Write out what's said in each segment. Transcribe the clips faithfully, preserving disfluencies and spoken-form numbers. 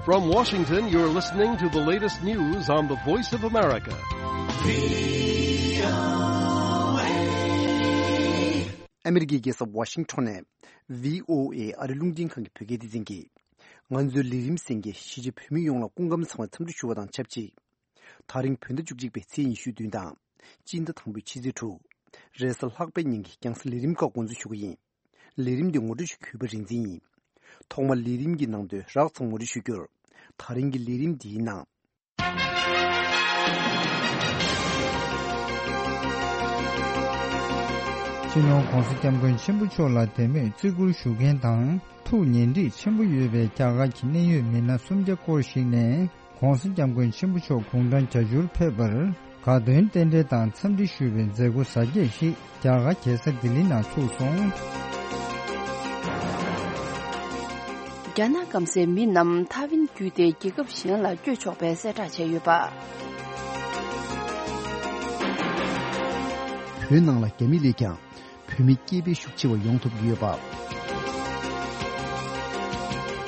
From Washington, you're listening to the latest news on the Voice of America. ཨ་མི་རི་ཀའི་རྒྱལ་ས་ཝ་ཤིང་ཊོན་ནས་བྷི་ཨོ་ཨེ་ཨ་རི་རླུང་འཕྲིན་ཁང་གི་བོད་སྐད་སྡེ་ཚན་གྱིས། ང་ཚོའི་ལས་རིམ་གསན་མཁན་གཞིས་བྱེས་བོད་མི་ཡོངས་ལ་སྐུ་ཁམས་བཟང་བའི་འཚམས་འདྲི་ཞུ་བ་དང་ཆབས་ཅིག་དེ་རིང་བོད་ཟླ་བཅུ་གཅིག་པའི་ཚེས་ཉི་ཤུ་བདུན་དང་། སྤྱི་ཟླ་དང་པོའི་ཕྱི་ཚེས་དྲུག་རེས་གཟའ་ལྷག་པའི་ཉིན་གྱི་རྒྱང་སྲིང་ལས་རིམ་ཁག་འགོ་འཛུགས་ཞུ་གི་ཡིན། ལས་རིམ་འདི་ངོ་སྤྲོད་ཞུ་གུས་པ་རིག་འཛིན་ཡིན། ཐོག་མར་ལས་རིམ་གྱི་ནང་དོན་རགས་ཙམ་ངོ་སྤྲོད་ཞུ་རྒྱུར། དེ་རིང་གི་ལས་རིམ་འདིའི་ནང་། སྤྱི་ནོར་༧གོང་ས་༧སྐྱབས་མགོན་ཆེན་པོ་མཆོག་ལ་དད་མོས་བརྩི་བཀུར་ཞུ་མཁན་དང་ཐུགས་ཉེ་འདྲིས་ཆེན་པོ་ཡོད་པའི་རྒྱ་གར་གྱི་གནད་ཡོད་མི་སྣ་སུམ་བརྒྱ་སྐོར་ཞིག་ནས། ༧གོང་ས་༧སྐྱབས་མགོན་ཆེན་པོ་མཆོག་དགུང་གྲངས་བརྒྱད་ཅུར་ཕེབས་པར་དགའ་སྟོན་རྟེན་འབྲེལ་དང་འཚམས་འདྲི་ཞུ་བའི་མཛད་སྒོ་གཟབ་རྒྱས་ཤིག་རྒྱ་གར་རྒྱལ་ས་ལྡི་ལི་ནང་ཚུགས་སོང་། རྒྱ་ནག་སྐམ་སའི་མི་རྣམས་ཐའེ་ཝན་བརྒྱུད་དེ་རྒྱལ་ཁབ་གཞན་ལ་བསྐྱོད་ཆོག་པའི་གསལ་བསྒྲགས་བྱས་ཡོད་པ། བོད་ནང་ལ་རྒྱ་མི་ལས་ཀྱང་བོད་མི་སྐྱེས་འཕེལ་ཤུགས་ཆེ་བ་ཡོང་ཐུབ་ཀྱི་ཡོད་པ།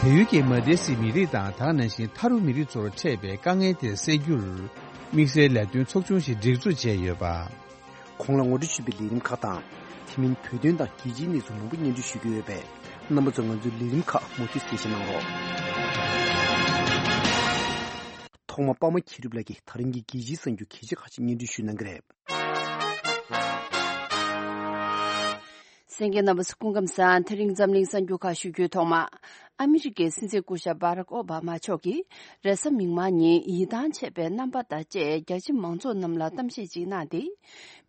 བལ་ཡུལ་གྱི་མ་དེ་སི་མི་རིགས་དང་དེ་ནང་བཞིན་ཐ་རུ་མི་རིགས་ཚོར་འཕྲད་པའི་དཀའ་ངལ་དེ་སེལ་རྒྱུར། དམིགས་བསལ་ལས་དོན་ཚོགས་ཆུང་ཞིག་སྒྲིག་འཛུགས་བྱས་ཡོད་པ། གོང་ལ་ངོ་སྤྲོད་ཞུས་པའི་ལས་རིམ་ཁག་དང་། དེ་མིན་བོད་དོན་དང་རྒྱལ་སྤྱིའི་གནས་ཚུལ་མང་པོ་སྙན་སྒྲོན་ཞུ་རྒྱུ་ཡོད་པས། རྣམ་པ་ཚོས་ང་ཚོའི་ལས་རིམ་ཁག་མུ་མཐུད་གསན་བཞེས་གནང་རོགས། ཐོག་མར་པདྨ་མཁྱེན་གྲུབ་ལགས་ཀྱིས་དེ་རིང་གི་རྒྱལ་སྤྱིའི་གསར་འགྱུར་གལ་ཆེ་ཁག་ཅིག་སྙན་སྒྲོན་ཞུ་གནང་གི་རེད། གསན་མཁན་རྣམ་པ་སྐུ་ཁམས་བཟང་། དེ་རིང་འཛམ་གླིང་གསར་འགྱུར་ཁག་ཞུ་རྒྱུའི་ཐོག་མ། ཨ་མི་རི་ཀའི་སྲིད་འཛིན་སྐུ་ཞབས་བྷ་རག་ཨོ་བྷ་མ་མཆོག་གིས་རེས་གཟའ་མིག་དམར་ཉིན་ཡིད་ཐང་ཆད་པའི་རྣམ་པ་དང་བཅས་རྒྱ་ཆེ་མང་ཚོགས་རྣམས་ལ་གཏམ་བཤད་ཅིག་གནང་སྟེ།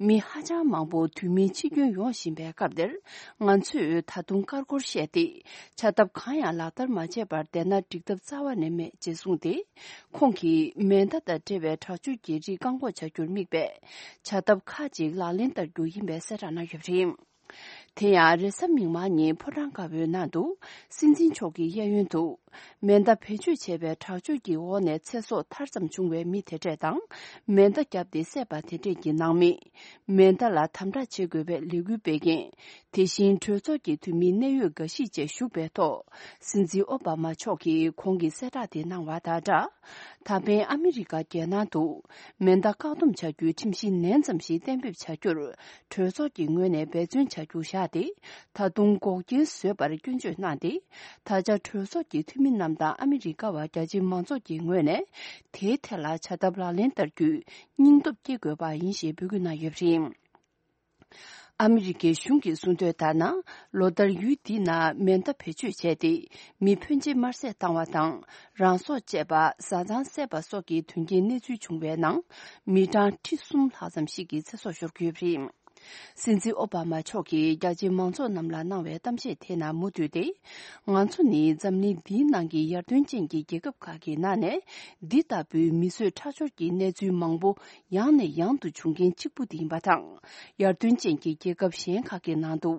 མི་ཧ་ཅང་མང་པོ་དུས་མིན་འཆི་སྐྱོན་ཡོང་བཞིན་པའི་སྐབས་འདིར། ང་ཚོས་ད་དུང་ཀར་ཀོར་བཤད་དེ། བྱ་ཐབས་གང་ཡང་ལག་བསྟར་མ་བྱས་པར་བསྡད་ན་འགྲིག་ཐབས་རྩ་བ་ནས་མེད་ཅེས་གསུངས་ཏེ། ཁོང་གིས་མེ་མདའ་དང་འབྲེལ་བའི་དྲག་སྤྱོད་ཀྱི་རིགས་བཀག་འགོག་བྱ་རྒྱུར་དམིགས་པའི་བྱ་ཐབས་ཁག་ཅིག་ལག་ལེན་བསྟར་རྒྱུ་ཡིན་པའི་གསལ་བསྒྲགས་གནང་ཡོད་པ་རེད། དེ་ཡང་རེས་གཟའ་མིག་དམར་ཉིན་ཕོ་བྲང་དཀར་པོའི་ནང་དུ་སྲིད་འཛིན་མཆོག་གི་གཡས་གཡོན་དུ་མེ་མདའ་བེད་སྤྱོད་བྱས་པའི་དྲག་སྤྱོད་ཀྱི་འོག་ནས་ཚེ་སྲོག་ཐར་ཙམ་བྱུང་བའི་མི་དེ་འདྲས་དང་། མེ་མདའ་བརྒྱབ་སྟེ་བསད་པ་དེ་འདྲས་ཀྱི་ནང་མི། མེ་མདའ་ལ་དམ་དྲག་བྱེད་དགོས་པའི་ལས་འགུལ་སྤེལ་མཁན། དེ་བཞིན་གྲོས་ཚོགས་ཀྱི་འཐུས་མི་གནད་ཡོད་འགའ་ཞིག་བཅས་ཞུགས་པའི་ཐོག་སྲིད་འཛིན་ཨོ་བྷ་མ་མཆོག་གིས་གོང་གི་གསལ་བསྒྲགས་དེ་གནང་བ་དང་སྦྲགས། ད་ཕན་ཨ་མི་རི་ཀ་རྒྱལ་ནང་དུ་མེ་མདའ་བཀག་སྡོམ་བྱ་རྒྱུའི་ཁྲིམས་གཞི་ནན་ཙམ་ཞིག་གཏན་འབེབས་བྱ་རྒྱུར་གྲོས་ཚོགས་ཀྱི་ངོས་ནས་འབད་བརྩོན་བྱ་རྒྱུ་བཞག་སྟེ། ད་དུང་འགོག་རྐྱེན་བཟོས་པར་སྐྱོན་བརྗོད་གནང་སྟེ། ད་ཆ་གྲོས་ཚོགས་ཀྱི་འཐུས་མི་རྣམས་དང་ཨ་མི་རི་ཀ་བ་རྒྱ་ཆེ་མང་ཚོགས་ཀྱི་ངོས་ནས་དེའི་ཐད་ལ་བྱ་ཐབས་ལག་ལེན་བསྟར་རྒྱུའི་སྙིང་སྟོབས་སྐྱེ་དགོས་པ་ཡིན་ཞེས་འབོད་སྐུལ་གནང་ཡོད་པ་རེད། ཨ་མི་རི་ཀའི་གཞུང་གིས་གསུངས་དོན་ལྟར་ན། ལོ་ལྟར་ཡུལ་འདི་ན་མེ་མདའ་བེད་སྤྱོད་བྱས་ཏེ། མི་ཕོན་ཆེ་དམར་བསད་བཏང་བ་དང་། རང་སྲོག་བཅད་པ། བཟའ་ཚང་བསད་པ་སོགས་ཀྱི་དོན་རྐྱེན་གནས་ཚུལ་བྱུང་བའི་ནང་། མི་གྲངས་ཁྲི་གསུམ་ལྷག་ཙམ་ཞིག་གི་ཚེ་སྲོག་ཤོར་གྱི་ཡོད་པ་རེད། སྲིད་འཛིན་ཨོ་བྷ་མ་མཆོག་གིས་རྒྱ་ཆེའི་མང་ཚོགས་རྣམས་ལ་གནང་བའི་གཏམ་བཤད་དེ་ནང་མུ་མཐུད་དེ། ང་ཚོ་ནི་འཛམ་གླིང་འདིའི་ནང་གི་ཡར་ཐོན་ཅན་གྱི་རྒྱལ་ཁབ་ཁག་གི་ནང་ནས། འདི་ལྟ་བུའི་མི་གསོད་ཁྲག་སྦྱོར་གྱི་གནས་ཚུལ་མང་པོ། ཡང་ནས་ཡང་དུ་བྱུང་མཁན་གཅིག་པུ་དེ་ཡིན་པ་དང་། ཡར་ཐོན་ཅན་གྱི་རྒྱལ་ཁབ་གཞན་ཁག་གི་ནང་དུ་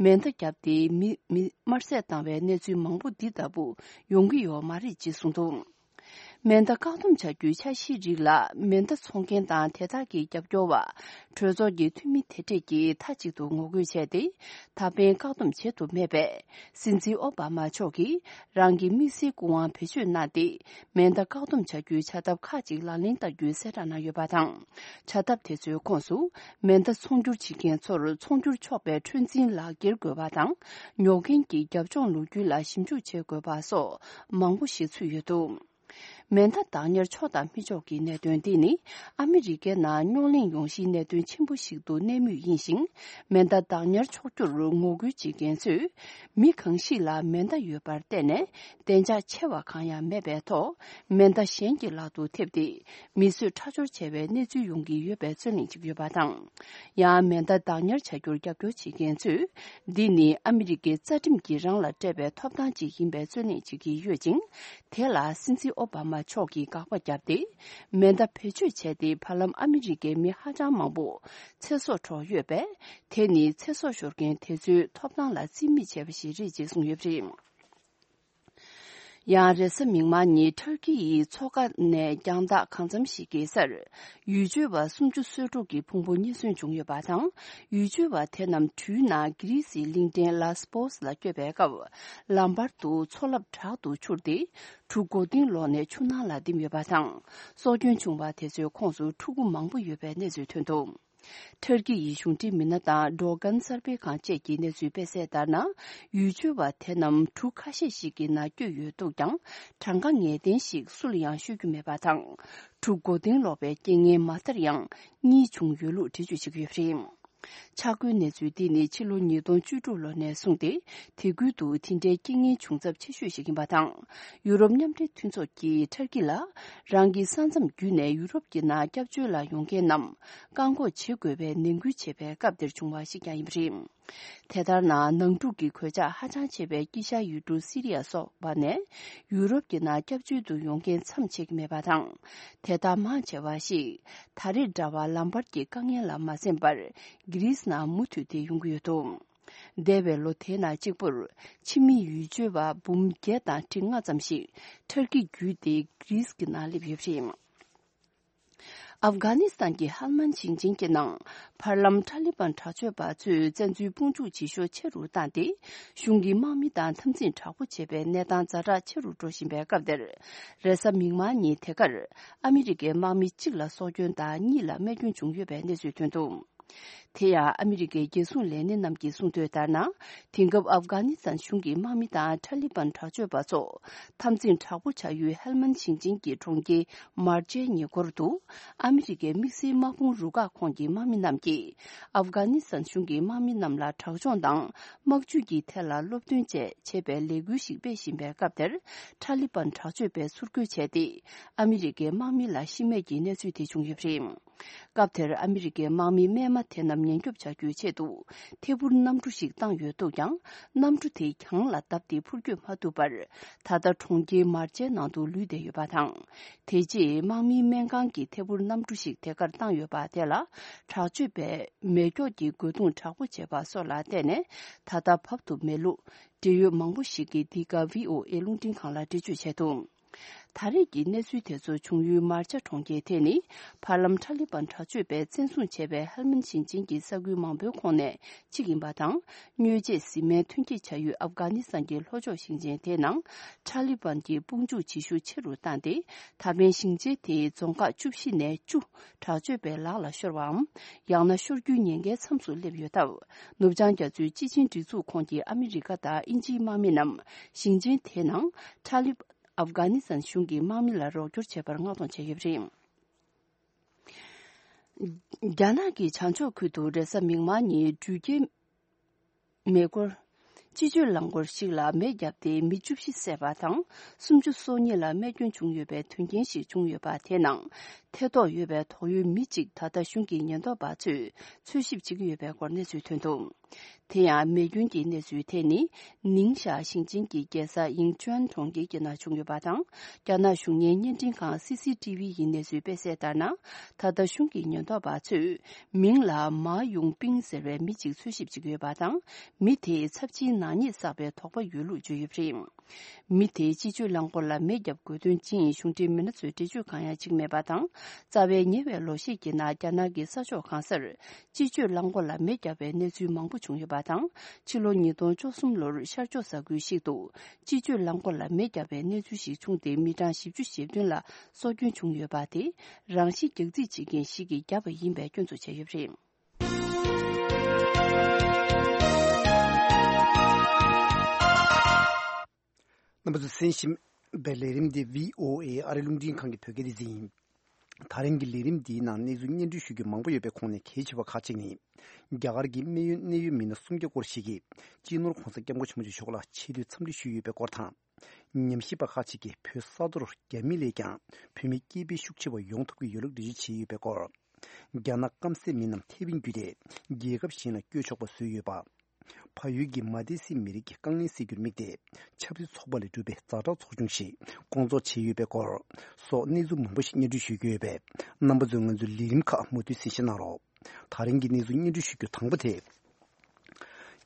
མེ་མདའ་བརྒྱབ་སྟེ་མི་མི་དམར་བསད་བཏང་བའི་གནས་ཚུལ་མང་པོ་འདི་ལྟ་བུ་ཡོང་གི་ཡོད་མ་རེད་ཅེས་གསུངས་འདུག་མེ་མདའ་བཀག་སྡོམ་བྱ་རྒྱུའི་འཆར་གཞིའི་རིགས་ལ་མེ་མདའ་འཚོང་མཁན་དང་དེ་དག་གི་རྒྱབ་སྐྱོར་བ། གྲོས་ཚོགས་ཀྱི་འཐུས་མི་དེ་འདྲས་ཀྱིས་མཐའ་གཅིག་ཏུ་ངོ་རྒོལ་བྱས་ཏེ། ད་ཕན་བཀག་སྡོམ་བྱེད་ཐུབ་མེད་པས། སྲིད་འཛིན་ཨོ་བྷ་མ་མཆོག་གིས་རང་གི་དམིགས་བསལ་སྐུ་དབང་བེད་སྤྱོད་གནང་སྟེ། མེ་མདའ་བཀག་སྡོམ་བྱ་རྒྱུའི་བྱ་ཐབས་ཁག་ཅིག་ལག་ལེན་བསྟར་རྒྱུའི་གསལ་བསྒྲགས་གནང་ཡོད་པ་དང་། བྱ་ཐབས་དེ་ཚོའི་ཁོངས་སུ། མེ་མདའ་ཚོང་སྒྱུར་བྱེད་མཁན་ཚོར་ཚོང་སྒྱུར་ཆོག་པའི་འཁྲོལ་འཛིན་ལག་འཁྱེར་དགོས་པ་དང་། ཉོ་མཁན་གྱི་རྒྱབ་ལྗོངས་ལོ་རྒྱུས་ལ་ཞིབ་འཇུག་བྱེད་དགོས་པ་སོགས་མང་པོ་ཞིག་ཚུད་ཡོད་འདུག་མེ་མདའ་བདག་ཉར་ཆོག་དང་མི་ཆོག་གི་གནད་དོན་འདི་ནི། ཨ་མི་རི་ཀའི་ནང་རྙོག་གླེང་ཡོང་གཞིའི་གནད་དོན་ཆེན་པོ་ཞིག་ཏུ་གནས་མུས་ཡིན་ཞིང་། མེ་མདའ་བདག་ཉར་ཆོག་རྒྱུར་ངོ་རྒོལ་བྱེད་མཁན་ཚོས། མི་གང་ཞིག་ལ་མེ་མདའ་ཡོད་པར་བརྟེན་ནས། བདེ་འཇགས་ཆེ་བ་གང་ཡང་མེད་པའི་ཐོག་མེ་མདའ་གཞན་གྱི་ལག་ཏུ་ཐེབས་ཏེ། མི་གསོད་ཁྲག་སྦྱོར་བྱས་པའི་གནས་ཚུལ་ཡོང་གི་ཡོད་པའི་རྩོད་གླེང་ཅིག་ཡོད་པ་དང་། ཡང་མེ་མདའ་བདག་ཉར་བྱ་རྒྱུར་རྒྱབ་སྐྱོར་བྱེད་མཁན་ཚོས། འདི་ནི་ཨ་མི་རི་ཀའི་རྩ་ཁྲིམས་ཀྱིས་རང་ལ་སྤྲད་པའི་ཐོབ་ཐང་ཅིག་ཡིན་པའི་རྩོད་གླེང་བྱེད་ཀྱི་ཡོད་ཅིང་། དེ་ལ་སྲིད་འཛིན་ཨོ་བྷ་མ་མཆོག་གིས་དགག་པ་བརྒྱབ་སྟེ། མེ་མདའ་བེད་སྤྱོད་བྱས་ཏེ་བར་ལམ་ཨ་མི་རི་ཀའི་མི་ཧ་ཅང་མང་པོ་ཚེ་སྲོག་འཕྲོག་ཡོད་པས། དེ་ནི་ཚེ་སྲོག་ཤོར་མཁན་དེ་ཚོའི་ཐོབ་ཐང་ལ་རྩིས་མེད་བྱས་པ་ཞིག་རེད་ཅེས་གསུངས་ཡོད་པ་རེད། ཡང་རེས་གཟའ་མིག་དམར་ཉིན་ཐར་ཀི་ཡི་མཚོ་ཁ་ནས་རྒྱང་ཐག་གང་འཚམ་ཞིག་གི་སར། ཡུལ་ཆོས་པ་སུམ་ཅུ་སོ་དྲུག་གི་ཕུང་པོ་རྙེད་སོན་བྱུང་ཡོད་པ་དང་། ཡུལ་ཆོས་པ་དེ་རྣམས་དུས་ནང་གྷི་རི་སིའི་གླིང་ཕྲན་ལ་སི་པོ་སི་ལ་བསྐྱོད་པའི་སྐབས། ལམ་བར་དུ་མཚོ་རླབས་དྲག་ཏུ་འཕྱུར་ཏེ། གྲུ་མགོ་རྟིང་སློག་ནས་ཆུ་ནང་ལ་ལྡིང་ཡོད་པ་དང་། སྲོག་སྐྱོན་བྱུང་བ་དེ་ཚོའི་ཁོངས་སུ་ཕྲུ་གུ་མང་པོ་ཡོད་པའི་གནས་ཚུལ་ཐོན་འདུག་ཐར་ཀི་ཡི་གཞུང་འབྲེལ་མི་སྣ་དང་ཌོ་གན་གསར་སྤེལ་ཁང་བཅས་ཀྱི་གནས་ཚུལ་སྤེལ་གསལ་ལྟར་ན། ཡུལ་ཆོས་པ་དེ་རྣམས་གྲུ་ཁ་ཤས་ཤིག་གི་ནང་བསྐྱོད་ཡོད་འདུག་ཀྱང་། གྲངས་ཀ་ངེས་གཏན་ཞིག་སུ་ལ་ཡང་ཤོད་རྒྱུ་མེད་པ་དང་། གྲུ་མགོ་རྟིང་སློག་པའི་རྐྱེན་ངན་མ་མཐར་ཡང་གཉིས་བྱུང་ཡོད་ལུགས་འགྲེལ་བརྗོད་བྱེད་ཀྱི་ཡོད་པ་རེད། ཆ་བགོས་གནས་ཚུལ་འདི་ནི་ཕྱི་ལོ་ཉིས་སྟོང་བཅུ་དྲུག་ལོ་ནས་བཟུང་སྟེ། དེ་ཁུལ་དུ་དེ་འདྲའི་རྐྱེན་ངན་བྱུང་ཚབས་ཆེ་ཤོས་ཤིག་ཡིན་པ་དང་། ཡུ་རོབ་མཉམ་འབྲེལ་མཐུན་ཚོགས་ཀྱིས་ཐར་ཀི་ལ། རང་གི་ས་མཚམས་བརྒྱུད་ནས་ཡུ་རོབ་ཀྱི་ནང་སྐྱབས་བཅོལ་ལ་ཡོང་མཁན་རྣམས་བཀག་འགོག་བྱེད་དགོས་པའི་ནན་སྐུལ་བྱེད་པའི་སྐབས་དེར་བྱུང་བ་ཞིག་ཀྱང་ཡིན་པ་རེད། དེ་ལྟར་ན། ནང་འཁྲུག་གི་གོད་ཆག་ཧ་ཅང་ཆེ་བའི་དཀྱིལ་ཤར་ཡུལ་གྲུ་སི་རི་ཡ་སོགས་པ་ནས་ཡུ་རོབ་ཀྱི་ནང་སྐྱབས་བཅོལ་དུ་ཡོང་མཁན་མཚམས་ཆད་ཀྱི་མེད་པ་དང་། དེ་དག་མང་ཆེ་བ་ཞིག་ད་རེས་འདྲ་བར་ལམ་བར་གྱི་དཀའ་ངལ་ལ་མ་གསན་པར། གྷི་རིས་ནང་མུ་མཐུད་དེ་ཡོང་གི་ཡོད་འདུག་འདས་པའི་ལོ་དེའི་ནང་གཅིག་པུར་ཕྱི་མི་ཡུལ་ཆོས་པ་འབུམ་བརྒྱད་དང་ཁྲི་ལྔ་ཙམ་ཞིག་ཐར་ཀི་བརྒྱུད་དེ་གྷི་རིས་ཀྱི་ནང་སླེབས་ཡོད་པ་རེད། ཨབ་གྷ་ནི་སི་ཐན་གྱི་ཧལ་མན་ཞིང་ཆེན་གྱི་ནང་ཕར་ལམ་ཁྲ་ལི་པན་དྲག་སྤྱོད་པ་ཚོས་བཙན་འཛུལ་དཔུང་འཇུག་བྱེད་ཤུགས་ཆེ་རུ་བཏང་སྟེ། གཞུང་གི་དམག་མི་དང་འཐབ་འཛིང་དྲག་པོ་བྱེད་པའི་གནས་སྟངས་ཛ་དྲག་ཆེ་རུ་འགྲོ་བཞིན་པའི་སྐབས་དེར། རེས་གཟའ་མིག་དམར་ཉིན་དེ་གར་ཨ་མི་རི་ཀའི་དམག་མི་གཅིག་ལ་སྲོག་སྐྱོན་དང་གཉིས་ལ་རྨས་སྐྱོན་བྱུང་ཡོད་པའི་གནས་ཚུལ་ཐོན་འདུག་དེ་ཡང་ཨ་མི་རི་ཀའི་རྒྱལ་སྲུང་ལས་སྣེ་རྣམས་ཀྱིས་གསུངས་དོན་ལྟར་ན། དེང་སྐབས་ཨབ་གྷ་ནི་སི་ཐན་གཞུང་གི་དམག་མི་དང་ཁྲ་ལི་པན་དྲག་སྤྱོད་པ་ཚོ་འཐབ་འཛིང་དྲག་པོ་བྱ་ཡུལ་ཧེལ་མན་ཞིང་ཆེན་གྱི་གྲོང་ཁྱེར་མར་ཅའི་ཉེ་འཁོར་དུ། ཨ་མི་རི་ཀའི་དམིགས་བསལ་དམག་དཔུང་རུ་ཁག་ཁོངས་ཀྱི་དམག་མི་རྣམས་ཀྱིས། ཨབ་གྷ་ནི་སི་ཐན་གཞུང་གི་དམག་མི་རྣམས་ལ་དྲག་སྦྱོང་དང་། དམག་ཇུས་ཀྱི་ཐད་ལ་སློབ་སྟོན་བཅས་བྱེད་པའི་ལས་འགུལ་ཞིག་སྤེལ་བཞིན་པའི་སྐབས་དེར། ཁྲ་ལི་པན་དྲག་སྤྱོད་པས་ཚུར་རྒོལ་བྱས་ཏེ། ཨ་མི་རི་ཀའི་དམག་མི་ལ་ཤི་རྨས་ཀྱི་གནས་ཚུལ་དེ་བྱུང་ཡོད་པ་རེད། སྐབས་དེར་ཨ་མི་རི་ཀའི་དམག་མི་རྨས་མ་དེ་རྣམས་ཉེན་སྐྱོབ་བྱ་རྒྱུའི་ཆེད་དུ། ཐད་འཕུར་གནམ་གྲུ་ཞིག་བཏང་ཡོད་འདུག་ཀྱང་། གནམ་གྲུ་དེ་གྱང་ལ་བརྡབས་ཏེ་འཕུར་སྐྱོད་མ་ཐུབ་པར། ད་ལྟ་གྲོང་ཁྱེར་མར་ཅའི་ནང་དུ་ལུས་བསྡད་ཡོད་པ་དང་། དེ་རྗེས་དམག་མིའི་སྨན་ཁང་གིས་ཐད་འཕུར་གནམ་གྲུ་ཞིག་དེ་གར་བཏང་ཡོད་པ་དེ་ལ། དྲག་སྤྱོད་པས་མེ་སྒྱོགས་ཀྱི་རྒོལ་རྡུང་དྲག་པོ་བྱས་པ་སོགས་ལ་བརྟེན་ནས། ད་ལྟ་བབས་ཐུབ་མེད་ལུགས། འབྲེལ་ཡོད་མང་པོ་ཞིག་གིས་འདི་ག་བྷི་ཨོ་ཨེ་རླུང་འཕྲིན་ཁང་ལ་འགྲེལ་བརྗོད་བྱས་འདུག་ད་རེས་ཀྱི་གནས་ཚུལ་དེ་ཚོ་བྱུང་ཡུལ་མར་ཅ་གྲོང་ཁྱེར་དེ་ནི། ཕར་ལམ་ཁྲ་ལི་པན་དྲག་སྤྱོད་པས་བཙན་བཟུང་བྱས་པའི་ཧལ་མན་ཞིང་ཆེན་གྱི་ས་ཁུལ་མང་པོའི་ཁོངས་ནས་གཅིག་ཡིན་པ་དང་། དངོས་རྗེས་བཟི་སྨན་ཐོན་སྐྱེད་བྱ་ཡུལ་ཨབ་གྷ་ནི་སི་ཐན་གྱི་ལྷོ་ཕྱོགས་ཞིང་ཆེན་དེའི་ནང་། ཁྲ་ལི་པན་གྱིས་དཔུང་འཇུག་བྱེད་ཤུགས་ཆེ་རུ་བཏང་སྟེ། ད་ཕན་ཞིང་ཆེན་དེའི་རྫོང་ཁག་བཅུ་བཞི་ནས་བཅུ། དྲག་སྤྱོད་པའི་ལག་ལ་ཤོར་བའམ། ཡང་ན་ཤོར་རྒྱུའི་ཉེན་ཁའི་མཚམས་སུ་སླེབས་ཡོད་སྟབས། ནུབ་བྱང་རྒྱ་མཚོའི་སྤྱི་ཆིངས་སྒྲིག་འཛུགས་ཁོངས་ཀྱི་ཨ་མི་རི་ཀ་དང་དབྱིན་ཇིའི་དམག་མི་རྣམས་ཞིང་ཆེན་དེའི་ནང་ཁྲ་ལི། ཨབ་གྷ་ནི་སི་ཐན་གཞུང་གི་དམག་མི་ལ་རོགས་སྐྱོར་བྱེད་པར་མངགས་གཏོང་བྱས་ཡོད་པ་རེད། རྒྱ་ནག་གི་བྱང་ཕྱོགས་ཁུལ་དུ་རེས་གཟའ་མིག་དམར་ཉིན་འགྲུལ་སྐྱེལ་མེ་འཁོར། སྤྱི་སྤྱོད་རླངས་འཁོར་ཞིག་ལ་མེ་བརྒྱབ་སྟེ་མི་བཅུ་བཞི་བསད་པ་དང་། སུམ་ཅུ་སོ་གཉིས་ལ་རྨས་སྐྱོན་བྱུང་ཡོད་པའི་དོན་རྐྱེན་ཞིག་བྱུང་ཡོད་པ་དེའི་ནང་། ཐེ་གཏོགས་ཡོད་པའི་དོགས་ཡོད་མི་གཅིག་ད་ལྟ་གཞུང་གི་ཉེན་རྟོག་པ་ཚོས་འཚོལ་ཞིབ་བྱེད་ཀྱི་ཡོད་པའི་སྐོར་གནས་ཚུལ་ཐོན་འདུག་དེ་ཡང་མེ་སྐྱོན་གྱི་གནས་ཚུལ་དེ་ནི། ནིང་ཞའོ་ཞིང་ཆེན་གྱི་རྒྱལ་ས་ཡིང་ཅུན་གྲོང་ཁྱེར་གྱི་ནང་བྱུང་ཡོད་པ་དང་། རྒྱ་ནག་གཞུང་གཉེར་བརྙན་འཕྲིན་ཁང་སི་སི་ཏི་བི་ཡིས་གནས་ཚུལ་སྤེལ་གསལ་ལྟར་ན། ད་ལྟ་གཞུང་གི་ཉེན་རྟོག་པ་ཚོས་མིང་ལ་མཱ་ཡུང་པིང་ཟེར་བའི་མི་གཅིག་འཚོལ་ཞིབ་བྱེད་ཀྱི་ཡོད་པ་དང་། མི་དེས་ཚབས་ཆེའི་ནག་ཉེས་བསགས་པའི་དོགས་པ་ཡོད་ལུགས་བརྗོད་ཡོད་པ་རེད། མི་དེས་སྤྱི་སྤྱོད་རླངས་འཁོར་ལ་མེ་བརྒྱབ་དགོས་དོན་ཅི་ཡིན་གཞུང་འབྲེལ་མི་སྣ་ཚོས་འགྲེལ་བརྗོད་གང་ཡང་བྱེད་ཀྱི་མེད་པ་དང་། རྩ་བའི་ཉེ་བའི་ལོ་ཤས་ཀྱི་ནང་རྒྱ་ནག་གི་ས་ཕྱོགས་གང་སར་སྤྱི་སྤྱོད་རླངས་འཁོར་ལ་མེ་བརྒྱབ་པའི་གནས་ཚུལ་མང་པོ་བྱུང་ཡོད་པ་དང་། ཕྱི་ལོ་ཉིས་སྟོང་བཅུ་གསུམ་ལོར་ཤར་ཕྱོགས་ས་ཁུལ་ཞིག་ཏུ་སྤྱི་སྤྱོད་རླངས་འཁོར་ལ་མེ་བརྒྱབ་པའི་གནས་ཚུལ་ཞིག་བྱུང་སྟེ། མི་གྲངས་བཞི་བཅུ་ཞེ་བདུན་ལ་སྲོག་སྐྱོན་བྱུང་ཡོད་པ་དེ་རང་ཤི་རྒྱག་རྩིས་བྱེད་མཁན་ཞིག་གིས་བརྒྱབ་པ་ཡིན་པའི་སྐྱོན་འཛུགས་བྱས་ཡོད་པ་རེད། རྣམ་པ་ཚོས་གསན་བཞིན་པའི་ལས་རིམ་འདི་བྷི་ཨོ་ཨེ་ཨ་རི་རླུང་འཕྲིན་ཁང་གི་བོད་སྐད་སྡེ་ཚན་ཡིན། ད་རིང་གི་ལས་རིམ་འདིའི་ནང་གནས་ཚུལ་སྙན་སྒྲོན་ཞུ་རྒྱུ་མང་པོ་ཡོད་པའི་ཁོངས་ནས་གལ་ཆེ་བ་ཁག་ཅིག་ནི། རྒྱ་གར་གྱི་གནད་ཡོད་གནད་ཡོད་མི་སྣ་སུམ་བརྒྱ་སྐོར་ཞིག་གིས་སྤྱི་ནོར་༧གོང་ས་༧སྐྱབས་མགོན་ཆེན་པོ་མཆོག་ལ་ཆེ་བསྟོད་འཚམས་འདྲི་ཞུས་ཡོད་པའི་སྐོར་དང་། ཉམས་ཞིབ་པ་ཁག་ཅིག་གིས་བོད་ས་མཐོར་རྒྱ་མི་ལས་ཀྱང་བོད་མི་སྐྱེས་འཕེལ་ཤུགས་ཆེ་བ་ཡོང་ཐུབ་ཀྱི་ཡོད་ལུགས་འགྲེལ་བརྗོད་བྱས་ཡོད་པའི་སྐོར། རྒྱ་ནག་སྐམ་སའི་མི་རྣམས་ཐེ་ཝན་བརྒྱུད་དེ་རྒྱལ་ཁབ་གཞན་ལ་བསྐྱོད་ཆོག་པ་བཟོས་ཡོད་པ། ཕ་ཡུལ་གྱི་མ་ཏི་སི་མི་རིགས་ཀྱི་དཀའ་ངལ་སེལ་རྒྱུར་དམིགས་ཏེ་ཆབ་སྲིད་ཚོགས་པ་ལས་གྲུབ་པའི་ཛ་དྲག་ཚོགས་ཆུང་ཞིག་སྐོང་ཚོགས་བྱས་ཡོད་པའི་སྐོར་སོགས་གནས་ཚུལ་མང་པོ་ཞིག་སྙན་སྒྲོན་ཞུ་རྒྱུ་ཡོད་པས། རྣམ་པ་ཚོས་ང་ཚོའི་ལས་རིམ་ཁག་མུ་མཐུད་གསན་བཞེས་གནང་རོགས། ད་རིང་གི་གནས་ཚུལ་སྙན་སྒྲོན་ཞུ་རྒྱུ་དང་པོ་དེ།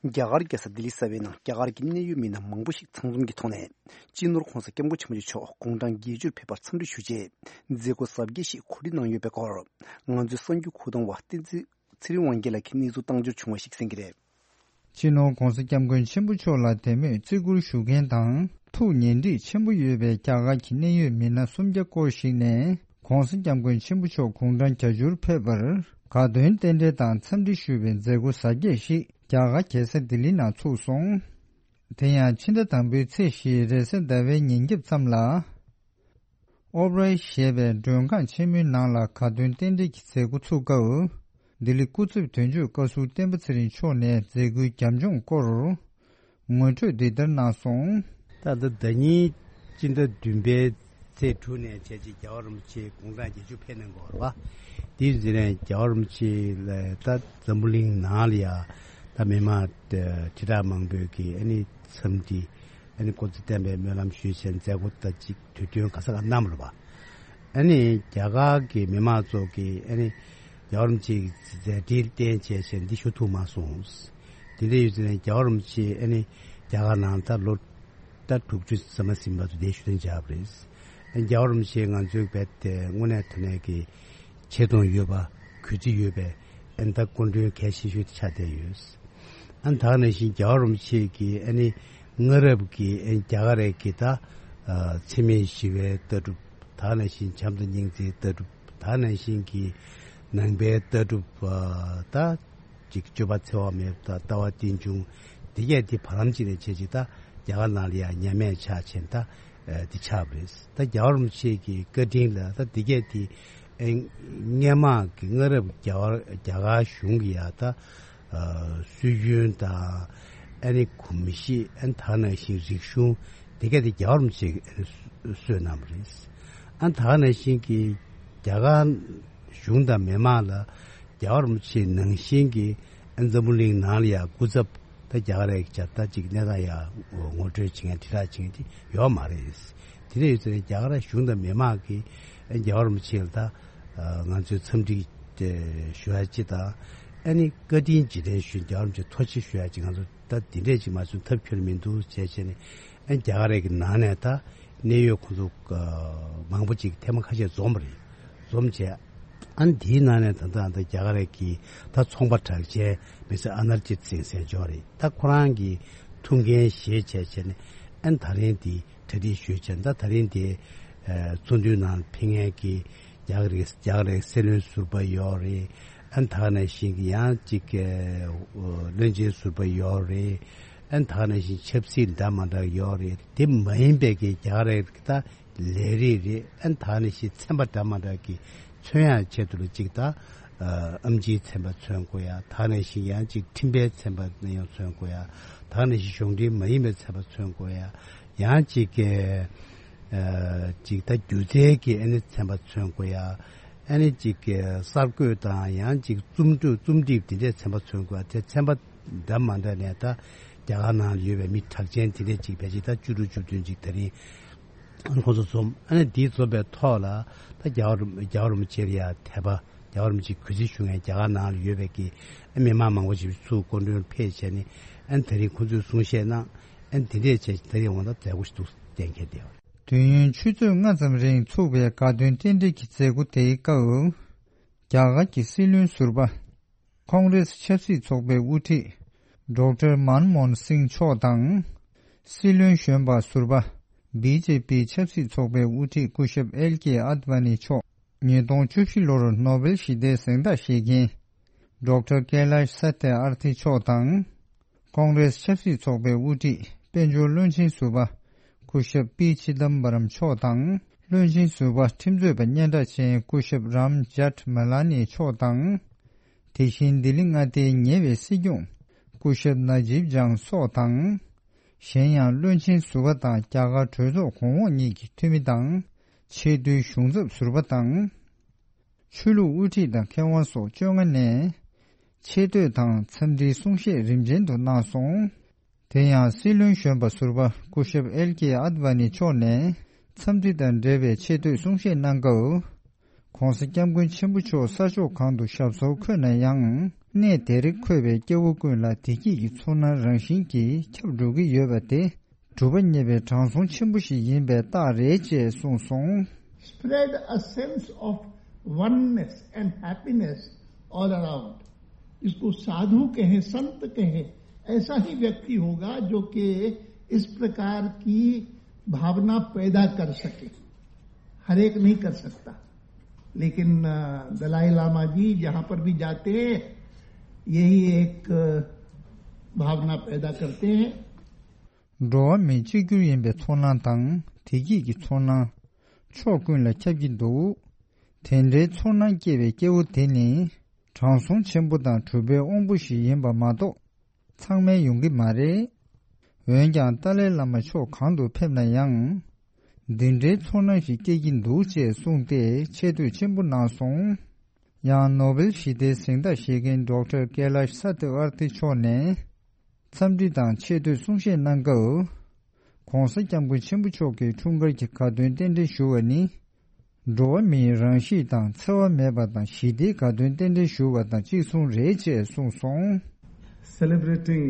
རྒྱ་གར་རྒྱལ་ས་ལྡི་ལི་གསར་པའི་ནང་རྒྱ་གར་གྱི་གནད་ཡོད་མི་སྣ་མང་པོ་ཞིག་ཚང་འཛོམས་ཀྱི་ཐོག་ནས། སྤྱི་ནོར་༧གོང་ས་༧སྐྱབས་མགོན་ཆེན་པོ་མཆོག་དགུང་གྲངས་བརྒྱད་ཅུར་ཕེབས་པར་འཚམས་འདྲི་ཞུ་ཆེད། མཛད་སྒོ་གཟབ་རྒྱས་ཤིག་གོ་སྒྲིག་གནང་ཡོད་པའི་སྐོར། ང་ཚོའི་གསར་འགྱུར་ཁུག་གཏོང་བ་བསྟན་འཛིན་ཚེ་རིང་དབང་རྒྱལ་ལགས་ཀྱིས་གནས་ཚུལ་བཏང་འབྱོར་བྱུང་བ་ཞིག་གསན་གྱི་རེད། སྤྱི་ནོར་༧གོང་ས་༧སྐྱབས་མགོན་ཆེན་པོ་མཆོག་ལ་དད་མོས་བརྩི་བཀུར་ཞུ་མཁན་དང་ཐུགས་ཉེ་འདྲིས་ཆེན་པོ་ཡོད་པའི་རྒྱ་གར་གྱི་གནད་ཡོད་མི་སྣ་སུམ་བརྒྱ་སྐོར་ཞིག་ནས། ༧གོང་ས་༧སྐྱབས་མགོན་ཆེན་པོ་མཆོག་དགུང་གྲངས་བརྒྱད་ཅུར་ཕེབས་པར་དགའ་སྟོན་རྟེན་འབྲེལ་དང་འཚམས་འདྲི་ཞུ་བའི་མཛད་སྒོ་གཟབ་རྒྱས་ཤིག་རྒྱ་གར་རྒྱལ་ས་ལྡི་ལི་ནང་ཚུགས་སོང་། དེ་ཡང་ཕྱི་ཟླ་དང་པོའི་ཚེས་བཞི་རེས་གཟའ་ཟླ་བའི་ཉིན་རྒྱབ་ཙམ་ལ། ཨོབ་རའི་ཞེས་པའི་མགྲོན་ཁང་ཆེན་མོའི་ནང་ལ་དགའ་སྟོན་རྟེན་འབྲེལ་གྱི་མཛད་སྒོ་ཚུགས་སྐབས། ལྡི་ལི་སྐུ་ཚབ་དོན་གཅོད་བཀའ་ཟུར་བསྟན་པ་ཚེ་རིང་མཆོག་ནས་མཛད་སྒོའི་རྒྱབ་ལྗོངས་སྐོར། ངོ་སྤྲོད་འདི་ལྟར་གནང་སོང་། ད་ལྟ་ཟླ་ཉིན་སྤྱི་ཟླ་བདུན་པའི་ཚེས་དྲུག་ནས་བྱས་རྗེས་རྒྱལ་བ་རིན་པོ་ཆེ་དགུང་གྲངས་བརྒྱད་ཅུ་ཕེབས་གནང་གི་ཡོད་རེད་པ། དེའི་རྗེས་ནས་རྒྱལ་བ་རིན་པོ་ཆེ་ལ་ད་འཛམ་བུ་གླིང་ནང་ལ་ཡ་ད་མི་མང་དྲིལ་བསྒྲགས་མང་པོས་ཀྱི་ཨ་ནི་འཚམས་འདྲི་ཨ་ནི་སྐུ་ཚེ་བརྟན་པའི་སྨོན་ལམ་ཞུས་བྱས་མཛད་སྒོ་ད་ཅིག་དུས་སྟོན་ག་ས་ག་གནང་བ་རེད་པ། ཨ་ནི་རྒྱ་གར་གྱི་མི་མང་ཚོ་གིས་ཨ་ནི་རྒྱལ་བ་རིན་པོ་ཆེ་གི་མཛད་འཕྲིན་བསྟན་བྱས་བྱས་འདི་ཞུ་ཐུབ་མ་སོང་། དེ་འདྲ་ཡོད་ཙང་རྒྱལ་བ་རིན་པོ་ཆེ་ཨ་ནི་རྒྱ་གར་ནང་ད་ལོ་ད་དྲུག་ཅུ་ཟིན་མ་ཟིན་བར་དུ་འདིར་བཞུགས་གདན་འཇགས་པ་རེད། ཨ་ནི་རྒྱལ་བ་རིན་པོ་ཆེ་ང་ཚོའི་བོད་དེ་དངོས་གནས་དྲང་གནས་ཀྱི་ཆེ་མཐོང་ཡོད་པ་གུས་བརྩི་ཡོད་པའི་ཨ་ནི་ད་སྐུ་མགྲོན་གལ་ཆེ་ཤོས་དེ་ཆགས་བསྡད་ཡོད། ཨ་ནི་ད་ག་ནང་བཞིན་རྒྱལ་བ་རིན་པོ་ཆེ་གིས་ཨ་ནི་སྔ་རབས་ཀྱི་ཨ་ནི་རྒྱ་གར་རྒྱལ་ཁབ་ཀྱི་ད་འཚེ་མེད་ཞི་བའི་ལྟ་གྲུབ། ད་ག་ནང་བཞིན་བྱམས་དང་སྙིང་རྗེའི་ལྟ་གྲུབ། ད་ག་ནང་བཞིན་གྱི་ནང་པའི་ལྟ་གྲུབ། ད་ཅིག་སྤྱོད་པ་འཚེ་བ་མེད་པ་དང་ལྟ་བ་རྟེན་འབྱུང་། འདི་གས་དེ་བར་ལམ་ཅིག་ནས་བྱས་ཅིག་ད་རྒྱ་གར་ནང་ལ་ཡང་ཉམས་དམས་ཆགས་ཆེན་ད་འདི་ཆགས་པ་རེད། ད་རྒྱལ་བ་རིན་པོ་ཆེ་གི་བཀའ་དྲིན་ལ་ད་འདི་གས་དེ་སྔས་མ་གི་སྔ་རབས་རྒྱ་གར་རྒྱ་གར་གཞུང་གི་ཡ་ད་སྲོལ་རྒྱུན་དང་ཨ་ནི་གོམས་གཤིས། ཨ་ནི་ད་ག་ནང་བཞིན་རིག་གཞུང་འདི་གས་དེ་རྒྱལ་བ་རིན་པོ་ཆེ་གིས་ཨ་ནི་གསོས་གནང་བ་རེད། ཨ་ནི་ད་ག་ནང་བཞིན་གྱི་རྒྱ་གར་གཞུང་དང་མི་མང་ལ་རྒྱལ་བ་རིན་པོ་ཆེ་ནང་བཞིན་གྱི་ཨ་ནི་འཛམ་བུ་གླིང་ནང་ལ་ཡང་སྐུ་ཚབ་ད་རྒྱ་གར་རྒྱལ་ཁབ་ད་ཅིག་གནས་སྟངས་ཡང་ངོ་སྤྲོད་བྱེད་མཁན་དྲིལ་བསྒྲགས་བྱེད་མཁན་དེ་ཡོད་མ་རེད། དེ་འདྲ་ཡོད་ཙང་རྒྱ་གར་གཞུང་དང་མི་མང་གིས་ཨ་ནི་རྒྱལ་བ་རིན་པོ་ཆེ་ལ་ད་ང་ཚོས་འཚམས་འདྲི་ཞུ་ཡ་ཅིག་དང་། ཨ་ནི་བཀའ་དྲིན་རྗེས་དྲན་ཞུ་རྒྱལ་བ་རིན་པོ་ཆེ་ཐུགས་རྗེ་ཆེ་ཞུ་ཡ་ཅིག་ང་ཚོ་ད་འདི་འདྲས་ཅིག་མ་བྱུང་ཐབས་ཁྱོན་མི་འདུག་བྱས་བྱས་ནས། ཨ་ནི་རྒྱ་གར་རྒྱལ་ཁབ་ཀྱི་ནང་ནས་ད་གནད་ཡོད་ཁོང་ཚོ་མང་པོ་ཅིག་ཐེངས་མ་ཁ་ཤས་འཛོམས་པ་རེད། འཛོམས་བྱས། ཨ་ནི་དེའི་ནང་ནས་ད་ལྟ་ད་རྒྱ་གར་རྒྱལ་ཁབ་ཀྱི་ད་ཚོང་པ་གྲགས་ཅན་མི་སེར་ཨ་ནར་ཇིད་སིང་ཟེར་མཁན་ཅིག་ཡོད་རེད། ད་ཁོ་རང་གིས་ཐུགས་འགན་བཞེས་བྱས་བྱས་ནས་ཨ་ནི་ད་རིང་འདི་གྲ་སྒྲིག་ཞུས་བྱས། ད་ད་རིང་འདི་ཚོགས་འདུའི་ནང་ཕེབས་མཁན་གྱི་རྒྱ་གར་རྒྱ་གར་སྲིད་བློན་ཟུར་པ་ཡོད་རེད། ཨ་ནི་ད་ག་ནང་བཞིན་གྱི་ཡང་ཅིག་བློན་ཆེན་ཟུར་པ་ཡོད་རེད། ཨ་ནི་ད་ག་ནང་བཞིན་ཆབ་སྲིད་འདྲ་མི་འདྲ་ཡོད་རེད། དེ་མ་ཡིན་པའི་གི་རྒྱ་གར་རྒྱལ་ཁབ་ཀྱི་ད་ལས་རིགས་རེད། ཨ་ནི་ད་ག་ནང་བཞིན་ཚན་པ་འདྲ་མི་འདྲ་གི་མཚོན་ཡག་ཆེད་དུ་ལ་ཅིག་ད་ཨེམ་ཆིའི་ཚན་པ་མཚོན་དགོས་ཡ། ད་ག་ནང་བཞིན་ཡང་ཅིག་འཕྲིན་པའི་ཚན་པ་ཡང་མཚོན་དགོས་ཡ། ད་ག་ནང་བཞིན་གཞུང་འབྲེལ་མ་ཡིན་པའི་ཚན་པ་མཚོན་དགོས་ཡ། ཡང་ཅིག་ཨ་ཅིག་ད་སྒྱུ་རྩལ་གྱི་ཨ་ནི་ཚན་པ་མཚོན་དགོས་ཡ། ཨ་ནི་ཅིག་གསར་འགོད་དང་ཡང་ཅིག་རྩོམ་སྒྲིག་རྩོམ་སྒྲིག་དེ་འདྲའི་ཚན་པ་མཚོན་དགོས་ཡ། དེ་ཚན་པ་འདྲ་མི་འདྲ་ནས་ད་རྒྱ་གར་ནང་ལ་ཡོད་པའི་མི་གྲགས་ཅན་དེ་འདྲས་ཅིག་ཕལ་ཆེར་ད་བཅུ་དྲུག་བཅུ་བདུན་ཅིག་ད་རིང་ཁོང་ཚོ་འཛོམས། ཨ་ནི་འདི་འཛོམས་པའི་ཐོག་ལ་ད་རྒྱལ་བ་རིན་རྒྱལ་བ་རིན་པོ་ཆེ་ལ་ཡ་དད་པ། རྒྱལ་བ་རིན་པོ་ཆེ་གུས་བརྩི་ཞུ་མཁན་རྒྱ་གར་ནང་ལ་ཡོད་པའི་གི་ཨ་མི་མང་མང་པོ་ཞིག་ཚུར་སྐུ་མགྲོན་ཕེབས་བྱས་ནས་ཨ་ནི་ད་རིང་ཁོང་ཚོས་གསུང་བཤད་གནང་། ཨ་ནི་དེ་འདྲས་བྱས་ད་རིང་འོང་ད་མཛད་སྒོ་ཞིག་འདུག་གཏན་འཁེལ་བསྡད་ཡོད། དུས་ཡུན་ཆུ་ཚོད་ལྔ་ཙམ་རིང་ཚུགས་པའི་དགའ་སྟོན་རྟེན་འབྲེལ་གྱི་མཛད་སྒོ་དེའི་སྐབས། རྒྱ་གར་གྱི་སྲིད་བློན་ཟུར་པ། ཁོང་རེས་ཆབ་སྲིད་ཚོགས་པའི་དབུ་ཁྲིད། ཌོག་ཊར་མན་མོ་ཧན་སིང་མཆོག་དང་། སྲིད་བློན་གཞོན་པ་ཟུར་པ། བི་ཇེ་པི་ཆབ་སྲིད་ཚོགས་པའི་དབུ་ཁྲིད་སྐུ་ཞབས་ཨེལ་ཀེ་ཨད་ཝ་ནི་མཆོག་ཉིས་སྟོང་བཅུ་བཞི་ལོར་ནོ་བེལ་ཞི་བདེའི་གཟེངས་རྟགས་བཞེས་མཁན། ཌོག་ཊར་ཀེ་ལཱཤ་ས་ཏེ་ཨར་ཐི་མཆོག་དང་། ཀོང་རེས་ཆབ་སྲིད་ཚོགས་པའི་དབུ་ཁྲིད་དཔལ་འབྱོར་བློན་ཆེན་ཟུར་པ་སྐུ་ཞབས་པི་ཆི་དམ་པ་རམ་མཆོག་དང་། བློན་ཆེན་ཟུར་པ་ཁྲིམས་རྩོད་པ་སྙན་གྲགས་ཅན་སྐུ་ཞབས་རམ་ཇཱཊ་མ་ལ་ནི་མཆོག་དང་། དེ་བཞིན་ལྡི་ལི་མངའ་སྡེའི་ཉེ་བའི་སྲིད་སྐྱོང་སྐུ་ཞབས་ན་ཇིབ་ཇང་སོགས་དང་། གཞན་ཡང་བློན་ཆེན་ཟུར་པ་དང་རྒྱ་གར་གྲོས་ཚོགས་གོང་འོག་གཉིས་ཀྱི་འཐུས་མི་དང་། ཆེས་མཐོའི་གཞུང་ཚབ་ཟུར་པ་དང་། ཆོས་ལུགས་དབུ་ཁྲིད་དང་མཁས་དབང་སོགས་བཅོ་ལྔ་ནས་ཆེ་བསྟོད་དང་འཚམས་འདྲིའི་གསུང་བཤད་རིམ་ཅན་དུ་གནང་སོང་། དེ་ཡང་སྲིད་བློན་གཞོན་པ་ཟུར་པ་སྐུ་ཞབས་ཨེལ་ཀེ་ཨད་ཝ་ནི་མཆོག་ནས་འཚམས་འདྲི་དང་འབྲེལ་བའི་ཆེ་བསྟོད་གསུང་བཤད་གནང་སྐབས། ྋགོང་ས་ྋསྐྱབས་མགོན་ཆེན་པོ་མཆོག་ས་ཕྱོགས་གང་དུ་ཞབས་སོར་འཁོད་ན་ཡང་ གནས་དེར་འཁོད་པའི་སྐྱེ་བོ་ཀུན་ལ་བདེ་སྐྱིད་ཀྱི་ཚོར་སྣང་རང་བཞིན་གྱིས་ཁྱབ་འགྲོ་གི་ཡོད་པ་དེ་གྲུབ་པ་བརྙེས་པའི་དྲང་སྲོང་ཆེན་པོ་ཞིག་ཡིན་པའི་རྟགས་རེད་ཅེས་གསུངས་སོང་། Spread a sense of oneness and happiness all around. इसको साधु कहें, संत कहें, ऐसा ही व्यक्ति होगा जो कि इस प्रकार की भावना पैदा कर सके। हर एक नहीं कर सकता, लेकिन अ, दलाई लामा जी जहां पर भी जाते हैं, यही एक अ, भावना पैदा करते हैं। འགྲོ་བ་མིའི་གཅིག་གྱུར་ཡིན་པའི་ཚོར་སྣང་དང་བདེ་སྐྱིད་ཀྱི་ཚོར་སྣང་ཕྱོགས་ཀུན་ལ་ཁྱབ་ཀྱི་འདུག་དེ་འདྲའི་ཚོར་སྣང་སྐྱེས་པའི་སྐྱེ་བོ་དེ་ནི་དྲང་སྲོང་ཆེན་པོ་དང་གྲུབ་པའི་དབང་པོ་ཞིག་ཡིན་པ་མ་གཏོགས་ཚང་མས་ཡོང་གི་མ་རེད། འོན་ཀྱང་ཏཱ་ལའི་བླ་མ་ཕྱོགས་གང་དུ་ཕེབས་ན་ཡང་། འདི་འདྲའི་ཚོར་སྣང་ཞིག་སྐྱེ་གི་འདུག་ཅེས་གསུངས་ཏེ་ཆེ་བསྟོད་ཆེན་པོ་གནང་སོང་། ཡང་ནོ་བེལ་ཞི་བདེའི་གཟེངས་རྟགས་བཞེས་མཁན་ཌོག་ཊར་ཀེ་ལཱཤ་ས་ཏི་ཨར་ཐི་མཆོག་ནས་འཚམས་འདྲི་དང་ཆེ་བསྟོད་གསུང་བཤད་གནང་སྐབས། ྋགོང་ས་ྋསྐྱབས་མགོན་ཆེན་པོ་མཆོག་གིས་འཁྲུངས་སྐར་གྱི་དགའ་སྟོན་རྟེན་འབྲེལ་ཞུ་བ་ནི། འགྲོ་བ་མིའི་རང་གཤིས་དང་འཚེ་བ་མེད་པ་དང་ཞི་བདེའི་དགའ་སྟོན་རྟེན་འབྲེལ་ཞུ་བ་དང་གཅིག་མཚུངས་རེད་ཅེས་གསུངས་སོང་། Celebrating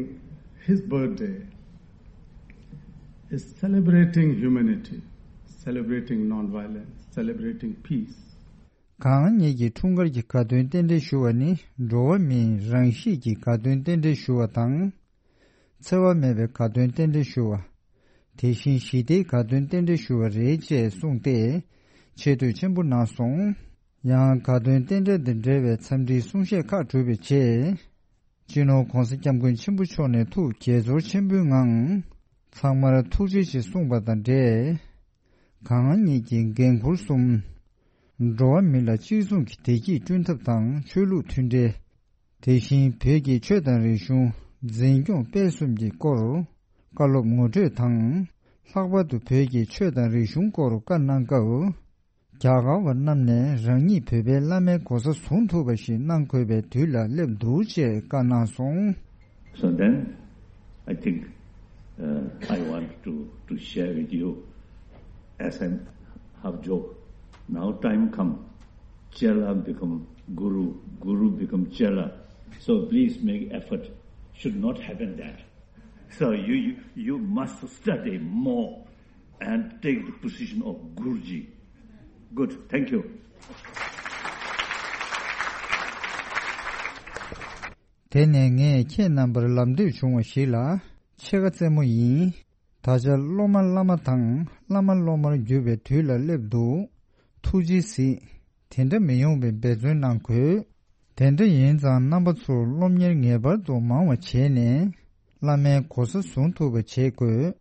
his birthday is celebrating humanity, celebrating non-violence, celebrating peace. གང་ཉིད་ཀྱི་འཁྲུངས་སྐར་གྱི་དགའ་སྟོན་རྟེན་འབྲེལ་ཞུ་བ་ནི་འགྲོ་བ་མིའི་རང་གཤིས་ཀྱི་དགའ་སྟོན་རྟེན་འབྲེལ་ཞུ་བ་དང་། འཚེ་བ་མེད་པའི་དགའ་སྟོན་རྟེན་འབྲེལ་ཞུ་བ། དེ་བཞིན་ཞི་བདེའི་དགའ་སྟོན་རྟེན་འབྲེལ་ཞུ་བ་རེད་ཅེས་གསུངས་ཏེ། ཆེ་བསྟོད་ཆེན་པོ་གནང་སོང་། ཡང་དགའ་སྟོན་རྟེན་འབྲེལ་དང་འབྲེལ་བའི་འཚམས་འདྲིའི་གསུང་བཤད་ཁག་གྲུབ་པའི་རྗེས། སྤྱི་ནོར་ྋགོང་ས་ྋསྐྱབས་མགོན་ཆེན་པོ་མཆོག་ནས་ཐུགས་དགྱེས་ཚོར་ཆེན་པོའི་ངང་། ཚང་མར་ཐུགས་རྗེ་ཆེ་གསུངས་པ་དང་འབྲེལ། གང་ཉིད་ཀྱི་འགན་ཁུར་གསུམ། འགྲོ་བ་མི་ལ་གཅིག་མཚུངས་ཀྱི་བདེ་སྐྱིད་བསྐྲུན་ཐབས་དང་ཆོས་ལུགས་མཐུན་འབྲེལ། དེ་བཞིན་བོད་ཀྱི་ཆོས་དང་རིག་གཞུང་འཛིན་སྐྱོང་སྤེལ་གསུམ་གྱི་སྐོར་བཀའ་སློབ་ངོ་སྤྲོད་དང་། ལྷག་པར་དུ་བོད་ཀྱི་ཆོས་དང་རིག་གཞུང་སྐོར་བཀའ་གནང་སྐབས། རྒྱ་གར་བ་རྣམས་ནས་རང་ཉིད་བོད་པའི་བླ་མའི་གོ་ས་བཟུང་ཐུབ་པ་ཞིག་གནང་དགོས་པའི་དུས་ལ་སླེབས་འདུག་ཅེས་བཀའ་གནང་སོང་། So then, I think uh, I want to, to share with you, as I have joked, now time come, Chela become Guru, Guru become Chela. So please make effort. Should not happen that. So you, you, you must study more and take the position of Guruji. Good. Thank you. དེ་ནས་ངས་ཁྱེད་རྣམ་པར་ལམ་སྟོན་བྱུང་བ་ཞིག་ལ་ཕྱེད་ཀ་རྩེད་མོ་ཡིན། ད་ཆ་སློབ་མ་བླ་མ་དང་བླ་མ་སློབ་མར་འགྱུར་བའི་དུས་ལ་སླེབས་འདུག་ཐུགས་རྗེས་གཟིགས། དེ་འདྲ་མི་ཡོང་བའི་འབད་བརྩོན་གནང་དགོས། དེ་འདྲ་ཡིན་ཙང་རྣམ་པ་ཚོར་སློབ་གཉེར་ངེས་པར་དུ་མང་བ་བྱས་ནས་བླ་མའི་གོ་ས་བཟུང་ཐུབ་པ་བྱེད་དགོས།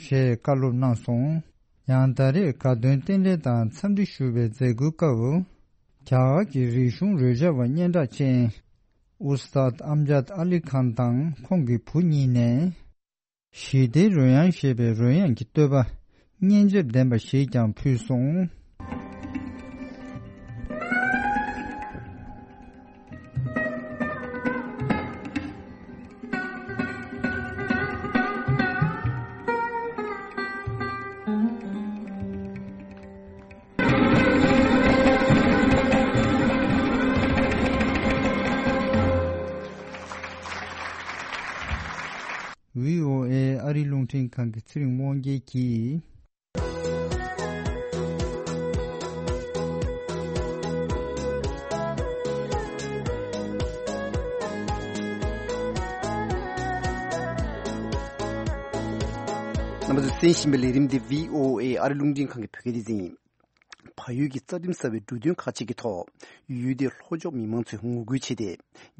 ཞེས་བཀའ་སློབ་གནང་སོང་། ཡང་ད་རེས་དགའ་སྟོན་རྟེན་འབྲེལ་དང་འཚམས་འདྲི་ཞུ་བའི་མཛད་སྒོའི་སྐབས། རྒྱ་གར་གྱི་རིག་གཞུང་རོལ་ཆ་བ་སྙན་གྲགས་ཅན། ཨུ་སྟཱད་ཨམ་ཇཱད་ཨ་ལི་ཁཱན་དང་ཁོང་གི་བུ་གཉིས་ནས། ཞི་བདེའི་རོལ་དབྱངས་ཞེས་པའི་རོལ་དབྱངས་ཀྱི་བསྟོད་པ་སྙན་འཇེབས་ལྡན་པ་ཞིག་ཀྱང་ཕུལ་སོང་། བྷི་ཨོ་ཨེ་ཨ་རིའི་རླུང་འཕྲིན་ཁང་གི་ཚེ་རིང་དབང་རྒྱལ་གྱིས། རྣམ་པ་ཚོས་གསན་བཞིན་པའི་ལས་རིམ་འདི་བྷི་ཨོ་ཨེ་ཨ་རིའི་རླུང་འཕྲིན་ཁང་གི་བོད་སྐད་སྡེ་ཚན་ཡིན། བལ་ཡུལ་གྱི་རྩ་ཁྲིམས་གསར་བའི་འབྲུ་དོན་ཁག་ཅིག་གི་ཐོག་ཡུལ་དེའི་ལྷོ་ཕྱོགས་མི་མང་ཚོས་ངོ་རྒོལ་བྱས་ཏེ།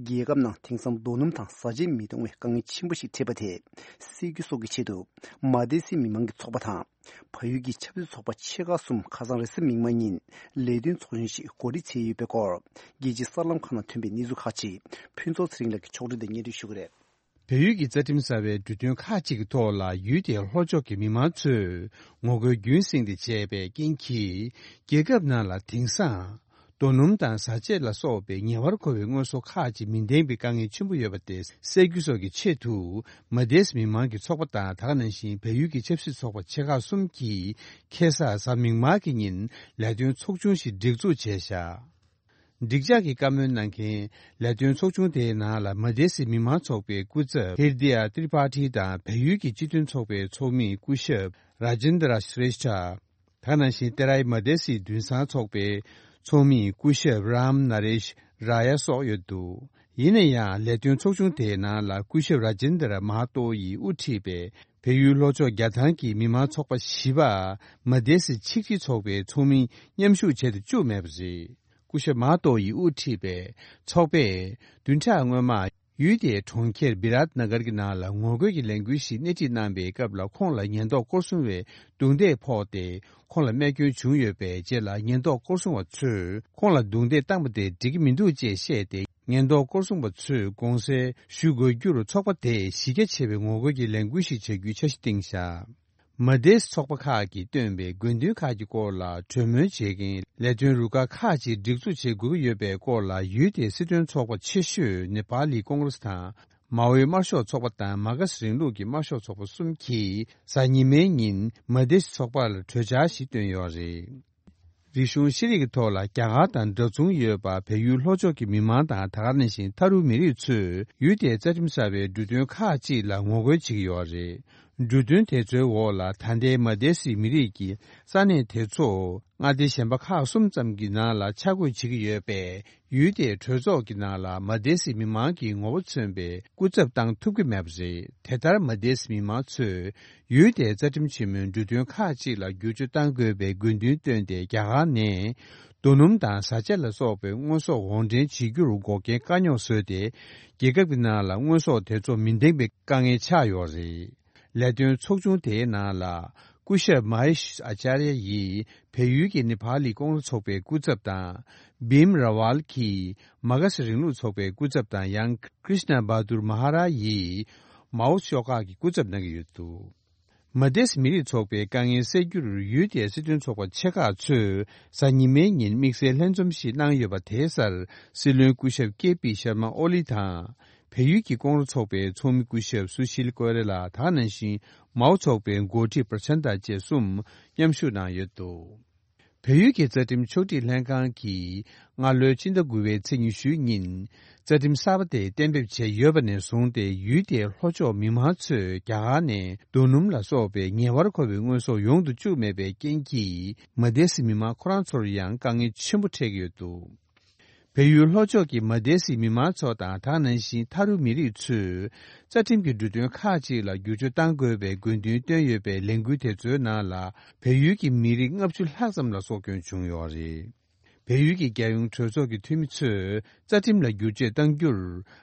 རྒྱལ་ཁབ་ནང་དེང་སང་རྡོ་སྣུམ་དང་བཟའ་ཆས་མི་གཏོང་བའི་དཀའ་ངལ་ཆེན་པོ་ཞིག་འཕྲད་པ་དེ་སེལ་རྒྱུ་སོགས་ཀྱི་ཆེད་དུ། མ་དེ་སི་མི་མང་གི་ཚོགས་པ་དང་། བལ་ཡུལ་གྱི་ཆབ་སྲིད་ཚོགས་པ་ཆེ་ཁག་གསུམ་ཁ་སང་རེས་གཟའ་མིག་དམར་ཉིན་ལས་དོན་ཚོགས་ཆུང་ཞིག་གོ་སྒྲིག་བྱས་ཡོད་པའི་སྐོར། རྒྱལ་སྤྱིའི་གསར་ལམ་ཁག་ནང་ཐོན་པའི་གནས་ཚུལ་ཁག་ཅིག་ཕུན་ཚོགས་ཚེ་རིང་ལགས་ཀྱིས་ཕྱོགས་སྒྲིག་དང་སྙན་སྒྲོན་ཞུ་གི་རེད། བལ་ཡུལ་གྱི་རྩ་ཁྲིམས་གསར་བའི་འབྲུ་དོན་ཁག་ཅིག་གི་ཐོག་ལ་ཡུལ་དེའི་ལྷོ་ཕྱོགས་ཀྱི་མི་མང་ཚོས་ངོ་རྒོལ་རྒྱུན་བསྲིངས་ཏེ་བྱས་པའི་རྐྱེན་གྱིས། རྒྱལ་ཁབ་ནང་ལ་དེང་སང་རྡོ་སྣུམ་དང་བཟའ་ཆས་ལ་སོགས་པའི་ཉེ་བར་མཁོ་བའི་དངོས་ཟོག་ཁག་ཅིག་མི་ལྡན་པའི་དཀའ་ངལ་ཆེན་པོ་ཡོད་པ་དེ་སེལ་རྒྱུ་སོགས་ཀྱི་ཆེད་དུ། མ་དེས་མི་མང་གི་ཚོགས་པ་དང་། ད་ག་ནང་བཞིན་བལ་ཡུལ་གྱི་ཆབ་སྲིད་ཚོགས་པ་ཆེ་ཁག་གསུམ་གྱིས་ཁ་སང་གཟའ་མིག་དམར་གྱི་ཉིན་ལས་དོན་ཚོགས་ཆུང་ཞིག་སྒྲིག་འཛུགས་བྱས་བཞག་འགྲིག་འཇགས་ཀྱི་བཀའ་མོལ་གནང་མཁན་ལས་དོན་ཚོགས་ཆུང་དེའི་ནང་ལ་མ་དེ་སི་མི་མང་ཚོགས་པའི་སྐུ་ཚབ་ཧིར་དི་ཡ་ཏྲི་པ་ཊི་དང་བལ་ཡུལ་གྱི་སྤྱི་མཐུན་ཚོགས་པའི་ཚོགས་མི་སྐུ་ཞབས་ར་ཇིན་དྲ་ཤྲེ་ཤྟ། ད་ག་ནང་བཞིན་ཏེ་རའི་མ་དེ་སི་དུན་སང་ཚོགས་པའི་ཚོགས་མི་སྐུ་ཞབས་རམ་ན་རེཤ་ར་ཡ་སོགས་ཡོད་འདུག་ཡིན་ན་ཡང་ལས་དོན་ཚོགས་ཆུང་དེའི་ནང་ལ་སྐུ་ཞབས་ར་ཇིན་དྲ་མ་ཏོ་ཡིས་དབུ་ཁྲིད་པའི་བལ་ཡུལ་ལྷོ་ཕྱོགས་རྒྱལ་ཐང་གི་མི་མང་ཚོགས་པ་བཞི་པ་མ་དེ་སི་ཆིག་སྒྲིལ་ཚོགས་པའི་ཚོགས་མི་མཉམ་ཞུགས་བྱེད་དུ་བཅུག་མེད་པ་རེད། སྐུ་ཞབས་མ་ཏོ་ཡིས་དབུ་ཁྲིད་པའི་ཚོགས་པས་བདུན་ཕྲག་སྔོན་མ་ཡུལ་དེའི་གྲོང་ཁྱེར་བི་རཱཏ་ན་གར་གྱི་ནང་ལ་ངོ་རྒོལ་གྱི་ལས་འགུལ་ཞིག་སྣེ་ཁྲིད་གནང་པའི་སྐབས་ལ་ཁོང་ལ་ཉེན་རྟོག་སྐོར་སྲུང་བས་རྡུང་རྡེག་ཕོག་སྟེ་ཁོང་ལ་རྨས་སྐྱོན་བྱུང་ཡོད་པའི་རྗེས་ལ་ཉེན་རྟོག་སྐོར་སྲུང་བ་ཚོས་ཁོང་ལ་རྡུང་རྡེག་བཏང་པ་དེ་འགྲིག་གི་མི་འདུག་ཅེས་བཤད་དེ་ཉེན་རྟོག་སྐོར་སྲུང་བ་ཚོས་དགོངས་སེལ་ཞུ་དགོས་རྒྱུར་ཚོགས་པ་དེས་གཞི་རྒྱ་ཆེ་བའི་ངོ་རྒོལ་གྱི་ལས་འགུལ་ཞིག་བྱ་རྒྱུའི་འཆར་གཞི་བཏིང་བཞག་མ་དེས་ཚོགས་པ་ཁག་གིས་བཏོན་པའི་དགོས་འདུན་ཁག་གི་སྐོར་ལ་གྲོས་མོལ་བྱེད་མཁན་ལས་དོན་རུ་ཁག་ཁག་ཅིག་སྒྲིག་འཛུགས་བྱེད་དགོས་ཀྱི་ཡོད་པའི་སྐོར་ལ་ཡུལ་དེའི་སྲིད་དོན་ཚོགས་པ་ཆེ་ཤོས་ནེ་པཱ་ལི་ཀོང་རེས་དང་མའོའི་དམར་ཤོག་ཚོགས་པ་དང་མ་ག་སི་རིང་ལུགས་ཀྱི་དམར་ཤོག་ཚོགས་པ་གསུམ་གྱིས་གཟའ་ཉི་མའི་ཉིན་མ་དེས་ཚོགས་པར་གྲོས་འཆར་ཞིག་བཏོན་ཡོད་རེད། རིག་གཞུང་ཤེས་རིག་གི་ཐོག་ལ་རྒྱ་གར་དང་འདྲ་མཚུངས་ཡོད་པ་བལ་ཡུལ་ལྷོ་ཕྱོགས་ཀྱི་མི་མང་དང་ད་ག་ནང་བཞིན་ཐ་རུ་མི་རིགས་ཚོས་ཡུལ་དེའི་རྩ་ཁྲིམས་གསར་བའི་འབྲུ་དོན་ཁག་ཅིག་ལ་ངོ་རྒོལ་བྱེད་ཀྱི་ཡོད་རེད། འབྲུ་དོན་དེ་ཚོའི་འོག་ལ་ད་ལྟའི་མ་དེ་སི་མི་རིགས་ཀྱི་ས་གནས་དེ་ཚོ་མངའ་སྡེ་གཞན་པ་ཁག་གསུམ་ཙམ་གྱི་ནང་ལ་ཆ་བགོས་བྱེད་ཀྱི་ཡོད་པས། ཡུལ་དེའི་གྲོས་ཚོགས་ཀྱི་ནང་ལ་མ་དེ་སི་མི་མང་གི་ངོ་བོ་མཚོན་པའི་སྐུ་ཚབ་བཏང་ཐུབ་ཀྱི་མེད་པ་རེད། དེ་ལྟར་མ་དེ་སི་མི་མང་ཚོས་ཡུལ་དེའི་རྩ་ཁྲིམས་ཆེན་མོའི་འབྲུ་དོན་ཁག་ཅིག་ལ་བསྒྱུར་བཅོས་གཏང་དགོས་པའི་དགོས་འདུན་བཏོན་ཏེ་རྒྱ་གར་ནས་རྡོ་སྣུམ་དང་བཟའ་བཅའ་ལ་སོགས་པའི་དངོས་ཟོག་དབོར་འདྲེན་བྱེད་རྒྱུར་འགོག་རྐྱེན་དཀའ་རྙོག་བཟོས་ཏེ་རྒྱལ་ཁབ་ཀྱི་ནང་ལ་དངོས་ཟོག་དེ་ཚོ་མི་འདེང་པའི་དཀའ་ངལ་ཆགས་ཡོད་རེད། ལས་དོན་ཚོགས་ཆུང་དེའི་ནང་ལ་སྐུ་ཞབས་མ་ཧེ་ཤ་ཨ་ཅཱརྱ་ཡིས་བལ་ཡུལ་གྱི་ནེ་པཱ་ལི་ཀོང་རེས་ཚོགས་པའི་སྐུ་ཚབ་དང་། བིམ་ར་ཝལ་གྱིས་མ་ག་སི་རིང་ལུགས་ཚོགས་པའི་སྐུ་ཚབ་དང་། ཡང་ཀྲིཤ་ན་བྷ་དུར་མ་ཧ་ར་ཡིས་མའོ་ཤོག་ཁག་གི་སྐུ་ཚབ་གནང་གི་ཡོད་འདུག་མ་དེས་མི་རིགས་ཚོགས་པའི་དཀའ་ངལ་སེལ་རྒྱུར་ཡུལ་དེའི་སྲིད་དོན་ཚོགས་པ་ཆེ་ཁག་ཚོས་གཟའ་ཉི་མའི་ཉིན་དམིགས་བསལ་ལྷན་འཛོམས་ཤིག་གནང་ཡོད་པ་དེའི་སར་སྲིད་བློན་སྐུ་ཞབས་ཀེ་པི་ཤར་མ་ཨོ་ལི་དང་། བལ་ཡུལ་གྱི་ཀོང་རེས་ཚོགས་པའི་ཚོགས་མི་སྐུ་ཞབས་སུ་ཤིལ་ཀོ་རེ་ལ་དང་། ནང་བཞིན་མའོ་ཚོགས་པའི་འགོ་ཁྲིད་པྲ་ཆན་ཏ་བཅས་གསུམ་མཉམ་ཞུགས་གནང་ཡོད་འདུག་བལ་ཡུལ་གྱི་རྩ་ཁྲིམས་ཕྱོགས་སྒྲིག་ལྷན་ཁང་གིས་སྔ་ལོའི་ཕྱི་ཟླ་དགུ་པའི་ཚེས་ཉི་ཤུའི་ཉིན་རྩ་ཁྲིམས་གསར་པ་དེ་གཏན་འབེབས་བྱས་ཡོད་པ་ནས་བཟུང་སྟེ་ཡུལ་དེའི་ལྷོ་ཕྱོགས་མི་མང་ཚོས་རྒྱ་གར་ནས་རྡོ་སྣུམ་ལ་སོགས་པའི་ཉེ་བར་མཁོ་བའི་དངོས་ཟོག་ཡོང་དུ་བཅུག་མེད་པའི་རྐྱེན་གྱིས་མ་དེ་སི་མི་མང་ཁོ་རང་ཚོར་ཡང་དཀའ་ངལ་ཆེན་པོ་འཕྲད་ཀྱི་ཡོད་འདུག་བལ་ཡུལ་ལྷོ་ཕྱོགས་ཀྱི་མ་དེ་སི་མི་མང་ཚོ་དང་ད་ག་ནང་བཞིན་ཐ་རུ་མི་རིགས་ཚོས་རྩ་ཁྲིམས་ཀྱི་འབྲུ་དོན་ཁག་ཅིག་ལ་བསྒྱུར་བཅོས་གཏང་དགོས་པའི་དགོས་འདུན་བཏོན་ཡོད་པའི་ལས་འགུལ་དེ་ཚོའི་ནང་ལ་བལ་ཡུལ་གྱི་མི་རིགས་ལྔ་བཅུ་ལྷག་ཙམ་ལ་སྲོག་སྐྱོན་བྱུང་ཡོད་རེད། བལ་ཡུལ་གྱི་རྒྱལ་ཡོངས་གྲོས་ཚོགས་ཀྱི་འཐུས་མི་ཚོས་རྩ་ཁྲིམས་ལ་བསྒྱུར་བཅོས་གཏང་རྒྱུར་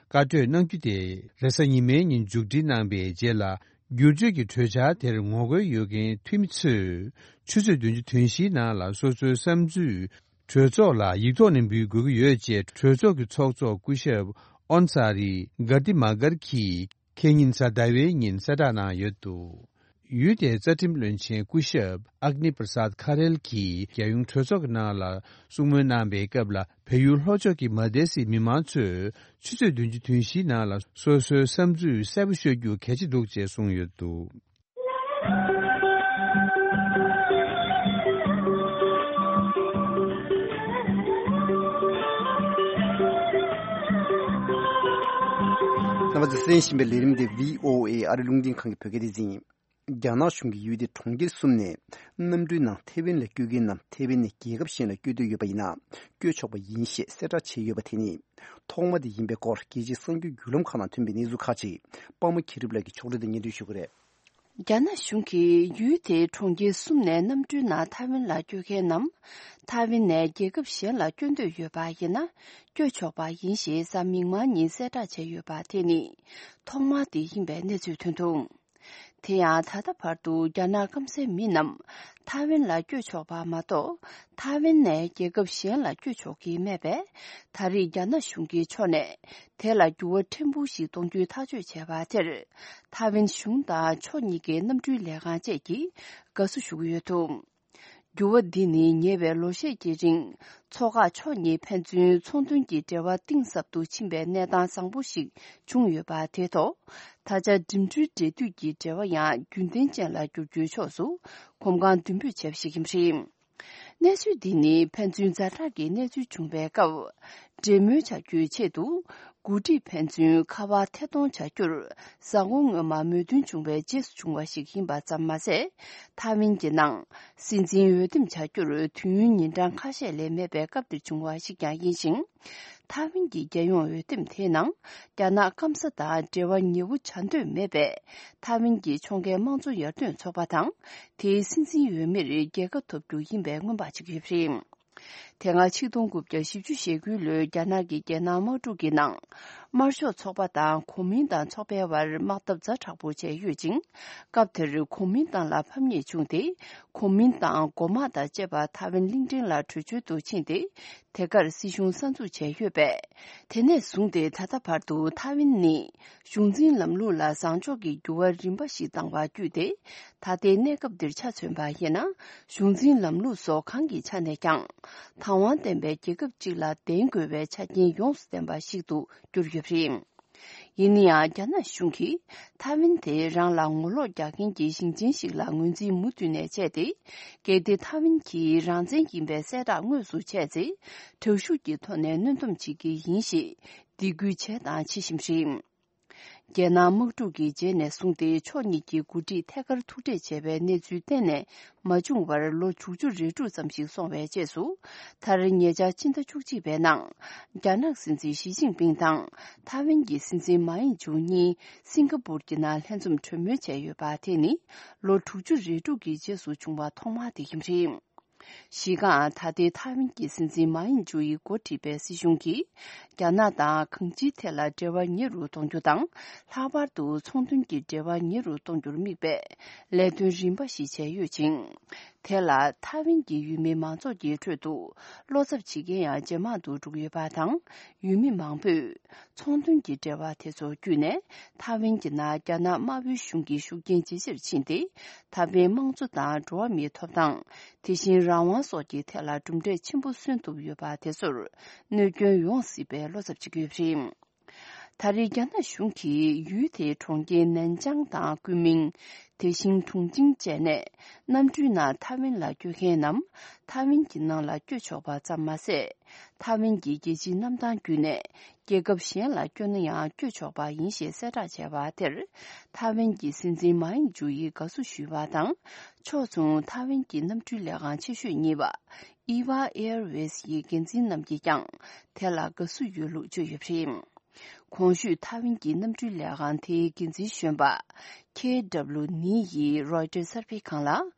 བཀའ་གྲོས་གནང་རྒྱུ་དེ་རེས་གཟའ་ཉི་མའི་ཉིན་མཇུག་སྒྲིལ་གནང་པའི་རྗེས་ལ་བསྒྱུར་བཅོས་ཀྱི་གྲོས་འཆར་དེར་ངོ་རྒོལ་ཡོད་མཁན་འཐུས་མི་ཚོས་ཆུ་ཚོད་བདུན་ཅུ་དོན་བཞིའི་ནང་ལ་སོ་སོའི་བསམ་ཚུལ། གྲོས་ཚོགས་ལ་ཡིག་ཐོག་ནས་འབུལ་དགོས་ཀྱི་ཡོད་ཅེས་གྲོས་ཚོགས་ཀྱི་ཚོགས་གཙོ་སྐུ་ཞབས་ཨོན་ས་རི་གྷར་ཏི་མ་གར་གྱིས་ཁེ་ཉིན་གཟའ་ཟླ་བའི་ཉིན་གསལ་བསྒྲགས་གནང་ཡོད་འདུག་ཡུལ་དེའི་རྩ་ཁྲིམས་བློན་ཆེན་སྐུ་ཞབས་ཨག་ནི་པྲ་སཱད་ཁ་རེལ་གྱིས་རྒྱལ་ཡོངས་གྲོས་ཚོགས་ཀྱི་ནང་ལ་གསུང་མོལ་གནང་པའི་སྐབས་ལ་བལ་ཡུལ་ལྷོ་ཕྱོགས་ཀྱི་མ་དེ་སི་མི་མང་ཚོས་ཆུ་ཚོད་བདུན་ཅུ་དོན་བཞིའི་ནང་ལ་སོ་སོའི་བསམ་ཚུལ་གསལ་པོ་ཤོད་རྒྱུ་གལ་ཆེ་འདུག་ཅེས་གསུངས་ཡོད་འདུག་རྣམ་པ་ཚོས་གསན་བཞིན་པའི་ལས་རིམ་དེ་བྷི་ཨོ་ཨེ་ཨ་རི་རླུང་འཕྲིན་ཁང་གི་བོད་སྐད་སྡེ་ཚན་ཡིན། རྒྱ་ནག་གཞུང་གིས་ཡུལ་དེའི་གྲོང་ཁྱེར་གསུམ་ནས་གནམ་གྲུའི་ནང་ཐའེ་ཝན་ལ་སྐྱོད་མཁན་རྣམས་ཐའེ་ཝན་ནས་རྒྱལ་ཁབ་གཞན་ལ་སྐྱོད་འདོད་ཡོད་པ་ཡིན་ན་སྐྱོད་ཆོག་པ་ཡིན་ཞེས་གསལ་བསྒྲགས་བྱས་ཡོད་པ་དེ་ནི་ཐོག་མ་དེ་ཡིན་པའི་སྐོར་རྒྱལ་སྤྱིའི་གསར་འགྱུར་བརྒྱུད་ལམ་ཁག་ནང་ཐོན་པའི་གནས་ཚུལ་ཁག་ཅིག་པདྨ་མཁྱེན་གྲུབ་ལགས་ཀྱིས་ཕྱོགས་སྒྲིག་དང་སྙན་སྒྲོན་ཞུ་གི་རེད། རྒྱ་ནག་གཞུང་གིས་ཡུལ་དེའི་གྲོང་ཁྱེར་གསུམ་ནས་གནམ་གྲུའི་ནང་ཐའེ་ཝན་ལ་སྐྱོད་མཁན་རྣམས་ཐའེ་ཝན་ནས་རྒྱལ་ཁབ་གཞན་ལ་སྐྱོད་འདོད་ཡོད་པ་ཡིན་ན་སྐྱོད་ཆོག་པ་ཡིན་ཞེས་གཟའ་མིག་དམར་ཉིན་གསལ་བསྒྲགས་བྱས་ཡོད་པ་དེ་ནི་ཐོག་མ་དེ་ཡིན་པའི་གནས་ཚུལ་ཐོན་འདུག་དེ་ཡང་ད་ལྟ་བར་དུ་རྒྱ་ནག་སྐམ་སའི་མི་རྣམས་ཐའེ་ཝན་ལ་བསྐྱོད་ཆོག་པ་མ་གཏོགས་ཐའེ་ཝན་ནས་རྒྱལ་ཁབ་གཞན་ལ་བསྐྱོད་ཆོག་གི་མེད་པས་ད་རེས་རྒྱ་ནག་གཞུང་གི་ཕྱོགས་ནས་དེ་ལ་འགྱུར་བ་ཕྲན་བུ་ཞིག་གཏོང་རྒྱུའི་ཐག་གཅོད་བྱས་པ་དེར་ཐའེ་ཝན་གཞུང་དང་ཕྱོགས་གཉིས་ཀའི་གནམ་གྲུའི་ལས་ཁང་བཅས་ཀྱིས་དགའ་བསུ་ཞུ་གི་ཡོད་འདུག་འགྱུར་བ་འདི་ནི་ཉེ་བའི་ལོ་ཤས་ཀྱི་རིང་མཚོ་ཁག་ཕྱོགས་གཉིས་ཕན་ཚུན་ཚོང་དོན་གྱི་འབྲེལ་བ་གཏིང་ཟབ་ཏུ་ཕྱིན་པའི་གནས་སྟངས་བཟང་པོ་ཞིག་བྱུང་ཡོད་པ་དེ་ཐོག་ད་ཆ་འགྲིམ་འགྲུལ་འབྲེལ་མཐུད་ཀྱི་འབྲེལ་བ་ཡང་རྒྱུན་ལྡན་ཅན་ལ་འགྱུར་རྒྱུའི་ཕྱོགས་སུ་གོམ་གང་མདུན་སྤོས་བྱས་པ་ཞིག་ཡིན་པ་རེད། གནས་ཚུལ་འདི་ནི་ཕན་ཚུན་ཛ་དྲག་གི་གནས་ཚུལ་བྱུང་བའི་སྐབས། འབྲེལ་མོལ་བྱ་རྒྱུའི་ཆེད་དུ། འགོ་ཁྲིད་ཕན་ཚུན་ཁ་པར་ཐད་གཏོང་བྱ་རྒྱུར། གཟའ་འཁོར་སྔོན་མ་མོས་མཐུན་བྱུང་བའི་རྗེས་སུ་བྱུང་བ་ཞིག་ཡིན་པ་ཙམ་མ་ཟད། ཐའེ་ཝན་གྱི་ནང་སྲིད་འཛིན་འོས་འདེམས་བྱ་རྒྱུར་དུས་ཡུན་ཉིན་གྲངས་ཁ་ཤས་ལས་མེད་པའི་སྐབས་འདིར་བྱུང་བ་ཞིག་ཀྱང་ཡིན་ཞིང་། ཐའེ་ཝན་གྱི་རྒྱལ་ཡོངས་འོས་འདེམས་དེའི་ནང་། རྒྱ་ནག་སྐམ་ས་དང་འབྲེལ་བ་ཉེ་བོ་བྱ་འདོད་མེད་པའི་ཐའེ་ཝན་གྱི་ཕྱོགས་འགལ་དམངས་གཙོ་ཡར་ཐོན་ཚོགས་པ་དང་། དེའི་སྲིད་འཛིན་འོས་མིར་རྒྱལ་ཁ་ཐོབ་རྒྱུ་ཡིན་པའི་སྔོན་དཔག་བྱེད་ཀྱི་ཡོད་པ་རེད། དེ་སྔ་ཆིག་སྟོང་དགུ་བརྒྱ་བཞི་བཅུ་ཞེ་དགུའི་ལོའི་རྒྱ་ནག་གི་རྒྱལ་ནང་དམག་འཁྲུག་གི་ནང་། དམར་ཤོག་ཚོགས་པ་དང་གོ་མིན་ཏང་ཚོགས་པའི་བར་དམག་འཐབ་ཛ་དྲག་པོ་བྱས་ཡོད་ཅིང་། སྐབས་དེར་གོ་མིན་ཏང་ལ་ཕམ་ཉེས་བྱུང་སྟེ། གོ་མིན་ཏང་མགོ་དམག་དང་བཅས་པ་ཐའེ་ཝན་གླིང་ཕྲན་ལ་བྲོས་བྱོལ་དུ་ཕྱིན་ཏེ། དེ་གར་སྲིད་གཞུང་གསར་འཛུགས་བྱས་ཡོད་པས། དེ་ནས་བཟུང་སྟེ་ད་ལྟ་བར་དུ་ཐའེ་ཝན་ནི། གཞུང་འཛིན་ལམ་ལུགས་ལ་བཟང་ཕྱོགས་ཀྱི་འགྱུར་བ་རིམ་པ་ཞིག་བཏང་བ་བརྒྱུད་དེ། ད་ལྟའི་གནས་སྐབས་འདིར་ཆ་མཚོན་པ་ཡིན་ན། གཞུང་འཛིན་ལམ་ལུགས་སོགས་གང་གི་ཆ་ནས་ཀྱང་། དང་བ་ལྡན་པའི་རྒྱལ་ཁབ་ཅིག་ལ་ལྡན་དགོས་པའི་ཆ་རྐྱེན་ཡོངས་སུ་ལྡན་པ་ཞིག་ཏུ་གྱུར་ཡོད་པ་རེད། ཡིན་ན་ཡང་རྒྱ་ནག་གཞུང་གིས་ཐའེ་ཝན་དེ་རང་ལ་ངོ་ལོག་རྒྱག་མཁན་གྱི་ཞིང་ཆེན་ཞིག་ལ་ངོས་འཛིན་མུ་མཐུད་ནས་བྱས་ཏེ། གལ་ཏེ་ཐའེ་ཝན་གྱིས་རང་བཙན་ཡིན་པའི་གསལ་བསྒྲགས་དངོས་སུ་བྱས་ཚེ། དྲག་ཤུགས་ཀྱི་ཐོག་ནས་གནོན་སྡོམ་བྱེད་ཀྱི་ཡིན་ཞེས་སྡིགས་སྐུལ་བྱས་དང་བྱེད་བཞིན་པ་རེད། རྒྱལ་ནང་དམག་འཁྲུག་གི་རྗེས་ནས་བཟུང་སྟེ་ཕྱོགས་གཉིས་ཀྱི་འགོ་ཁྲིད་ཐད་ཀར་ཐུག་འཕྲད་བྱས་པའི་གནས་ཚུལ་གཏན་ནས་མ་བྱུང་བར་ལོ་དྲུག་ཅུ་རེ་དྲུག་ཙམ་ཞིག་སོང་བའི་རྗེས་སུ། མཐར་ཉེ་ཆར་ཕྱི་ཟླ་བཅུ་གཅིག་པའི་ནང་རྒྱ་ནག་སྲིད་འཛིན་ཞི་ཅིན་ཕིང་དང་ཐའེ་ཝན་གྱི་སྲིད་འཛིན་མཱ་ཡིན་ཇུ་གཉིས་སིང་ག་པུར་གྱི་ནང་ལྷན་འཛོམས་གྲོས་མོལ་བྱས་ཡོད་པ་དེ་ནི་ལོ་དྲུག་ཅུ་རེ་དྲུག་གི་རྗེས་སུ་བྱུང་བ་ཐོག་མ་དེ་ཡིན་པ་རེད། གཞི་རྐང་ད་ལྟའི་ཐའེ་ཝན་གྱི་སྲིད་འཛིན་མཱ་ཡིན་ཇུ་ཡིས་འགོ་ཁྲིད་པའི་སྲིད་གཞུང་གིས། རྒྱ་ནག་དང་གང་ཅིའི་ཐད་ལ་འབྲེལ་བ་ཉེ་རུ་གཏོང་རྒྱུ་དང་། ལྷག་པར་དུ་ཚོང་དོན་གྱི་འབྲེལ་བ་ཉེ་རུ་གཏོང་རྒྱུར་དམིགས་པའི་ལས་དོན་རིམ་པ་ཞིག་བྱས་ཡོད་ཅིང་། དེ་ལ་ཐའེ་ཝན་གྱི་ཡུལ་མི་མང་ཚོགས་ཀྱི་ཁྲོད་དུ་བློ་འཚབ་བྱེད་མཁན་ཡང་ཇེ་མང་དུ་འགྲོ་གི་ཡོད་པ་དང་། ཡུལ་མི་མང་པོས། ཚོང་དོན་གྱི་འབྲེལ་བ་དེ་ཚོ་བརྒྱུད་ནས་ཐའེ་ཝན་གྱི་ནང་རྒྱ་ནག་དམར་པོའི་གཞུང་གི་ཤུགས་རྐྱེན་ཇེ་ཆེར་ཕྱིན་ཏེ། ད་ཕན་དམངས་གཙོ་དང་འགྲོ་བ་མིའི་ཐོབ་ཐང་། དེ་བཞིན་རང་དབང་སོགས་ཀྱི་ཐད་ལ་གྲུབ་འབྲས་ཆེན་པོ་སོན་ཐུབ་ཡོད་པ་དེ་ཚོར་གནོད་སྐྱོན་ཡོང་སྲིད་པའི་བློ་འཚབ་བྱེད་ཀྱི་ཡོད་པ་རེད། ད་རེས་རྒྱ་ནག་གཞུང་གིས་ཡུལ་དེའི་གྲོང་ཁྱེར་ནན་ཅང་དང་ཀུན་མིང་། དེ་བཞིན་ཁྲུང་ཆིང་བཅས་ནས་གནམ་གྲུའི་ནང་ཐའེ་ཝན་ལ་སྐྱོད་མཁན་ནམ། ཐའེ་ཝན་གྱི་ནང་ལ་སྐྱོད་ཆོག་པ་ཙམ་མ་ཟད། ཐའེ་ཝན་གྱི་རྒྱལ་སྤྱིའི་གནམ་ཐང་བརྒྱུད་ནས་རྒྱལ་ཁབ་གཞན་ལ་སྐྱོད་ན་ཡང་སྐྱོད་ཆོག་པ་ཡིན་ཞེས་གསལ་བསྒྲགས་བྱས་པ་དེར། ཐའེ་ཝན་གྱི་སྲིད་འཛིན་མཱ་ཡིན་ཇུ་ཡིས་དགའ་བསུ་ཞུས་པ་དང་། ཕྱོགས་མཚུངས་ཐའེ་ཝན་གྱི་གནམ་གྲུའི་ལས་ཁང་ཆེ་ཤོས་གཉིས་པ་ཨི་ཝ་ཨེར་ཝེས་ཡི་འགན་འཛིན་རྣམས་ཀྱིས་ཀྱང་དེ་ལ་དགའ་བསུ་ཡོད་ལུགས་བརྗོད་ཡོད་པ་རེད། གོང་ཞུས་ཐའེ་ཝན་གྱི་གནམ་གྲུའི་ལས་ཁང་དེའི་འགན་འཛིན་གཞོན་པ་ཁེ་ཌབ་ལུ་ནི་ཡིས་རོའི་ཊར་གསར་སྤེལ་ཁང་ལ།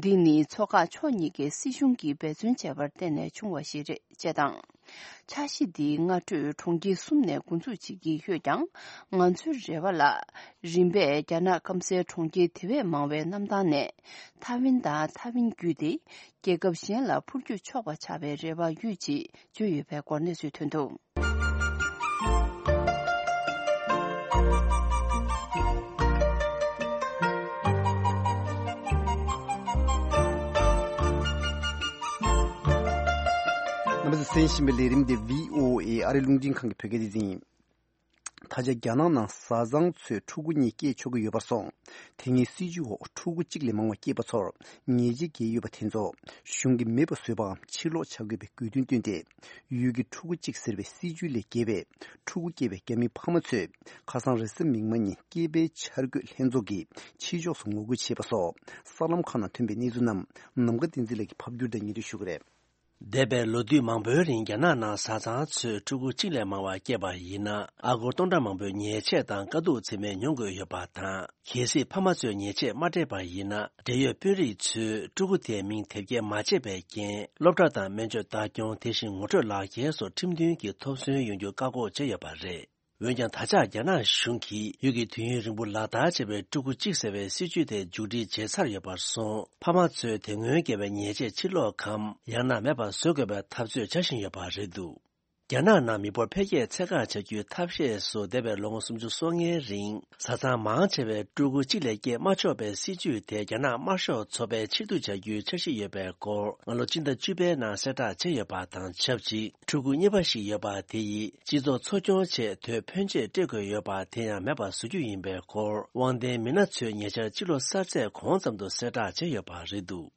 འདི་ནི་མཚོ་འགག་ཕྱོགས་གཉིས་ཀའི་སྲིད་གཞུང་གིས་འབད་བརྩོན་བྱས་པར་བརྟེན་ནས་བྱུང་བ་ཞིག་རེད་ཅེས་དང་། འཆར་གཞི་འདིའི་སྔ་འགྲོས་གྲོང་ཁྱེར་གསུམ་ནས་འགོ་འཛུགས་བྱེད་ཀྱི་ཡོད་ཀྱང་། ང་ཚོའི་རེ་བ་ལ། རིམ་པས་རྒྱ་ནག་སྐམ་སའི་གྲོང་ཁྱེར་དེ་བས་མང་བའི་གནམ་ཐང་ནས་ཐའེ་ཝན་དང་ཐའེ་ཝན་བརྒྱུད་དེ་རྒྱལ་ཁབ་གཞན་ལ་འཕུར་སྐྱོད་ཆོག་པ་ཆགས་པའི་རེ་བ་ཡོད་ཅེས་བརྗོད་ཡོད་པའི་སྐོར་གནས་ཚུལ་ཐོན་འདུག་རྣམ་པ་ཚོས་གསན་བཞིན་པའི་ལས་རིམ་འདི་བྷི་ཨོ་ཨེ་ཨ་རི་རླུང་འཕྲིན་ཁང་གི་བོད་སྐད་སྡེ་ཚན་ཡིན། ད་ཆ་རྒྱ་ནག་ནང་བཟའ་ཚང་ཚོས་ཕྲུ་གུ་གཉིས་སྐྱེས་ཆོག་གི་ཡོད་པར་སོང་། དེ་སྔའི་སྲིད་ཇུས་འོག་ཕྲུ་གུ་གཅིག་ལས་མང་བ་སྐྱེས་པ་ཚོར་ཉེས་ཆད་འགེལ་ཡོད་པ་དེ་ཚོ་གཞུང་གིས་མེད་པ་བཟོས་པའམ་ཕྱིར་སློག་བྱ་དགོས་པའི་དགོས་འདུན་བཏོན་ཏེ། ཡུལ་གྱི་ཕྲུ་གུ་གཅིག་ཟེར་བའི་སྲིད་ཇུས་ལས་བརྒལ་བའི་ཕྲུ་གུ་སྐྱེས་པའི་རྒྱ་མིའི་ཕ་མ་ཚོས་ཁ་སང་རེས་གཟའ་མིག་དམར་ཉིན་སྐྱེས་འཕེལ་འཆར་འགོད་ལྷན་ཚོགས་ཀྱི་ཕྱི་ཕྱོགས་སུ་ངོ་རྒོལ་བྱས་པ་སོགས་གསར་ལམ་ཁག་ནང་ཐོན་པའི་གནས་ཚུལ་རྣམས་ནམ་མཁའ་བསྟན་འཛིན་ལགས་ཀྱིས་ཕབ་བསྒྱུར་དང་སྙན་སྒྲོན་ཞུ་གི་རེད། འདས་པའི་ལོ་དུས་མང་པོའི་རིང་རྒྱ་ནག་ནང་བཟའ་ཚང་ཚོས་ཕྲུ་གུ་གཅིག་ལས་མང་བ་སྐྱེས་པ་ཡིན་ན། ཨ་སྒོར་སྟོང་ཕྲག་མང་པོའི་ཉེས་ཆད་དང་དཀའ་སྡུག་ཚད་མེད་མྱོང་དགོས་ཡོད་པ་དང་། གལ་སྲིད་ཕ་མ་ཚོས་ཉེས་ཆད་མ་སྤྲད་པ་ཡིན་ན། འབྲེལ་ཡོད་དཔོན་རིགས་ཚོས་ཕྲུ་གུ་དེའི་མིང་དེབ་སྐྱེལ་མ་བྱས་པའི་རྐྱེན། སློབ་གྲྭ་དང་སྨན་བཅོས་ལྟ་སྐྱོང་། དེ་བཞིན་ངོ་སྤྲོད་ལག་འཁྱེར་སོགས་ཁྲིམས་མཐུན་གྱི་ཐོབ་ཚུལ་ཡོང་རྒྱུ་བཀག་འགོག་བྱས་ཡོད་པ་རེད། འོན་ཀྱང་། ད་ཆ་རྒྱ་ནག་གཞུང་གིས་ཡུལ་གྱི་དུས་ཡུན་རིང་པོ་ལག་བསྟར་བྱས་པའི་ཕྲུ་གུ་གཅིག་ཟེར་བའི་སྲིད་ཇུས་དེ་མཇུག་སྒྲིལ་བྱས་ཚར་ཡོད་པར་སོང་། ཕ་མ་ཚོས་དེ་སྔོན་བཀལ་བའི་ཉེས་ཆད་ཕྱིར་སློག་གམ། ཡང་ན་མེད་པར་བཟོ་དགོས་པའི་འཐབ་རྩོད་བྱ་བཞིན་ཡོད་པ་རེད་འདུག་རྒྱ་ནག་ནང་མི་འབོར་འཕེལ་རྒྱས་ཚད་བཀག་བྱ་རྒྱུའི་ཐབས་ཤེས་སུ། འདས་པའི་ལོ་ངོ་སུམ་ཅུ་སོ་ལྔའི་རིང་། བཟའ་ཚང་མང་ཆེ་བས་ཕྲུ་གུ་གཅིག་ལས་སྐྱེས་མ་ཆོག་པའི་སྲིད་ཇུས་དེ། རྒྱ་ནག་དམར་ཤོག་ཚོགས་པས་ཕྱིར་བསྡུ་བྱ་རྒྱུའི་འཆར་གཞི་ཡོད་པའི་སྐོར། སྔ་ལོ་སྤྱི་ཟླ་བཅུ་པའི་ནང་གསལ་བསྒྲགས་བྱས་ཡོད་པ་དང་ཆབས་ཅིག་ཕྲུ་གུ་གཉིས་པ་ཞིག་ཡོད་པ་དེ་ཡིས། སྤྱི་ཚོགས་འཚོ་སྐྱོང་ཆེད་དོད་ཕོན་ཆེ་སྤྲད་དགོས་ཡོད་པ་དེ་ཡང་མེད་པར་བཟོ་རྒྱུ་ཡིན་པའི་སྐོར། དབང་ལྡན་མི་སྣ་ཚོས་ཉེ་ཆར་ཕྱི་ལོ་གསར་ཚེས་གོང་ཙམ་དུ་གསལ་བསྒྲགས་བྱས་ཡོད་པ་རེད་འདུག་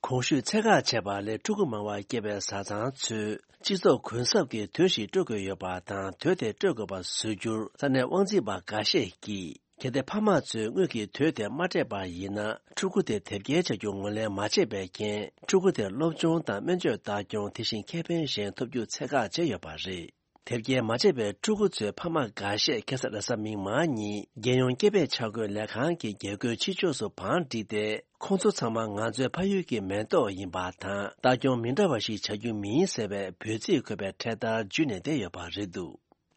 གོང་ཞུས་ཚད་བཀག་བྱས་པ་ལས་ཕྲུ་གུ་མང་བ་སྐྱེས་པའི་བཟའ་ཚང་ཚོས་སྤྱི་ཚོགས་གུན་གསབ་ཀྱི་དུས་ཤིག་སྤྲོད་དགོས་ཡོད་པ་དང་། དུས་དེ་སྤྲོད་དགོས་པ་བཟོ་རྒྱུར་ས་གནས་དབང་འཛིན་པ་འགའ་ཤས་ཀྱིས། གལ་ཏེ་ཕ་མ་ཚོས་དངུལ་གྱི་དུས་དེ་མ་སྤྲད་པ་ཡིན་ན། ཕྲུ་གུ་དེ་དེབ་སྐྱེལ་བྱ་རྒྱུ་ངོས་ལེན་མ་བྱས་པའི་རྐྱེན། ཕྲུ་གུ་དེར་སློབ་སྦྱོང་དང་སྨན་བཅོས་ལྟ་སྐྱོང་། དེ་བཞིན་ཁེ་ཕན་གཞན་ཐོབ་རྒྱུ་ཚད་བཀག་བྱས་ཡོད་པ་རེད། དེབ་སྐྱེལ་མ་བྱས་པའི་ཕྲུ་གུ་ཚོའི་ཕ་མ་འགའ་ཤས་ཁ་སང་རེས་གཟའ་མིག་དམར་ཉིན་རྒྱལ་ཡོངས་སྐྱེས་པའི་འཆར་འགོད་ལས་ཁང་གི་རྒྱལ་སྒོའི་ཕྱི་ཕྱོགས་སུ་བང་བསྒྲིགས་ཏེ། ཁོང་ཚོ་ཚང་མ་ང་ཚོའི་ཕ་ཡུལ་གྱི་མེ་ཏོག་ཡིན་པ་དང་། ལྟ་སྐྱོང་མི་འདྲ་བ་ཞིག་བྱ་རྒྱུ་མིན་ཟེར་བའི་འབོད་ཚིག་འཁོད་པའི་འཕྲེད་དར་འཇུས་ནས་བསྡད་ཡོད་པ་རེད་འདུག་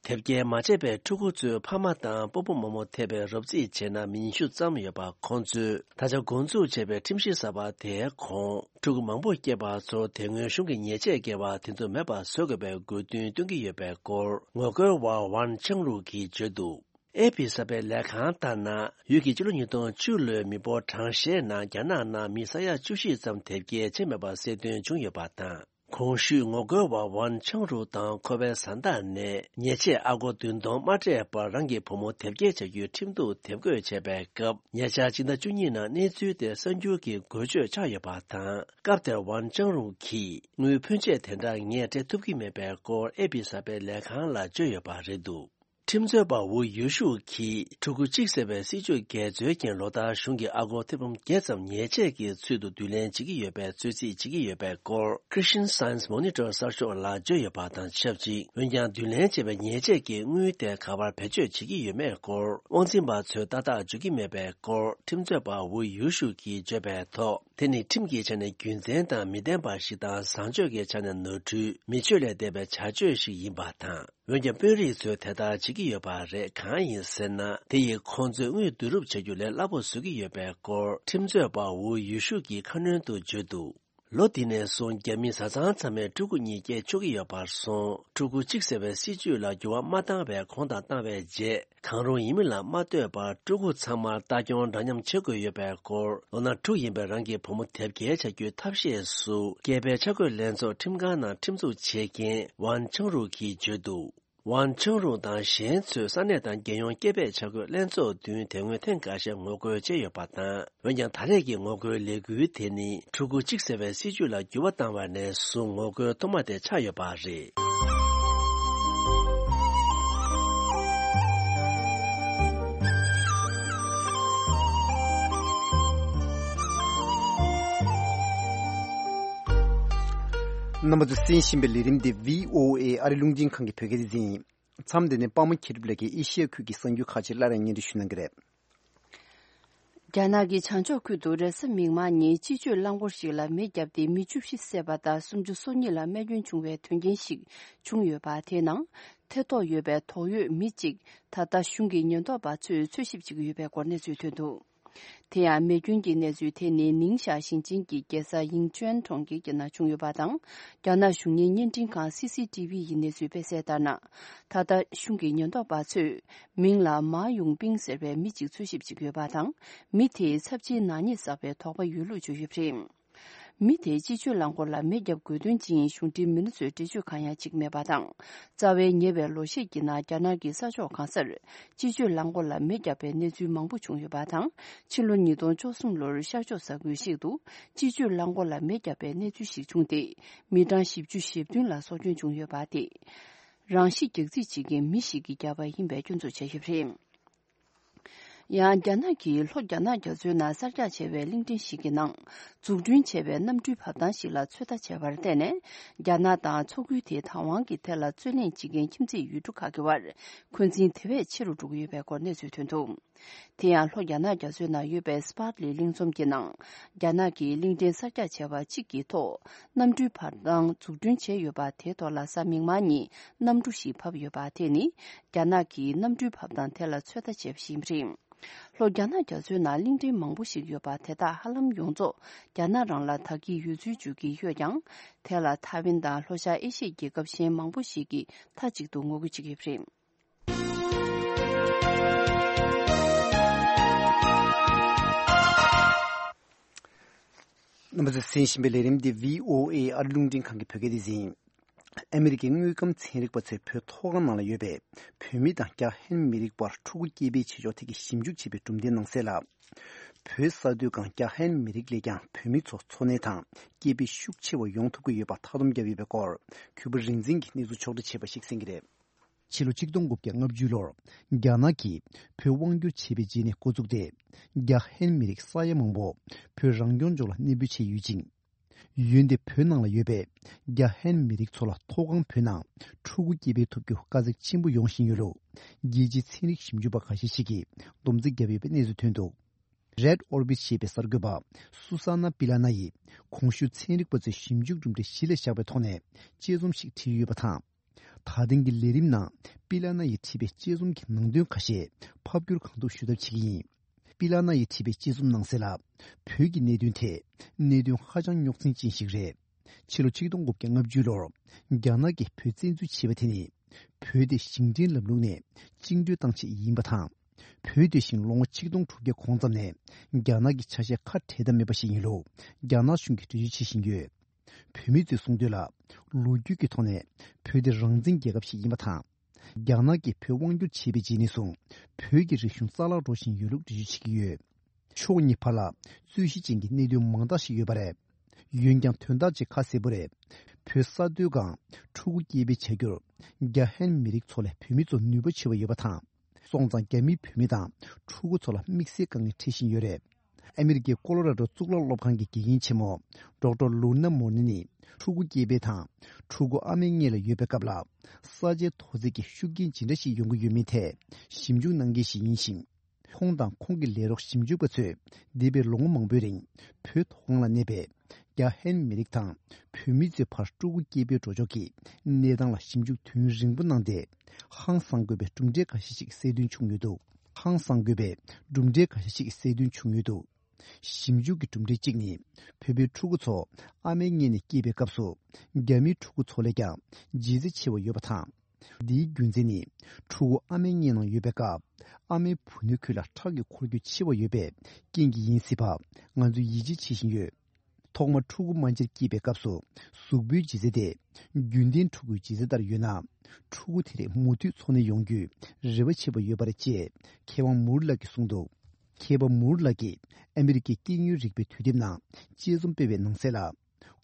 དེབ་སྐྱེལ་མ་བྱས་པའི་ཕྲུ་གུ་ཚོའི་ཕ་མ་དང་སྤོ་བོ་རྨོ་མོ་ཐེ་བའི་རོབ་རྩིས་བྱས་ན་མི་ཉི་ཤུ་ཙམ་ཡོད་པ། ཁོང་ཚོས་ད་ཆ་འགོ་འཛུགས་བྱས་པའི་ཁྲིམས་གཞི་གསར་པ་དེའི་གོང་། ཕྲུ་གུ་མང་པོ་སྐྱེས་པ་ཚོར་དེ་སྔོན་གཞུང་གི་ཉེས་ཆད་འགེལ་བ་དེ་ཚོ་མེད་པ་བཟོ་དགོས་པའི་དགོས་འདུན་བཏོན་གྱི་ཡོད་པའི་སྐོར་ངོ་རྒོལ་བ་ཝན་ཆང་རུག་གིས་བརྗོད་འདུག་ཨེ་པི་གསར་པའི་ལས་ཁང་ལྟར་ན། ཡུལ་གྱི་སྤྱི་ལོ་ཉིས་སྟོང་བཅུ་ལོའི་མི་འབོར་གྲངས་བཤེར་ནང་རྒྱ་ནག་ནང་མི་ས་ཡ་བཅུ་བཞི་ཙམ་དེབ་སྐྱེལ་བྱས་མེད་པ་གསལ་སྟོན་བྱུང་ཡོད་པ་དང་། གོང་ཞུས་ངོ་རྒོལ་བ་ཝན་ཆང་རུག་དང་ཁོ་པའི་བཟའ་ཟླ་ནས་ཉེས་ཆད་ཨ་སྒོར་བདུན་སྟོང་མ་སྤྲད་པར་རང་གི་བུ་མོ་དེབ་སྐྱེལ་བྱ་རྒྱུའི་ཁྲིམས་གཏུག་དེབ་འགོད་བྱས་པའི་སྐབས། ཉེ་ཆར་སྤྱི་ཟླ་བཅུ་གཉིས་ནང་གནས་ཚུལ་དེ་གསར་འགྱུར་གྱི་འགོ་བརྗོད་ཆགས་ཡོད་པ་དང་། སྐབས་དེར་ཝན་ཆང་རུག་གིས་དངུལ་ཕོན་ཆེ་དེ་འདྲ་ངས་སྤྲད་ཐུབ་ཀྱི་མེད་པའི་སྐོར་ཨེ་པི་གསར་པའི་ལས་ཁང་ལ་བརྗོད་ཡོད་པ་རེད་འདུག་ཁྲིམས་རྩོད་པ་ཝུ་ཡུ་ཤུ་གིས་ཕྲུ་གུ་གཅིག་ཟེར་བའི་སྲིད་ཇུས་འགལ་འཛོལ་རྐྱེན་ལོ་ལྟར་གཞུང་གིས་ཨ་སྒོར་ཐེར་འབུམ་བརྒྱད་ཙམ་ཉེས་ཆད་ཀྱི་ཚུལ་དུ་བསྡུ་ལེན་བྱེད་ཀྱི་ཡོད་པའི་རྩོད་རྩིས་བྱེད་ཀྱི་ཡོད་པའི་སྐོར་Christian Science Monitor གསར་ཤོག་ལ་བརྗོད་ཡོད་པ་དང་ཆབས་ཅིག་འོན་ཀྱང་བསྡུ་ལེན་བྱས་པའི་ཉེས་ཆད་ཀྱི་དངུལ་དེ་ག་པར་བེད་སྤྱོད་བྱེད་ཀྱི་ཡོད་མེད་སྐོར་དབང་འཛིན་པ་ཚོས་ཏག་ཏག་བརྗོད་ཀྱི་མེད་པའི་སྐོར་ཁྲིམས་རྩོད་པ་ཝུ་ཡུ་ཤུ་གིས་བརྗོད་པའི་ཐོག་དེ་ནི་ཁྲིམས་ཀྱི་ཆ་ནས་རྒྱུ་མཚན་དང་མི་ལྡན་པ་ཞིག་དང་བཟང་སྤྱོད་ཀྱི་ཆ་ནས་ནོར་འཁྲུལ་མི་ཆོས་ལས་འདས་པའི་བྱ་སྤྱོད་ཞིག་ཡིན་པ་དང་། འོན་ཀྱང་དཔོན་རིགས་ཚོས་དེ་ལྟར་བྱེད་ཀྱི་ཡོད་པ་རེད། གང་ཡིན་ཟེར་ན། དེ་ཡིས་ཁོང་ཚོས་དངུལ་བསྡུ་རུབ་བྱ་རྒྱུ་ལས་སླ་པོ་བཟོ་གི་ཡོད་པའི་སྐོར་ཁྲིམས་རྩོད་པ་ཝུ་ཡུ་ཤུ་གིས་ཁ་སྣོན་དུ་བརྗོད་འདུག་ལོ་འདི་ནས་བཟུང་རྒྱ་མི་བཟའ་ཚང་ཚང་མས་ཕྲུ་གུ་གཉིས་སྐྱེ་ཆོག་གི་ཡོད་པར་སོང་། ཕྲུ་གུ་གཅིག་ཟེར་བའི་སྲིད་ཇུས་ལ་འགྱུར་བ་མ་བཏང་བའི་གོང་དང་བཏང་བའི་རྗེས། གང་རུང་ཡིན་མིན་ལ་མ་ལྟོས་པར་ཕྲུ་གུ་ཚང་མར་ལྟ་སྐྱོང་འདྲ་མཉམ་བྱེད་དགོས་ཡོད་པའི་སྐོར་ལོ་ན་དྲུག་ཡིན་པའི་རང་གི་བུ་མོ་དེབ་སྐྱེལ་བྱ་རྒྱུའི་ཐབས་ཤེས་སུ་སྐྱེས་པའི་འཆར་འགོད་ལྷན་ཚོགས་ཁྲིམས་ཁང་ནང་ཁྲིམས་འཛུགས་བྱེད་མཁན་ཝན་ཆང་རུག་གིས་བརྗོད་འདུག་ཝན་ཆང་རུག་དང་གཞན་ཚོས་ས་གནས་དང་རྒྱལ་ཡོངས་སྐྱེས་པའི་འཆར་འགོད་ལྷན་ཚོགས་མདུན་དེ་སྔོན་ཐེངས་འགའ་ཤས་ངོ་རྒོལ་བྱས་ཡོད་པ་དང་། འོན་ཀྱང་ད་རེས་ཀྱི་ངོ་རྒོལ་ལས་འགུལ་དེ་ནི་ཕྲུ་གུ་གཅིག་ཟེར་བའི་སྲིད་ཇུས་ལ་འགྱུར་བ་བཏང་བ་ནས་བཟུང་ངོ་རྒོལ་ཐོག་མ་དེ་ཆགས་ཡོད་པ་རེད། རྣམ་པ་ཚོས་གསན་བཞིན་པའི་ལས་རིམ་འདི་བྷི་ཨོ་ཨེ་ཨ་རི་རླུང་འཕྲིན་ཁང་གི་བོད་སྐད་སྡེ་ཚན་ཡིན། མཚམས་འདི་ནས་པདྨ་མཁྱེན་གྲུབ་ལགས་ཀྱིས་ཨེ་ཤི་ཡ་ཁུལ་གྱི་གསར་འགྱུར་ཁག་ཅིག་སླར་ཡང་སྙན་སྒྲོན་ཞུ་གནང་གི་རེད། རྒྱ་ནག་གི་བྱང་ཕྱོགས་ཁུལ་དུ་རེས་གཟའ་མིག་དམར་ཉིན་སྤྱི་སྤྱོད་རླངས་འཁོར་ཞིག་ལ་མེ་བརྒྱབ་སྟེ་མི་བཅུ་བཞི་བསད་པ་དང་སུམ་ཅུ་སོ་གཉིས་ལ་རྨས་སྐྱོན་བྱུང་བའི་དོན་རྐྱེན་ཞིག་བྱུང་ཡོད་པ། དེའི་ནང་ཐེ་གཏོགས་ཡོད་པའི་དོགས་ཡོད་མི་གཅིག་ད་ལྟ་གཞུང་གི་ཉེན་རྟོག་པ་ཚོས་འཚོལ་ཞིབ་བྱེད་ཀྱི་ཡོད་པའི་སྐོར་གནས་ཚུལ་ཐོན་འདུག་དེ་ཡང་མེ་སྐྱོན་གྱི་གནས་ཚུལ་དེ་ནི་ནིང་ཞའོ་ཞིང་ཆེན་གྱི་རྒྱལ་ས་ཡིང་ཅུན་གྲོང་ཁྱེར་གྱི་ནང་བྱུང་ཡོད་པ་དང་། རྒྱ་ནག་གཞུང་གཉེར་བརྙན་འཕྲིན་ཁང་སི་སི་ཊི་བི་ཡིས་གནས་ཚུལ་སྤེལ་གསལ་ལྟར་ན། ད་ལྟ་གཞུང་གི་ཉེན་རྟོག་པ་ཚོས་མིང་ལ་མཱ་ཡུང་པིང་ཟེར་བའི་མི་གཅིག་འཚོལ་ཞིབ་བྱེད་ཀྱི་ཡོད་པ་དང་། མི་དེས་ཚབས་ཆེའི་ནག་ཉེས་བསགས་པའི་དོགས་པ་ཡོད་ལུགས་བརྗོད་ཡོད་པ་རེད། མི་དེས་སྤྱི་སྤྱོད་རླངས་འཁོར་ལ་མེ་བརྒྱབ་དགོས་དོན་ཅི་ཡིན་གཞུང་འབྲེལ་མི་སྣ་ཚོས་འགྲེལ་བརྗོད་གང་ཡང་བྱེད་ཀྱི་མེད་པ་དང་། རྩ་བའི་ཉེ་བའི་ལོ་ཤས་ཀྱི་ནང་རྒྱ་ནག་གི་ས་ཕྱོགས་གང་སར་སྤྱི་སྤྱོད་རླངས་འཁོར་ལ་མེ་བརྒྱབ་པའི་གནས་ཚུལ་མང་པོ་བྱུང་ཡོད་པ་དང་། ཕྱི་ལོ་ཉིས་སྟོང་བཅུ་གསུམ་ལོར་ཤར་ཕྱོགས་ས་ཁུལ་ཞིག་ཏུ་སྤྱི་སྤྱོད་རླངས་འཁོར་ལ་མེ་བརྒྱབ་པའི་གནས་ཚུལ་ཞིག་བྱུང་སྟེ། མི་གྲངས་བཞི་བཅུ་ཞེ་བདུན་ལ་སྲོག་སྐྱོན་བྱུང་ཡོད་པ་དེ། རང་ཤི་རྒྱག་རྩིས་བྱེད་མཁན་མི་ཞིག་གིས་བརྒྱབ་པ་ཡིན་པའི་སྐྱོན་འཛུགས་བྱས་ཡོད་པ་རེད། ཡང་རྒྱ་ནག་གིས་ལྷོ་རྒྱ་ནག་རྒྱ་མཚོའི་ནང་གསར་རྒྱག་བྱས་པའི་གླིང་ཕྲན་ཞིག་གི་ནང་འཛུགས་སྐྲུན་བྱས་པའི་གནམ་གྲུའི་བབས་ཐང་ཞིག་ལ་ཚོད་ལྟ་བྱས་པར་བརྟེན་ནས། རྒྱ་ནག་དང་མཚོ་ཁུལ་དེའི་བདག་དབང་གི་ཐད་ལ་རྩོད་གླེང་བྱེད་མཁན་ཁྱིམ་མཚེས་ཡུལ་གྲུ་ཁག་གི་བར་འཁོན་འཛིན་དེ་བས་ཆེ་རུ་འགྲོ་གི་ཡོད་པའི་སྐོར་གནས་ཚུལ་ཐོན་འདུག་དེ་ཡང་ལྷོ་རྒྱ་ནག་རྒྱ་མཚོའི་ནང་ཡོད་པའི་སི་པཱར་ལི་གླིང་ཚོམ་གྱི་ནང་རྒྱ་ནག་གིས་གླིང་ཕྲན་གསར་རྒྱག་བྱས་པ་གཅིག་གི་ཐོག་གནམ་གྲུའི་བབས་ཐང་འཛུགས་སྐྲུན་བྱས་ཡོད་པ་དེའི་ཐོག་ལ་གཟའ་མིག་དམར་ཉིན་གནམ་གྲུ་ཞིག་བབས་ཡོད་པ་དེ་ནི་རྒྱ་ནག་གིས་གནམ་གྲུའི་བབས་ཐང་དེ་ལ་ཚོད་ལྟ་བྱས་པ་ཞིག་ཡིན་པ་རེད། ལྷོ་རྒྱ་ནག་རྒྱ་མཚོའི་ནང་གླིང་ཕྲན་མང་པོ་ཞིག་ཡོད་པ་དེ་དག་ཧ་ལམ་ཡོངས་རྫོགས་རྒྱ་ནག་རང་ལ་བདག་གི་ཡོད་ཚུལ་བརྗོད་ཀྱི་ཡོད་ཀྱང་། དེ་ལ་ཐའེ་ཝན་དང་ལྷོ་ཤར་ཨེ་ཤི་ཡའི་རྒྱལ་ཁབ་གཞན་མང་པོ་ཞིག་གིས་མཐའ་གཅིག་ཏུ་ངོ་རྒོལ་བྱེད་ཀྱི་ཡོད་པ་རེད། རྣམ་པ་ཚོས་གསན་བཞིན་པའི་ལས་རིམ་འདི་བྷི་ཨོ་ཨེ་ཨ་རི་རླུང་འཕྲིན་ཁང་གི་བོད་སྐད་སྡེ་ཚན་ཡིན། ཨ་མི་རི་ཀའི་དངོས་ཁམས་ཚན་རིག་པ་ཚོས་བོད་མཐོ་སྒང་ནང་ལ་ཡོད་པའི་བོད་མི་དང་རྒྱ་ཧན་མི་རིགས་བར་ཕྲུ་གུ་སྐྱེས་པའི་བྱེད་ཕྱོགས་ཐད་ཀྱི་ཞིབ་འཇུག་བྱས་པའི་གྲུབ་འབྲས་ནང་གསལ་ལ། བོད་ས་སྟོད་སྒང་རྒྱ་ཧན་མི་རིགས་ལས་ཀྱང་བོད་མི་ཚོ་འཚོ་གནས་དང་སྐྱེས་པའི་ཤུགས་ཆེ་བ་ཡོང་ཐུབ་ཀྱི་ཡོད་པ་མཐའ་སྡོམ་བརྒྱབ་ཡོད་པའི་སྐོར། གུས་པ་རིག་འཛིན་གྱིས་གནས་ཚུལ་ཕྱོགས་བསྒྲིགས་བྱས་པ་ཞིག་གསན་གྱི་རེད། ཕྱི་ལོ་ཆིག་སྟོང་དགུ་བརྒྱ་ལྔ་བཅུ་ལོར་རྒྱ་ནག་གིས་བོད་དབང་བསྒྱུར་བྱས་པའི་རྗེས་ནས་འགོ་བཙུགས་ཏེ། རྒྱ་ཧན་མི་རིགས་ས་ཡ་མང་པོ་བོད་རང་སྐྱོང་ལྗོངས་ལ་གནས་སྤོས་བྱས་ཡོད་ཅིང་། ཡོན་ཏན་བོད་ནང་ལ་ཡོད་པའི་རྒྱ་ཧན་མི་རིགས་ཚོ་ལ་མཐོ་སྒང་བོད་ནང་ཕྲུ་གུ་སྐྱེ་འཕེལ་ཐུབ་རྒྱུ་དཀའ་ཚེགས་ཆེན་པོ་ཡོང་བཞིན་ཡོད་ལུགས་རྒྱལ་སྤྱིའི་ཚན་རིག་ཞིབ་འཇུག་པ་ཁ་ཤས་ཤིག་གིས་སྡོམ་རྩིས་བརྒྱབ་ཡོད་པའི་གནས་ཚུལ་ཐོན་འདུག Red Orbit ཞེས་པའི་གསར་འགོད་པ་སུ་ས་ན་པི་ལ་ན་ཡིས་གོང་ཞུས་ཚན་རིག་པ་ཚོའི་ཞིབ་འཇུག་གྲུབ་འབྲས་གཞི་ལ་བཞག་པའི་ཐོག་ནས་དཔྱད་རྩོམ་ཞིག་བྲིས་ཡོད་པ་དང་། ད་ཐེངས་ཀྱི་ལས་རིམ་ནང་པི་ལ་ན་ཡིས་བྲིས་པའི་དཔྱད་རྩོམ་གྱི་ནང་དོན་ཁ་ཤས་ཕབ་བསྒྱུར་གང་ཐུབ་ཞུ་ཐབས་བྱེད་ཀྱི་ཡིན། པི་ལ་ན་ཡིས་བྲིས་པའི་དཔྱད་རྩོམ་ནང་གསལ་ལ། བོད་ཀྱི་གནད་དོན་དེ་གནད་དོན་ཧ་ཅང་རྙོག་འཛིང་ཅན་ཞིག་རེད། ཕྱི་ལོ་ཆིག་སྟོང་དགུ་བརྒྱ་ལྔ་བཅུ་ལོར་རྒྱ་ནག་གིས་བོད་བཙན་འཛུལ་བྱས་པ་དེ་ནི། བོད་དེ་ཞིང་བྲན་ལམ་ལུགས་ནས་བཅིངས་འགྲོལ་བཏང་ཆེད་ཡིན་པ་དང་། བོད་དེ་བཞིན་ལོ་ངོ་ཆིག་སྟོང་དྲུག་བརྒྱ་གོང་ཙམ་ནས་རྒྱ་ནག་གི་ཆ་ཤས་ཁ་བྲལ་དང་མེད་པ་ཞིག་ཡིན་ལུགས་རྒྱ་ནག་གཞུང་གིས་འགྲེལ་བརྗོད་བྱེད་བཞིན་ཡོད། བོད་མི་ཚོས་གསུངས་དོན་ལ། ལོ་རྒྱུས་ཀྱི་ཐོག་ནས་བོད་དེ་རང་བཙན་རྒྱལ་ཁབ་ཞིག་ཡིན་པ་དང་། རྒྱ་ནག་གིས་བོད་དབང་བསྒྱུར་བྱས་པའི་རྗེས་ནས་བཟུང་བོད་ཀྱི་རིག་གཞུང་རྩ་བརླག་འགྲོ་བཞིན་ཡོད་ལུགས་འགྲེལ་བརྗོད་བྱེད་ཀྱི་ཡོད། ཕྱོགས་གཉིས་བར་ལ་རྩོད་གཞི་ཅན་གྱི་གནད་དོན་མང་དག་ཞིག་ཡོད་པ་རེད། འོན་ཀྱང་དོན་དག་ཅིག་ཁ་གསལ་པོ་རེད། བོད་ས་སྟོད་སྒང་ཕྲུ་གུ་སྐྱེས་སྤེལ་བྱ་རྒྱུར་རྒྱ་ཧན་མི་རིགས་ཚོ་ལས་བོད་མི་ཚོ་ནུས་པ་ཆེ་བ་ཡོད་པ་དང་། སོང་ཙང་རྒྱ་མིས་བོད་མི་དང་ཕྲུ་གུ་ཚོ་ལ་དམིགས་བསལ་དཀའ་ངལ་འཕྲད་བཞིན་ཡོད་རེད། ཨ་མི་རི་ཀའི་ཀོ་ལོ་ར་ཌོ་གཙུག་ལག་སློབ་ཁང་གི་དགེ་རྒན་ཆེན་མོ་ཌོག་ཊར་ལུ་ན་མོར་ནི་ནི་ཕྲུ་གུ་སྐྱེས་སྤེལ་དང་ཕྲུ་གུ་ཨ་མའི་མངལ་ལ་ཡོད་པའི་སྐབས་ལ་ས་ཆའི་མཐོ་ཚད་ཀྱི་ཤུགས་རྐྱེན་ཇི་འདྲ་ཞིག་ཡོང་གི་ཡོད་མེད་ཐད་ཞིབ་འཇུག་གནང་མཁན་ཞིག་ཡིན་ཞིང་། ཁོང་དང་ཁོང་གི་ལས་རོགས་ཞིབ་འཇུག་པ་ཚོས་འདས་པའི་ལོ་ངོ་མང་པོའི་རིང་བོད་མཐོ་སྒང་ལ་གནས་པའི་རྒྱ་ཧན་མི་རིགས་དང་བོད་མི་ཚོའི་བར་ཕྲུ་གུ་སྐྱེས་སྤེལ་འགྲོ་ཕྱོགས་ཀྱི་གནས་སྟངས་ལ་ཞིབ་འཇུག་དུས་ཡུན་རིང་པོ་གནང་སྟེ། ཧང་སང་དགོས་པའི་གྲུབ་འབྲས་འགའ་ཤས་ཤིག་གསལ་སྟོན་བྱུང་ཡོད་འདུག་ཧང་སང་དགོས་པའི་གྲུབ་འབྲས་འགའ་ཤས་ཤིག་གསལ་སྟོན་བྱུང་ཡོད་འདུག་ཞིབ་འཇུག་གི་གྲུབ་འབྲས་གཅིག་ནི། བོད་པའི་ཕྲུ་གུ་ཚོ་ཨ་མའི་མངལ་ནས་སྐྱེས་པའི་སྐབས་སུ། རྒྱ་མིའི་ཕྲུ་གུ་ཚོ་ལས་ཀྱང་ལྗིད་ཚད་ཆེ་བ་ཡོད་པ་དང་། འདིའི་རྒྱུ་མཚན་ནི། ཕྲུ་གུ་ཨ་མའི་མངལ་ནང་ཡོད་པའི་སྐབས། ཨ་མའི་བུ་སྣོད་ཁུལ་ལ་ཁྲག་གི་འཁོར་རྒྱུག་ཆེ་བ་ཡོད་པའི་རྐྱེན་གྱིས་ཡིན་སྲིད་པ། ང་ཚོས་ཡིད་ཆེས་བྱེད་བཞིན་ཡོད། ཐོག་མར་ཕྲུ་གུ་རྨ་བྱར་སྐྱེས་པའི་སྐབས་སུ། གཟུགས་པོའི་ལྗིད་ཚད་དེ། རྒྱུན་ལྡན་ཕྲུ་གུའི་ལྗིད་ཚད་ལྟར་ཡོད་ན། ཕྲུ་གུ་དེ་རིགས་མུ་མཐུད་འཚོ་གནས་ཡོང་རྒྱུའི་རེ་བ་བྱེད་པ་ཡོད་པ་རེད་ཅེས། མཁས་དབང་མུར་ལགས་ཀྱིས་གསུངས་འདུག་མཁས་པ་མུར་ལགས་ཀྱིས་ཨ་མི་རི་ཀའི་སྐྱེ་དངོས་རིག་པའི་དུས་དེབ་ནང་དཔྱད་རྩོམ་སྤེལ་བའི་ནང་གསལ་ལ།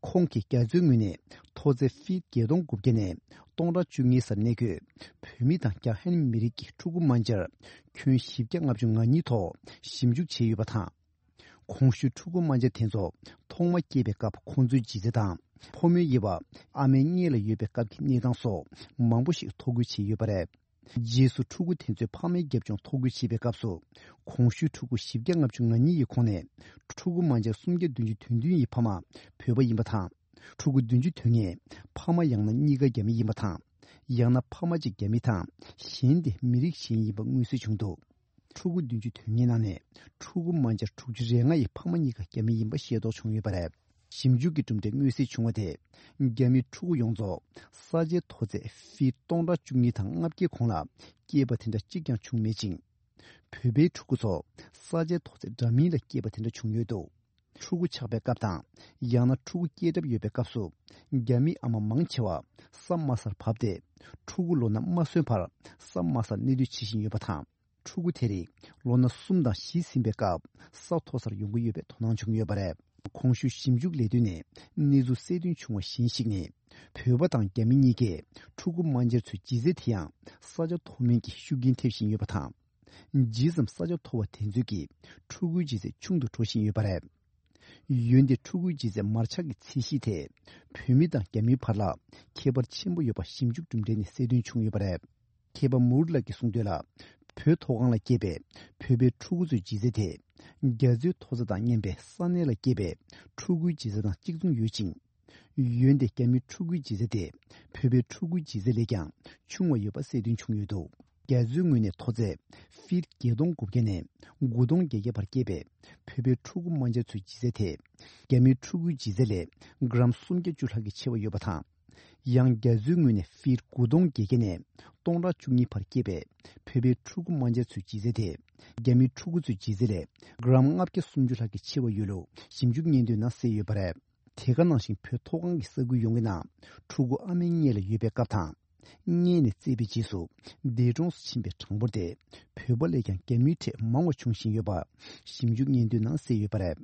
ཁོང་གིས་རྒྱ་མཚོའི་ངོས་ནས་མཐོ་ཚད་ཧྥིཊ་བརྒྱད་སྟོང་དགུ་བརྒྱ་ནས་སྟོང་ཕྲག་བཅུ་གཉིས་སར་གནས་འཁོད་བོད་མི་དང་རྒྱ་ཧན་མི་རིགས་ཀྱི་ཕྲུ་གུ་རྨ་བྱར་ཁྱོན་བཞི་བརྒྱ་ལྔ་བཅུ་ང་གཉིས་ཐོག་ཞིབ་འཇུག་བྱས་ཡོད་པ་དང་། གོང་ཞུས་ཕྲུ་གུ་རྨ་བྱ་དེ་ཚོ་ཐོག་མ་སྐྱེས་པའི་སྐབས་ཁོང་ཚོའི་ལྗིད་ཚད་དང་ཕོ་མོའི་དབྱེ་བ། ཨ་མའི་མངལ་ལ་ཡོད་པའི་སྐབས་ཀྱི་གནས་སྟངས་སོགས་མང་པོ་ཞིག་ཐོ་འགོད་བྱས་ཡོད་པ་རེད། རྗེས་སུ་ཕྲུ་གུ་དེ་ཚོའི་ཕ་མའི་རྒྱབ་ལྗོངས་ཐོ་འགོད་བྱེད་པའི་སྐབས་སུ། གོང་ཞུས་ཕྲུ་གུ་བཞི་བརྒྱ་ལྔ་བཅུ་ང་གཉིས་ཡི་ཁོངས་ནས་ཕྲུ་གུ་རྨ་བྱ་སུམ་བརྒྱ་བདུན་ཅུ་དོན་བདུན་ཡི་ཕ་མ་བོད་པ་ཡིན་པ་དང་། ཕྲུ་གུ་བདུན་ཅུ་དོན་ལྔའི་ཕ་མ་ཡང་ན་གཉིས་ཀ་རྒྱ་མི་ཡིན་པ་དང་། ཡང་ན་ཕ་མ་གཅིག་རྒྱ་མི་དང་གཞན་དེ་མི་རིགས་གཞན་ཡིན་པ་མངོན་གསལ་བྱུང་འདུག་ཕྲུ་གུ་བདུན་ཅུ་དོན་ལྔའི་ནང་ནས་ཕྲུ་གུ་རྨ་བྱ་དྲུག་ཅུ་རེ་ལྔ་ཡི་ཕ་མ་གཉིས་ཀ་རྒྱ་མི་ཡིན་པ་ཤེས་རྟོགས་བྱུང་ཡོད་པ་རེད། ཞིབ་འཇུག་གི་གྲུབ་འབྲས་མངོན་གསལ་བྱུང་བ་དེས། རྒྱ་མིའི་ཕྲུ་གུ་ཡོངས་རྫོགས་ས་ཆའི་མཐོ་ཚད་ཧྥིཊ་སྟོང་ཕྲག་བཅུ་གཉིས་དང་ལྔ་བརྒྱའི་གོང་ལ་སྐྱེས་པ་དེ་འདྲ་གཅིག་ཀྱང་བྱུང་མེད་ཅིང་། བོད་པའི་ཕྲུ་གུ་ཚོ་ས་ཆའི་མཐོ་ཚད་འདྲ་མིན་ལ་སྐྱེས་པ་དེ་འདྲ་བྱུང་ཡོད་འདུག་ཕྲུ་གུ་ཆགས་པའི་སྐབས་དང་། ཡང་ན་ཕྲུ་གུ་སྐྱེས་གྲབས་ཡོད་པའི་སྐབས་སུ། རྒྱ་མི་ཨ་མ་མང་ཆེ་བ་ས་དམའ་སར་བབས་ཏེ། ཕྲུ་གུ་ལོ་ན་མ་སོན་བར་ས་དམའ་སར་གནས་སྡོད་བྱེད་བཞིན་ཡོད་པ་དང་། ཕྲུ་གུ་དེ་རིགས་ལོ་ན་གསུམ་དང་བཞི་ཟིན་པའི་སྐབས་ས་མཐོ་སར་ཡོང་གི་ཡོད་པའི་དོ་སྣང་བྱུང་ཡོད་པ་རེད། གོང་ཞུས་ཞིབ་འཇུག་ལས་དོན་ནས་གནས་ཚུལ་གསལ་སྟོན་བྱུང་བ་གཞན་ཞིག་ནི། བོད་པ་དང་རྒྱ་མི་གཉིས་ཀས་ཕྲུ་གུ་རྨ་བྱར་ཚོའི་ལྗིད་ཚད་དེ་ཡང་ས་ཆ་མཐོ་དམན་གྱི་ཤུགས་རྐྱེན་ཐེབས་བཞིན་ཡོད་པ་དང་། ཇི་ཙམ་ས་ཆ་མཐོ་བ་དེ་ཚོའི་གི་ཕྲུ་གུའི་ལྗིད་ཚད་ཆུང་དུ་འགྲོ་བཞིན་ཡོད་པ་རེད། འོན་ཏེ་ཕྲུ་གུའི་ལྗིད་ཚད་མར་ཆག་གི་ཚད་གཞི་དེ་བོད་མི་དང་རྒྱ་མིའི་བར་ལ་ཁྱད་པར་ཆེན་པོ་ཡོད་པ་ཞིབ་འཇུག་གྲུབ་འབྲས་ནས་གསལ་སྟོན་བྱུང་ཡོད་པ་རེད། མཁས་པ་མུར་ལགས་ཀྱིས་གསུངས་དོན་ལ། བོད་མཐོ་སྒང་ལ་སྐྱེས་པའི་བོད་པའི་ཕྲུ་གུ་ཚོའི་ལྗིད་ཚད་དེ། རྒྱ་མཚོའི་མཐོ་ས་དང་མཉམ་པའི་ས་གནས་ལ་སྐྱེས་པའི་ཕྲུ་གུའི་ལྗིད་ཚད་དང་གཅིག་མཚུངས་ཡོད་ཅིང་། འོན་ཏེ་རྒྱ་མིའི་ཕྲུ་གུའི་ལྗིད་ཚད་དེ་བོད་པའི་ཕྲུ་གུའི་ལྗིད་ཚད་ལས་ཀྱང་ཆུང་བ་ཡོད་པ་གསལ་སྟོན་བྱུང་ཡོད་འདུག་རྒྱ་མཚོའི་ངོས་ནས་མཐོ་ཚད་ཧྥིཊ་བརྒྱད་སྟོང་དགུ་བརྒྱ་ནས་དགུ་སྟོང་བརྒྱད་བརྒྱ་བར་སྐྱེས་པའི་བོད་པའི་ཕྲུ་གུ་རྨ་བྱ་ཚོའི་ལྗིད་ཚད་དེ་རྒྱ་མིའི་ཕྲུ་གུའི་ལྗིད་ཚད་ལས་གྲམ་སུམ་བརྒྱ་བཅུ་ལྷག་གིས་ཆེ་བ་ཡོད་པ་དང་། ཡང་རྒྱ་མཚོའི་ངོས་ནས་ཧྥིཊ་དགུ་སྟོང་བརྒྱད་བརྒྱ་ནས་སྟོང་ཕྲག་བཅུ་གཉིས་བར་སྐྱེས་པའི་བོད་པའི་ཕྲུ་གུ་རྨ་བྱ་ཚོའི་ལྗིད་ཚད་དེ་རྒྱ་མིའི་ཕྲུ་གུ་ཚོའི་ལྗིད་ཚད་ལས་གྲམ་ལྔ་བརྒྱ་སུམ་ཅུ་ལྷག་གིས་ཆེ་བ་ཡོད་ལུགས་ཞིབ་འཇུག་སྙན་ཐོའི་ནང་གསལ་ཡོད་པ་རེད། དེ་ག་ནང་བཞིན་བོད་མཐོ་སྒང་གི་ས་ཁུལ་ཡོངས་ཀྱི་ནང་ཕྲུ་གུ་ཨ་མའི་མངལ་ལ་ཡོད་པའི་སྐབས་དང་། མངལ་ནས་བཙས་པའི་རྗེས་སུ་འདས་གྲོངས་སུ་ཕྱིན་པའི་གྲངས་འབོར་དེ་བོད་པ་ལས་ཀྱང་རྒྱ་མིའི་གྲས་མང་བ་འབྱུང་བཞིན་ཡོད་པ་ཞིབ་འཇུག་སྙན་ཐོའི་ནང་གསལ་ཡོད་པ་རེད།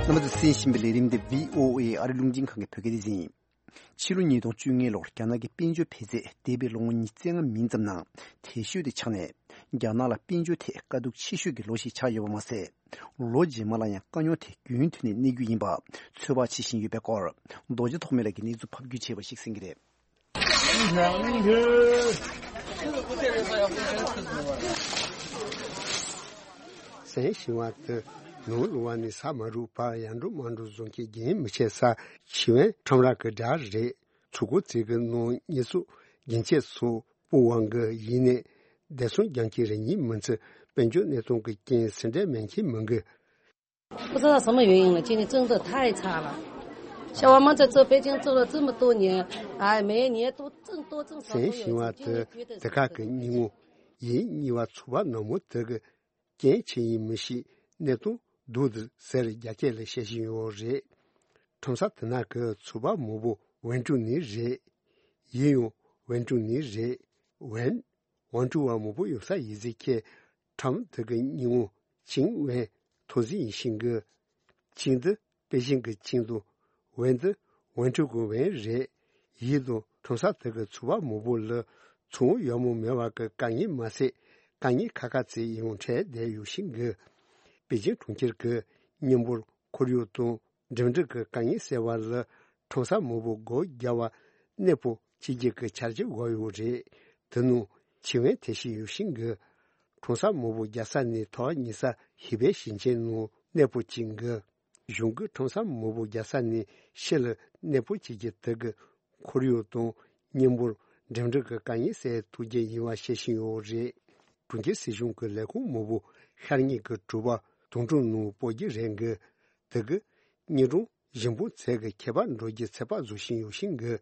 རྣམ་པ་ཚོས་གསན་བཞིན་པའི་ལས་རིམ་འདི་བྷི་ཨོ་ཨེ་ཨ་རི་རླུང་འཕྲིན་ཁང་གི་བོད་སྐད་སྡེ་ཚན་ཡིན། ཕྱི་ལོ་ཉིས་སྟོང་བཅོ་ལྔ་ལོར་རྒྱ་ནག་གི་དཔལ་འབྱོར་འཕེལ་ཚད་འདས་པའི་ལོ་ངོ་ཉི་ཤུ་རྩ་ལྔ་མིན་ཙམ་ནང་དལ་ཤོས་དེ་ཆགས་ནས། རྒྱ་ནག་ལ་དཔལ་འབྱོར་ཐད་དཀའ་སྡུག་ཆེ་ཤོས་ཀྱི་ལོ་ཞིག་ཆགས་ཡོད་པ་མ་ཟད། ལོ་རྗེས་མ་ལ་ཡང་དཀའ་རྙོག་དེ་རྒྱུན་མཐུད་ནས་གནས་རྒྱུ་ཡིན་པ་ཚོད་དཔག་བྱེད་བཞིན་ཡོད་པའི་སྐོར། རྡོ་རྗེ་ཐོགས་མེད་ལགས་ཀྱིས་གནས་ཚུལ་ཕབ་སྒྱུར་བྱས་པ་ཞིག་གསན་གྱི་རེད། གསན་བཞིན་པ་དེ་ནོར་ལུང་བ་ནས་ས་མ་རུབ་བར་ཡར་འགྲོ་མར་འགྲོ་བཟོ་མཁན་རྒན་མི་ཆེ་ས་ཆི་ཝན་ཁྲོམ་ར་གི་སྒྲ་རེད། ཚུར་སྐོར་བྱེད་ཀྱི་ནང་ཉེས་གསོག་རྒྱན་ཆས་སོགས་སྤུ་བང་གི་ཡིན་ནས། བདེ་སྲུང་རྒྱང་ཁྱིའི་རེ་ཉིན་མི་ཚེ་དཔལ་འབྱོར་གནས་སྟངས་ཀྱི་རྐྱེན་སེམས་ཁྲལ་མེད་མཁན་མང་གི། 不知道什么原因了，今年真的太差了。像我们在这北京做了这么多年，哎，每年都挣多挣少都有一次，今年觉得是很不行。 གསན་བཞིན་པ་དེ་དེ་ག་གི་ཉིན་མོ་ཡིན། གཉིས་པ་ཚོ་པ་ནག་མོ་དེ་གི་རྐྱེན་ཅི་ཡིན་མི་ཤེས། གནས་སྟངས་སྡུག་འདུག་ཟེར་རྒྱ་སྐད་ལ་བཤད་བཞིན་ཡོད་རེད། ཁྲོམ་ས་དེ་ནང་གི་ཚོ་པ་མང་པོ་ཝེན་ཀྲུའུ་ནས་རེད། ཡིན་ཡང་ཝེན་ཀྲུའུ་ནས་རེད། ཝེན། ཝེན་ཀྲུའུ་བ་མང་པོ་ཡོད་ས་ཡིན་ཟེར་མཁན་ཁྲོམ་དེ་གི་སྙིང་བོ་ཅིང་ཝེན་ཐོན་ཟིན་ཡིན་ཤིང་གི། ཅིང་འདི་པེ་ཅིང་གི་ཅིང་དང་ཝེན་འདི་ཝེན་ཀྲུའུ་གི་ཝེན་རེད། ཡིན་དང་ཁྲོམ་ས་དེ་གི་ཚོ་པ་མང་པོ་ལ་ཚོང་ཡག་མོ་མེད་པ་གི་དཀའ་ངལ་མ་ཟད། དཀའ་ངལ་ཁག་ཁག་ཅིག་ཡོང་འཕྲད་བསྡད་ཡོད་ཤིང་གི། པེ་ཅིང་གྲོང་ཁྱེར་གྱི་མཉམ་འབོར་ཁོར་ཡུག་དང་འགྲིམ་འགྲུལ་གྱི་དཀའ་ངལ་སེལ་བ་ལ་ཁྲོམ་ས་མང་པོ་སྒོ་བརྒྱབ་པ་གནས་སྤོ་བྱེད་རྒྱུ་གི་འཆར་གཞི་བཞག་ཡོད་རེད། དེ་ནང་ཆི་ཝན་ཐེ་ཤི་ཡོད་ཤིང་གི། ཁྲོམ་ས་མང་པོ་རྒྱག་ས་ནས་ཐོག་ཉེ་ས་ཧི་པེ་ཞིང་ཆེན་ནང་གནས་སྤོ་བྱེད་གི། གཞུང་གིས་ཁྲོམ་ས་མང་པོ་རྒྱག་ས་ནས་ཕྱི་ལ་གནས་སྤོ་བྱེད་རྒྱུ་དེ་གི་ཁོར་ཡུག་དང་མཉམ་འབོར་འགྲིམ་འགྲུལ་གྱི་དཀའ་ངལ་སེལ་ཐུབ་རྒྱུ་ཡིན་པ་བཤད་བཞིན་ཡོད་རེད། གྲོང་ཁྱེར་སྲིད་གཞུང་གི་ལས་ཁུངས་མང་པོ་ཤར་ཉིན་གྱི་དྲོ་པ་དུང་སྒྲོན་ནང་སྤོ་རྒྱུ་རེད་འགི། དེ་གི་ཉིན་གྲོང་ཞིང་ཕུང་ཚད་ཀྱི་ཁྱད་པར་འགྲོ་རྒྱུ་ཚོད་དཔག་བཟོ་བཞིན་ཡོད་ཤིང་གི།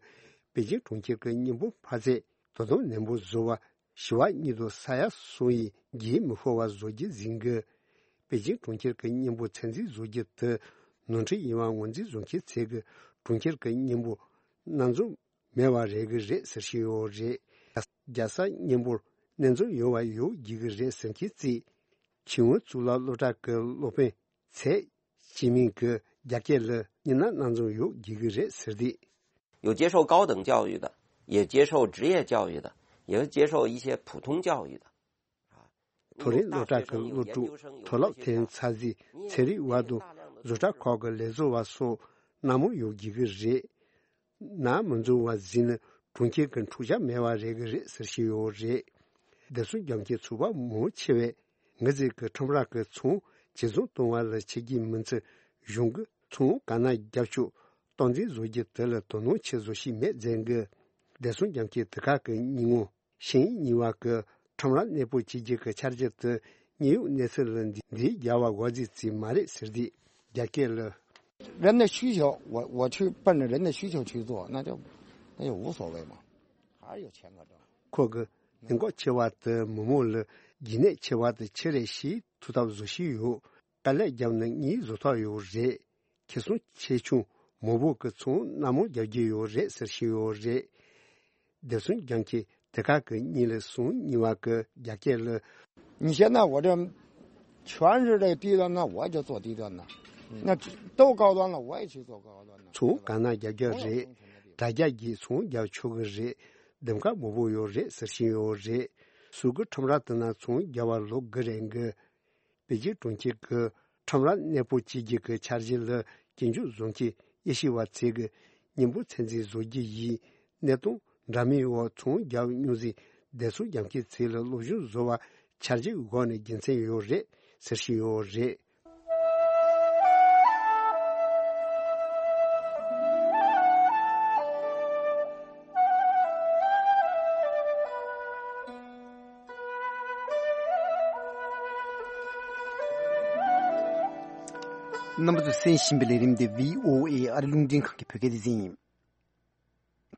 པེ་ཅིང་གྲོང་ཁྱེར་གྱི་མཉམ་སྤོ་འཕར་ཚད་དོ་དམ་ནན་པོ་བཟོ་བ། བཞི་པ་གཉིས་དང་ས་ཡ་གསུམ་ཡི་རྒྱུན་མི་ཤོར་བ་བཟོ་རྒྱུ་ཟིན་གི། པེ་ཅིང་གྲོང་ཁྱེར་གྱི་མཉམ་སྤོ་ཚད་འཛིན་བཟོ་རྒྱུ་དེ་ནོར་འཁྲུལ་ཡིན་པ་ངོས་འཛིན་བཟོ་མཁན་ཚོས་གི་གྲོང་ཁྱེར་གྱི་མཉམ་སྤོ་སྣ་འཛོམས་མེད་པ་རེད་གི་རེད་ཟེར་བཞིན་ཡོད་རེད། རྒྱལ་ས་མཉམ་སྤོར་སྣ་འཛོམས་ཡོང་བ་ཡོད་རྒྱུ་གི་རེད་ཟེར་མཁན་ཚོས་ཆིང་ཝུན་གཙུག་ལག་སློབ་གྲྭ་གི་སློབ་དཔོན་ཚེ་ཅི་མིང་གིས་རྒྱ་སྐད་ལ་ཉི་ན་སྣ་འཛོམས་ཡོད་རྒྱུ་གི་རེད་ཟེར་དུས། 有接受高等教育的，也接受职业教育的，也接受一些普通教育的。 མཐོ་རིམ་སློབ་གྲྭ་གི་སློབ་ཕྲུག་མཐོ་སློབ་ཐོན་ཚར་རྗེས་ཚན་རིག་པ་དང་བཟོ་གྲྭ་ཁག་གི་ལས་བཟོ་བ་སོགས་སྣ་མང་ཡོད་རྒྱུ་གི་རེད། ནང་མི་འཛོམས་པ་ཟིན་ན་གྲོང་ཁྱེར་གྱི་འཁྲུག་ཆ་མེད་པ་རེད་གི་རེད་ཟེར་བཞིན་ཡོད་རེད། བདེ་སྲུང་རྒྱབ་ཀྱི་ཚོ་པ་མང་ཆེ་བས་ངེད་ཚོའི་གི་ཁྲོམ་ར་གི་ཚོང་ཇེ་བཟང་གཏོང་བ་ལ་བྱེད་ཀྱི་མི་ཚད་གཞུང་གི་ཚོང་ག་ན་རྒྱབ་ཕྱོགས་སྟངས་འཛིན་བཟོ་རྒྱུ་དེ་ལ་དོ་སྣང་ཆེ་བཟོ་ཞིག་མེད་ཟེར་གི། བདེ་སྲུང་རྒྱབ་ཀྱི་དེ་ག་གི་སྙིང་བོ། ཤིང་གཉིས་པ་གི་ཁྲོམ་ར་གནས་སྤོ་བྱེད་རྒྱུ་གི་འཆར་གཞི་དེ་དངོས་ཡོད་གནས་ཚུལ་ལ་འདི་འདིའི་རྒྱལ་བ་དགོས་རྫས་ཙིག་མ་རེད་ཟེར་དུས་རྒྱ་སྐད་ལ། 人的需求，我我去奔着人的需求去做，那就那就无所谓嘛，还是有钱可挣。 ཁོ་གི་ནད་འགོག་ཆེ་བ་དེ་མི་མང་ལ་རྒྱུན་གནས་ཆེ་བ་དེ་ཆེ་རེ་ཞིག་ཐུག་ཐབས་བཟོ་ཞིག་ཡོད། དཀའ་ལས་བརྒྱབ་ན་གཉིས་བཟོ་ཐབས་ཡོད་རེད། ཁེ་བཟང་ཆེ་ཆུང་མང་པོ་གི་ཚོང་སྣ་མང་རྒྱག་རྒྱུ་ཡོད་རེད་ཟེར་བཞིན་ཡོད་རེད། བདེ་སྲུང་རྒྱང་ཁྱི་དེ་ག་གི་གཉིས་ལས་སོང་གཉིས་པ་གི་རྒྱ་སྐད་ལ། 你现在我这全是这低端的，我就做低端的，那都高端了，我也去做高端的。 ཚོང་གང་ན་རྒྱག་རྒྱག་རེད། དྲ་རྒྱ་གིས་ཚོང་རྒྱག་ཆོག་གི་རེད། འདེམས་ཀ་མང་པོ་ཡོད་རེད་ཟེར་བཞིན་ཡོད་རེད། ཟུར་གི་ཁྲོམ་ར་དེ་ན་ཚོང་རྒྱག་པ་ལོག་གི་རེད་གི། པེ་ཅིང་གྲོང་ཁྱེར་གྱི་ཁྲོམ་ར་གནས་སྤོ་བྱེད་རྒྱུ་གི་འཆར་གཞི་ལ་སྐྱོན་བརྗོད་བཟོ་མཁན་དབྱེ་ཞིབ་པ་ཚོས་གི་མཉམ་པོ་ཚད་འཛིན་བཟོ་རྒྱུ་ཡིན། གནས་སྟངས་འདྲ་མིན་འོག་ཚོང་རྒྱག་མྱོང་ཟིན་བདེ་སྲུང་རྒྱབ་མཁན་ཚོས་ལ་སློབ་སྦྱོང་བཟོ་བ་འཆར་གཞི་འོག་ནས་རྒྱུ་མཚན་ཡོད་རེད་ཟེར་བཞིན་ཡོད་རེད། རྣམ་པ་ཚོས་གསན་བཞིན་པའི་ལས་རིམ་འདི་བྷི་ཨོ་ཨེ་ཨ་རི་རླུང་འཕྲིན་ཁང་གི་བོད་སྐད་སྡེ་ཚན་ཡིན།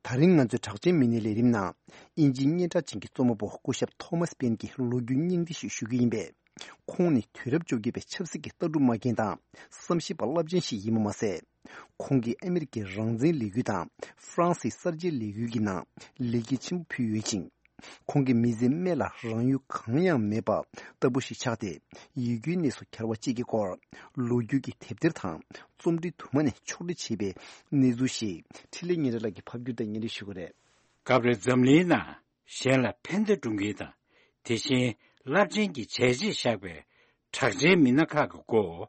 ད་རིང་ང་ཚོའི་གྲགས་ཅན་མི་སྣའི་ལས་རིམ་ནང་། དབྱིན་ཇིའི་སྙན་གྲགས་ཅན་གྱི་རྩོམ་པ་པོ་སྐུ་ཞབས་ཐོ་མཱས་པེན་གྱི་ལོ་རྒྱུས་སྙིང་བསྡུས་ཤིག་ཞུ་རྒྱུ་ཡིན་པས། ཁོང་ནི་དུས་རབས་བཅོ་བརྒྱད་པའི་ཆབ་སྲིད་ཀྱི་ལྟ་གྲུབ་མ་འགེངས་དང་། བསམ་ཤེས་པ་རླབས་ཆེན་ཞིག་ཡིན་པ་མ་ཟད། ཁོང་གིས་ཨ་མི་རི་ཀའི་རང་བཙན་ལས་འགུལ་དང་། ཧྥ་རན་སིའི་གསར་བརྗེའི་ལས་འགུལ་གྱི་ནང་ལེགས་སྐྱེས་ཆེན་པོ་ཕུལ་ཡོད་ཅིང་། ཁོང་གི་མི་ཚེའི་སྨད་ལ་རང་ཡུལ་གང་ཡང་མེད་པ་ལྟ་བུ་ཞིག་ཆགས་ཏེ། ཡིད་སྐྱོའི་གནས་སུ་གྱར་བ་བཅས་ཀྱི་སྐོར། ལོ་རྒྱུས་ཀྱི་དེབ་ཐེར་དང་རྩོམ་བྲིས་དུ་མ་ནས་ཕྱོགས་སྒྲིག་བྱས་པའི་གནས་ཚུལ་ཞིག་འཕྲིན་ལས་ཉིན་རེ་ལགས་ཀྱིས་ཕབ་སྒྱུར་དང་སྙན་སྒྲོན་ཞུ་གི་རེད། སྐབས་རེ་འཛམ་གླིང་ནང་གཞན་ལ་ཕན་བདེ་བསྐྲུན་མཁན་དང་། དེ་བཞིན་རླབས་ཆེན་གྱི་བྱས་རྗེས་བཞག་པའི་གྲགས་ཅན་མི་སྣ་ཁག་གི་སྐོར་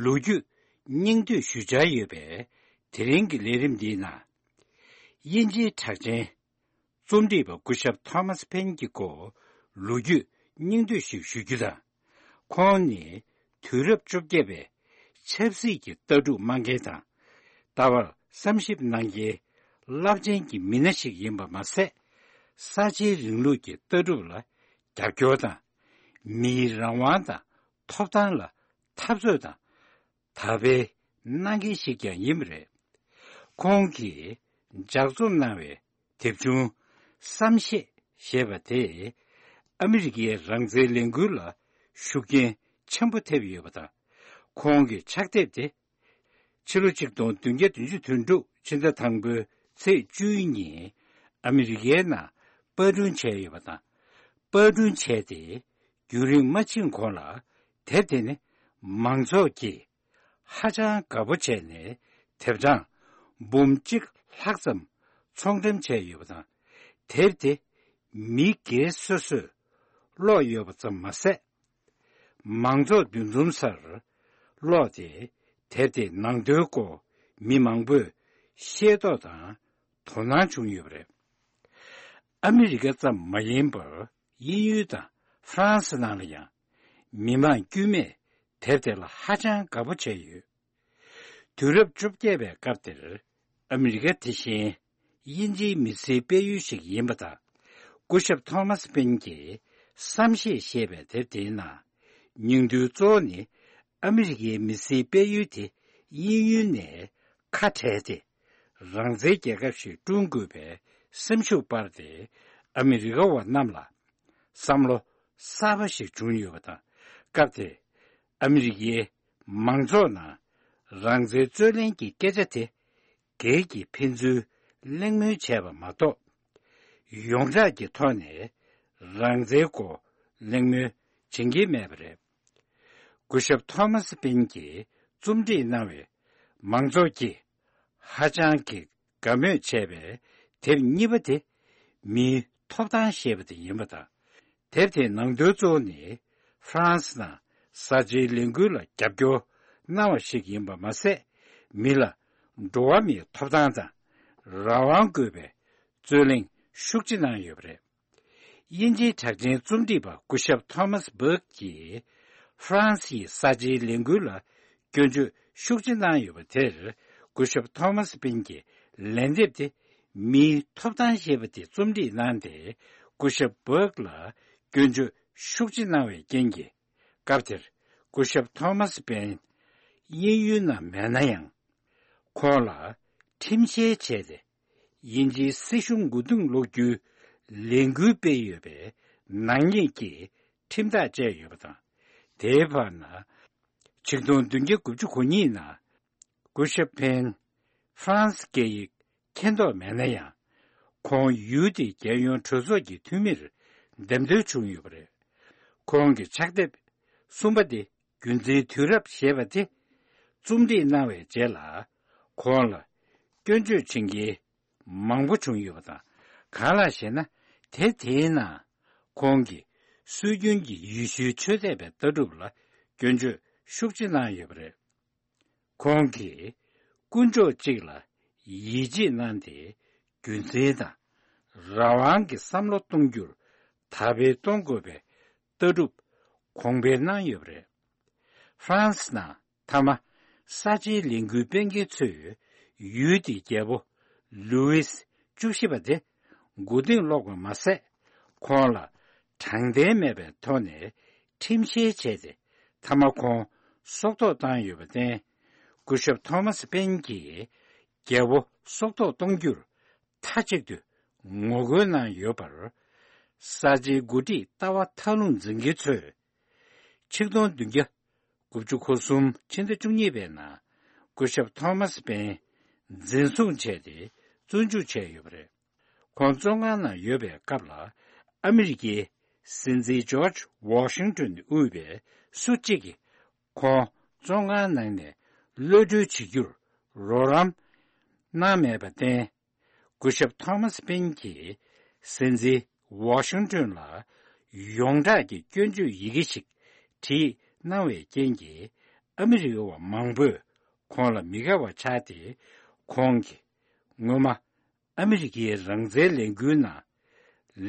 ལོ་རྒྱུས་སྙིང་བསྡུས་ཞུ་འཆར་ཡོད་པས། དེ་རིང་གི་ལས་རིམ་འདིའི་ནང་། དབྱིན་ཇིའི་གྲགས་ཅན་རྩོམ་སྒྲིག་པ་སྐུ་ཞབས་ཐོ་མཱས་ཕེན་གྱི་སྐོར་ལོ་རྒྱུས་སྙིང་བསྡུས་ཤིག་ཞུ་རྒྱུ་དང་། ཁོང་ནི་དུས་རབས་བཅོ་བརྒྱད་པའི་ཆབ་སྲིད་ཀྱི་ལྟ་གྲུབ་མ་འགེངས་དང་། ད་བར་བསམ་ཞིབ་གནང་མཁན་རླབས་ཆེན་གྱི་མི་སྣ་ཞིག་ཡིན་པ་མ་ཟད། གསར་བརྗེའི་རིང་ལུགས་ཀྱི་ལྟ་གྲུབ་ལ་རྒྱབ་སྐྱོར་དང་། མིའི་རང་དབང་དང་ཐོབ་ཐང་ལ་འཐབ་རྩོད་དང་། དར་སྤེལ་གནང་མཁན་ཞིག་ཀྱང་ཡིན་པ་རེད། ཁོང་གིས་ལྗགས་རྩོམ་གནང་བའི་དེབ་ཆུང་བསམ་ཤེས་ཞེས་པ་དེས་ཨ་མི་རི་ཀའི་རང་བཙན་ལས་འགུལ་ལ་ཤུགས་རྐྱེན་ཆེན་པོ་ཐེབས་ཡོད་པ་དང་། ཁོང་གི་ཕྱག་དེབ་དེ་ཕྱི་ལོ་ཆིག་སྟོང་བདུན་བརྒྱ་བདུན་ཅུ་དོན་དྲུག་ཕྱི་ཟླ་དང་པོའི་ཚེས་བཅུའི་ཉིན་ཨ་མི་རི་ཀའི་ནང་པར་སྐྲུན་བྱས་ཡོད་པ་དང་། པར་སྐྲུན་བྱས་ཏེ་རྒྱུན་རིང་མ་ཕྱིན་གོང་ལ། དེབ་དེ་ནི་མང་ཚོགས་ཀྱིས་ཧ་ཅང་དགའ་པོ་བྱས་ནས་དེབ་གྲངས་འབུམ་གཅིག་ལྷག་ཙམ་ཚོང་འགྲེམས་བྱས་ཡོད་པ་དང་། དེབ་དེ་མི་སྒེར་སོ་སོས་ཀློག་ཡོད་པ་ཙམ་མ་ཟད། མང་ཚོགས་འདུ་འཛོམས་སར་ཀློག་སྟེ། དེབ་དེའི་ནང་དོན་སྐོར་མི་མང་པོས་ཤེས་རྟོགས་དང་དོ་སྣང་བྱུང་ཡོད་པ་རེད། ཨ་མི་རི་ཀ་ཙམ་མ་ཡིན་པར། དབྱིན་ཡུལ་དང་ཧྥ་རན་སི་ནང་ལ་ཡང་མི་མང་དཀྱུས་མས་དེབ་དེ་ལ་ཧ་ཅང་དགའ་པོ་བྱས་ཡོད། དུས་རབས་བཅོ་བརྒྱད་པའི་སྐབས་དེར་ཨ་མི་རི་ཀ་དེ་བཞིན་དབྱིན་ཇིའི་མི་སེར་སྤེལ་ཡུལ་ཞིག་ཡིན་པ་དང་། སྐུ་ཞབས་ཐོ་མཱས་ཕེན་གྱིས་བསམ་ཤེས་ཞེས་པའི་དེབ་དེའི་ནང་། སྙིང་དོན་གཙོ་བོ་ནི་ཨ་མི་རི་ཀའི་མི་སེར་སྤེལ་ཡུལ་དེ་དབྱིན་ཡུལ་ནས་ཁ་བྲལ་ཏེ། རང་བཙན་རྒྱལ་ཁབ་ཞིག་བསྐྲུན་དགོས་པའི་སེམས་ཤུགས་སྤར་ཏེ། ཨ་མི་རི་ཀ་བ་རྣམས་ལ་བསམ་བློ་གསར་པ་ཞིག་བྱུང་ཡོད་པ་དང་། སྐབས་དེར་ཨ་མི་རི་ཀའི་མང་ཚོགས་ནང་རང་བཙན་རྩོད་ལེན་གྱི་སྐད་ཆ་དེ་སྒེར་གྱི་ཕན་ཚུན་གླེང་མོལ་བྱས་པ་མ་གཏོགས། ཡོངས་གྲགས་ཀྱི་ཐོག་ནས་རང་བཙན་སྐོར་གླེང་མོལ་བྱེད་ཀྱི་མེད་པ་རེད། སྐུ་ཞབས་ཐོ་མཱས་ཕེན་གྱིས་རྩོམ་སྒྲིག་གནང་བའི་མང་ཚོགས་ཀྱིས་ཧ་ཅང་གི་དགའ་མོས་བྱས་པའི་དེབ་གཉིས་པ་དེ་མིའི་ཐོབ་ཐང་ཞེས་པ་དེ་ཡིན་པ་དང་། དེབ་དེའི་ནང་དོན་གཙོ་བོ་ནི་ཧྥ་རན་སི་ནང་གསར་བརྗེའི་ལས་འགུལ་ལ་རྒྱབ་སྐྱོར་གནང་བ་ཞིག་ཡིན་པ་མ་ཟད། མི་ལ་འགྲོ་བ་མིའི་ཐོབ་ཐང་དང་རང་དབང་དགོས་པའི་རྩོད་གླེང་ཤུགས་ཆེ་གནང་ཡོད་པ་རེད། དབྱིན་ཇིའི་གྲགས་ཅན་རྩོམ་སྒྲིག་པ་སྐུ་ཞབས་ཐོ་མཱས་བྷག་གིས་ཧྥ་རན་སིའི་གསར་བརྗེའི་ལས་འགུལ་ལ་སྐྱོན་བརྗོད་ཤུགས་ཆེ་གནང་ཡོད་པ་དེར། སྐུ་ཞབས་ཐོ་མཱས་ཕེན་གྱི་ལན་འདེབས་དེ་མིའི་ཐོབ་ཐང་ཞེས་པ་དེ་རྩོམ་སྒྲིག་གནང་སྟེ། སྐུ་ཞབས་བྷག་ལ་སྐྱོན་བརྗོད་ཤུགས་ཆེ་གནང་བའི་རྐྱེན་གྱིས། སྐབས་དེར་སྐུ་ཞབས་ཐོ་མཱས་ཕེན་དབྱིན་ཡུལ་ནང་མེད་ན་ཡང་། ཁོང་ལ་ཁྲིམས་བཤེར་བྱས་ཏེ། དབྱིན་ཇིའི་སྲིད་གཞུང་མགོ་རྟིང་སློག་རྒྱུའི་ལས་འགུལ་སྤེལ་ཡོད་པའི་ནག་ཉེས་ཀྱི་ཁྲིམས་ཐག་བཅད་ཡོད་པ་དང་། དེའི་བར་ན། ཆིག་སྟོང་བདུན་བརྒྱ་དགུ་བཅུ་གོ་གཉིས་ནང་སྐུ་ཞབས་ཕེན་ཧྥ་རན་སི་སྐད་ཡིག་མཁྱེན་རྟོགས་མེད་ན་ཡང་། ཁོང་ཡུལ་དེའི་རྒྱལ་ཡོངས་གྲོས་ཚོགས་ཀྱི་འཐུས་མིར་འདེམས་ཐོན་བྱུང་ཡོད་པ་རེད། ཁོང་གི་ཕྱག་དེབ་གསུམ་པ་དེ། རྒྱུ་མཚན་དུས་རབས་ཞེས་པ་དེ་རྩོམ་སྒྲིག་གནང་བའི་རྗེས་ལ། ཁོང་ལ་སྐྱོན་བརྗོད་བྱེད་མཁན་མང་པོ་བྱུང་ཡོད་པ་དང་། གང་ལགས་ཤེ་ན། དེབ་དེའི་ནང་ཁོང་གིས་སྲོལ་རྒྱུན་གྱི་ཡེ་ཤུའི་ཆོས་དད་པའི་ལྟ་གྲུབ་ལ་སྐྱོན་བརྗོད་ཤུགས་ཆེ་གནང་ཡོད་པ་རེད། ཁོང་གིས་དཀོན་མཆོག་གཅིག་ལ་ཡིད་ཆེས་གནང་སྟེ། རྒྱུ་མཚན་དང་རང་དབང་གི་བསམ་བློ་གཏོང་རྒྱུར་དར་སྤེལ་གཏོང་དགོས་པའི་ལྟ་གྲུབ་གོང་འཕེལ་གནང་ཡོད་པ་རེད། ཧྥ་རན་སི་ནང་མཐའ་མ་གསར་བརྗེའི་ལས་འགུལ་སྤེལ་མཁན་ཚོས་ཡུལ་དེའི་རྒྱལ་པོ་ལུའིས་བཅུ་བཞི་པ་དེ་མགོ་རྟིང་སློག་པ་མ་ཟད། ཁོང་ལ་དྲང་བདེན་མེད་པའི་ཐོག་ནས་ཁྲིམས་བཤེར་བྱས་ཏེ། མཐའ་མ་ཁོང་སྲོག་ཐོག་བཏང་ཡོད་པར་བརྟེན། སྐུ་ཞབས་ཐོ་མཱས་ཕེན་གྱིས་རྒྱལ་པོ་སྲོག་ཐོག་གཏོང་རྒྱུར་ མཐའ་གཅིག་ཏུ་ངོ་རྒོལ་གནང་ཡོད་པར། གསར་བརྗེའི་འགོ་ཁྲིད་ལྟ་བ་མཐའ་ལྷུང་འཛིན་མཁན་ཚོས། ཆིག་སྟོང་བདུན་བརྒྱ་དགུ་བཅུ་གོ་གསུམ་ཕྱི་ཟླ་བཅུ་གཉིས་པའི་ནང་སྐུ་ཞབས་ཐོ་མཱས་པེན་འཛིན་བཟུང་བྱས་ཏེ་བཙོན་འཇུག་བྱས་ཡོད་པ་རེད། ཁོང་བཙོན་ཁང་ནང་ཡོད་པའི་སྐབས་ལ་ཨ་མི་རི་ཀའི་སྲིད་འཛིན་ཇོརྗ་ཝོ་ཤིང་ཏོན་དབུས་པའི་སུ་གཅིག་གིས་ཁོང་བཙོན་ཁང་ནང་ནས་གློད་གྲོལ་བྱེད་རྒྱུར་རོགས་རམ་གནང་མེད་པར་བརྟེན། སྐུ་ཞབས་ཐོ་མཱས་པེན་གྱིས་སྲིད་འཛིན་ཝོ་ཤིང་ཏོན་ལ་ཡོངས་གྲགས་ཀྱི་སྐྱོན་བརྗོད་ཡི་གེ་ཞིག་བྲིས་གནང་བའི་རྐྱེན་གྱིས་ཨ་མི་རི་ཀ་བ་མང་པོས་ཁོང་ལ་མི་དགའ་བ་ཆགས་ཏེ། ཁོང་གིས་སྔོན་མ་ཨ་མི་རི་ཀའི་རང་བཙན་ལས་འགུལ་ནང་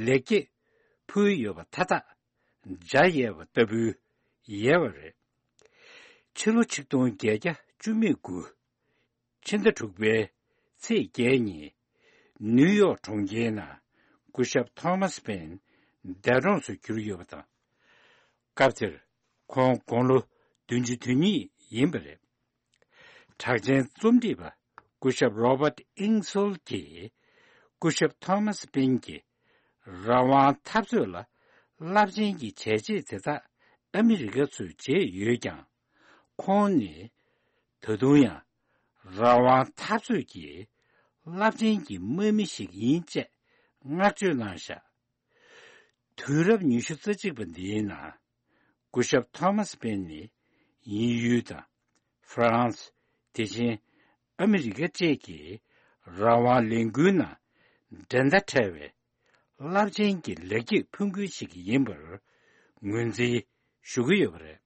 ལེགས་སྐྱེས་ཕུལ་ཡོད་པ་མཐའ་དག་འཇལ་ཡས་པ་ལྟ་བུའི་ཡལ་བ་རེད། ཕྱི་ལོ་ཆིག་སྟོང་བརྒྱད་བརྒྱ་བཅུ་མེད་དགུ། ཕྱི་ཟླ་དྲུག་པའི་ཚེས་བརྒྱད་ཉིན། ནིའུ་ཡོག་གྲོང་ཁྱེར་ནང་སྐུ་ཞབས་ཐོ་མཱས་པེན་འདས་གྲོངས་སུ་གྱུར་ཡོད་པ་དང་། སྐབས་དེར་ཁོང་དགུང་ལོ་བདུན་ཅུ་དོན་གཉིས་ཡིན་པ་རེད། གྲགས་ཅན་རྩོམ་སྒྲིག་པ་སྐུ་ཞབས་རོ་བརྟ་ཨིང་སོལ་གྱིས། སྐུ་ཞབས་ཐོ་མཱས་པེན་གྱི་རང་དབང་འཐབ་རྩོད་ལ་རླབས་ཆེན་གྱི་བྱས་རྗེས་དེ་དག་ཨ་མི་རི་ཀ་ཚོས་བྱས་ཡོད་ཀྱང་། ཁོང་ནི་ད་དུང་ཡང་རང་དབང་འཐབ་རྩོད་ཀྱི་རླབས་ཆེན་གྱི་དམག་མི་ཞིག་ཡིན་ཅེས་བསྔགས་བརྗོད་གནང་བཞག་དུས་རབས་ཉི་ཤུ་རྩ་གཅིག་པ་འདིའི་ནང་སྐུ་ཞབས་ཐོ་མཱས་པེན་ནི་དབྱིན་ཡུལ་དང་ཧྥ་རན་སི། དེ་བཞིན་ཨ་མི་རི་ཀ་བཅས་ཀྱི་རང་དབང་ལས་འགུལ་ནང་འགྲན་ཟླ་བྲལ་བའི་རླབས་ཆེན་གྱི་ལེགས་སྐྱེས་ཕུལ་མཁན་ཞིག་ཡིན་པར་ངོས་འཛིན་ཞུ་གི་ཡོད་པ་རེད།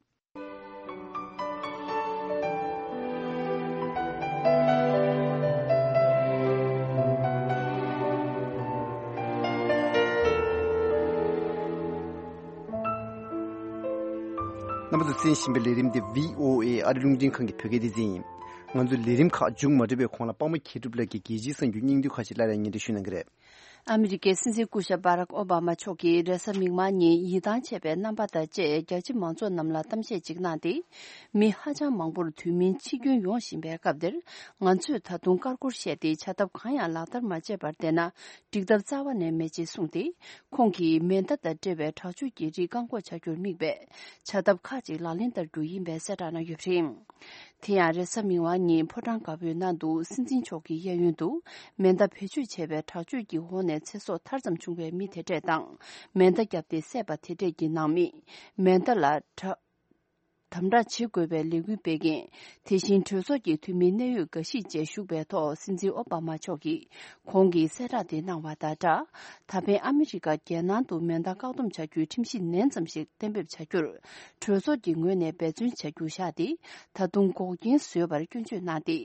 རྣམ་པ་ཚོས་གསན་བཞིན་པའི་ལས་རིམ་འདི་བྷི་ཨོ་ཨེ་ཨ་རི་རླུང་འཕྲིན་ཁང་གི་བོད་སྐད་སྡེ་ཚན་ཡིན། ང་ཚོའི་ལས་རིམ་ཁག་མཇུག་མ་སྒྲིལ་བའི་གོང་ལ་པདྨ་མཁས་གྲུབ་ལགས་ཀྱིས་རྒྱལ་སྤྱིའི་གསར་འགྱུར་སྙིང་བསྡུས་ཁག་ཅིག་སླར་ཡང་སྙན་སྒྲོན་ཞུ་གནང་གི་རེད། ཨ་མི་རི་ཀའི་སྲིད་འཛིན་སྐུ་ཞབས་བྷ་རག་ཨོ་བྷ་མ་མཆོག་གིས་རེས་གཟའ་མིག་དམར་ཉིན་ཡིད་ཐང་ཆད་པའི་རྣམ་པ་དང་བཅས་རྒྱལ་སྤྱི་མང་ཚོགས་རྣམས་ལ་གཏམ་བཤད་ཅིག་གནང་སྟེ། མི་ཧ་ཅང་མང་པོར་དུས་མིན་འཆི་སྐྱོན་ཡོང་བཞིན་པའི་སྐབས་འདིར། ང་ཚོས་ད་དུང་ཀར་ཀོར་བཤད་དེ་བྱ་ཐབས་གང་ཡང་ལག་བསྟར་མ་བྱས་པར་བསྡད་ན་འགྲིག་ཐབས་རྩ་བ་ནས་མེད་ཅེས་གསུངས་ཏེ། ཁོང་གིས་མེ་མདའ་དང་འབྲེལ་བའི་དྲག་སྤྱོད་ཀྱི་རིགས་བཀག་འགོག་བྱ་རྒྱུར་དམིགས་པའི་བྱ་ཐབས་ཁག་ཅིག་ལག་ལེན་བསྟར་རྒྱུ་ཡིན་པའི་གསལ་བསྒྲགས་གནང་ཡོད་པ་རེད། དེ་ཡང་རེས་གཟའ་མིག་དམར་ཉིན་ཕོ་བྲང་དཀར་པོའི་ནང་དུ་སྲིད་འཛིན་མཆོག་གི་གཡས་གཡོན་དུ་མེ་མདའ་བེད་སྤྱོད་བྱས་པའི་དྲག་སྤྱོད་ཀྱི་འོག་ནས་ཚེ་སྲོག་ཐར་ཙམ་བྱུང་བའི་མི་དེ་འདྲས་དང་། མེ་མདའ་བརྒྱབ་སྟེ་བསད་པ་དེ་འདྲས་ཀྱི་ནང་མི། མེ་མདའ་ལ་དྲག་དམ་དྲག་བྱེད་དགོས་པའི་ལས་འགུལ་སྤེལ་མཁན། དེ་བཞིན་གྲོས་ཚོགས་ཀྱི་འཐུས་མི་གནད་ཡོད་འགའ་ཞིག་བཅས་ཞུགས་པའི་ཐོག་སྲིད་འཛིན་ཨོ་བྷ་མ་མཆོག་གིས། ཁོང་གིས་གསལ་བསྒྲགས་དེ་གནང་བ་དང་སྦྲགས། ད་ཕན་ཨ་མི་རི་ཀ་རྒྱལ་ནང་དུ་མེ་མདའ་བཀག་སྡོམ་བྱ་རྒྱུའི་ཁྲིམས་གཞི་ནན་ཙམ་ཞིག་གཏན་འབེབས་བྱ་རྒྱུར། གྲོས་ཚོགས་ཀྱི་ངོས་ནས་འབད་བརྩོན་བྱ་རྒྱུ་བཞག་སྟེ། ད་དུང་འགོག་རྐྱེན་བཟོས་པར་སྐྱོན་བརྗོད་གནང་སྟེ།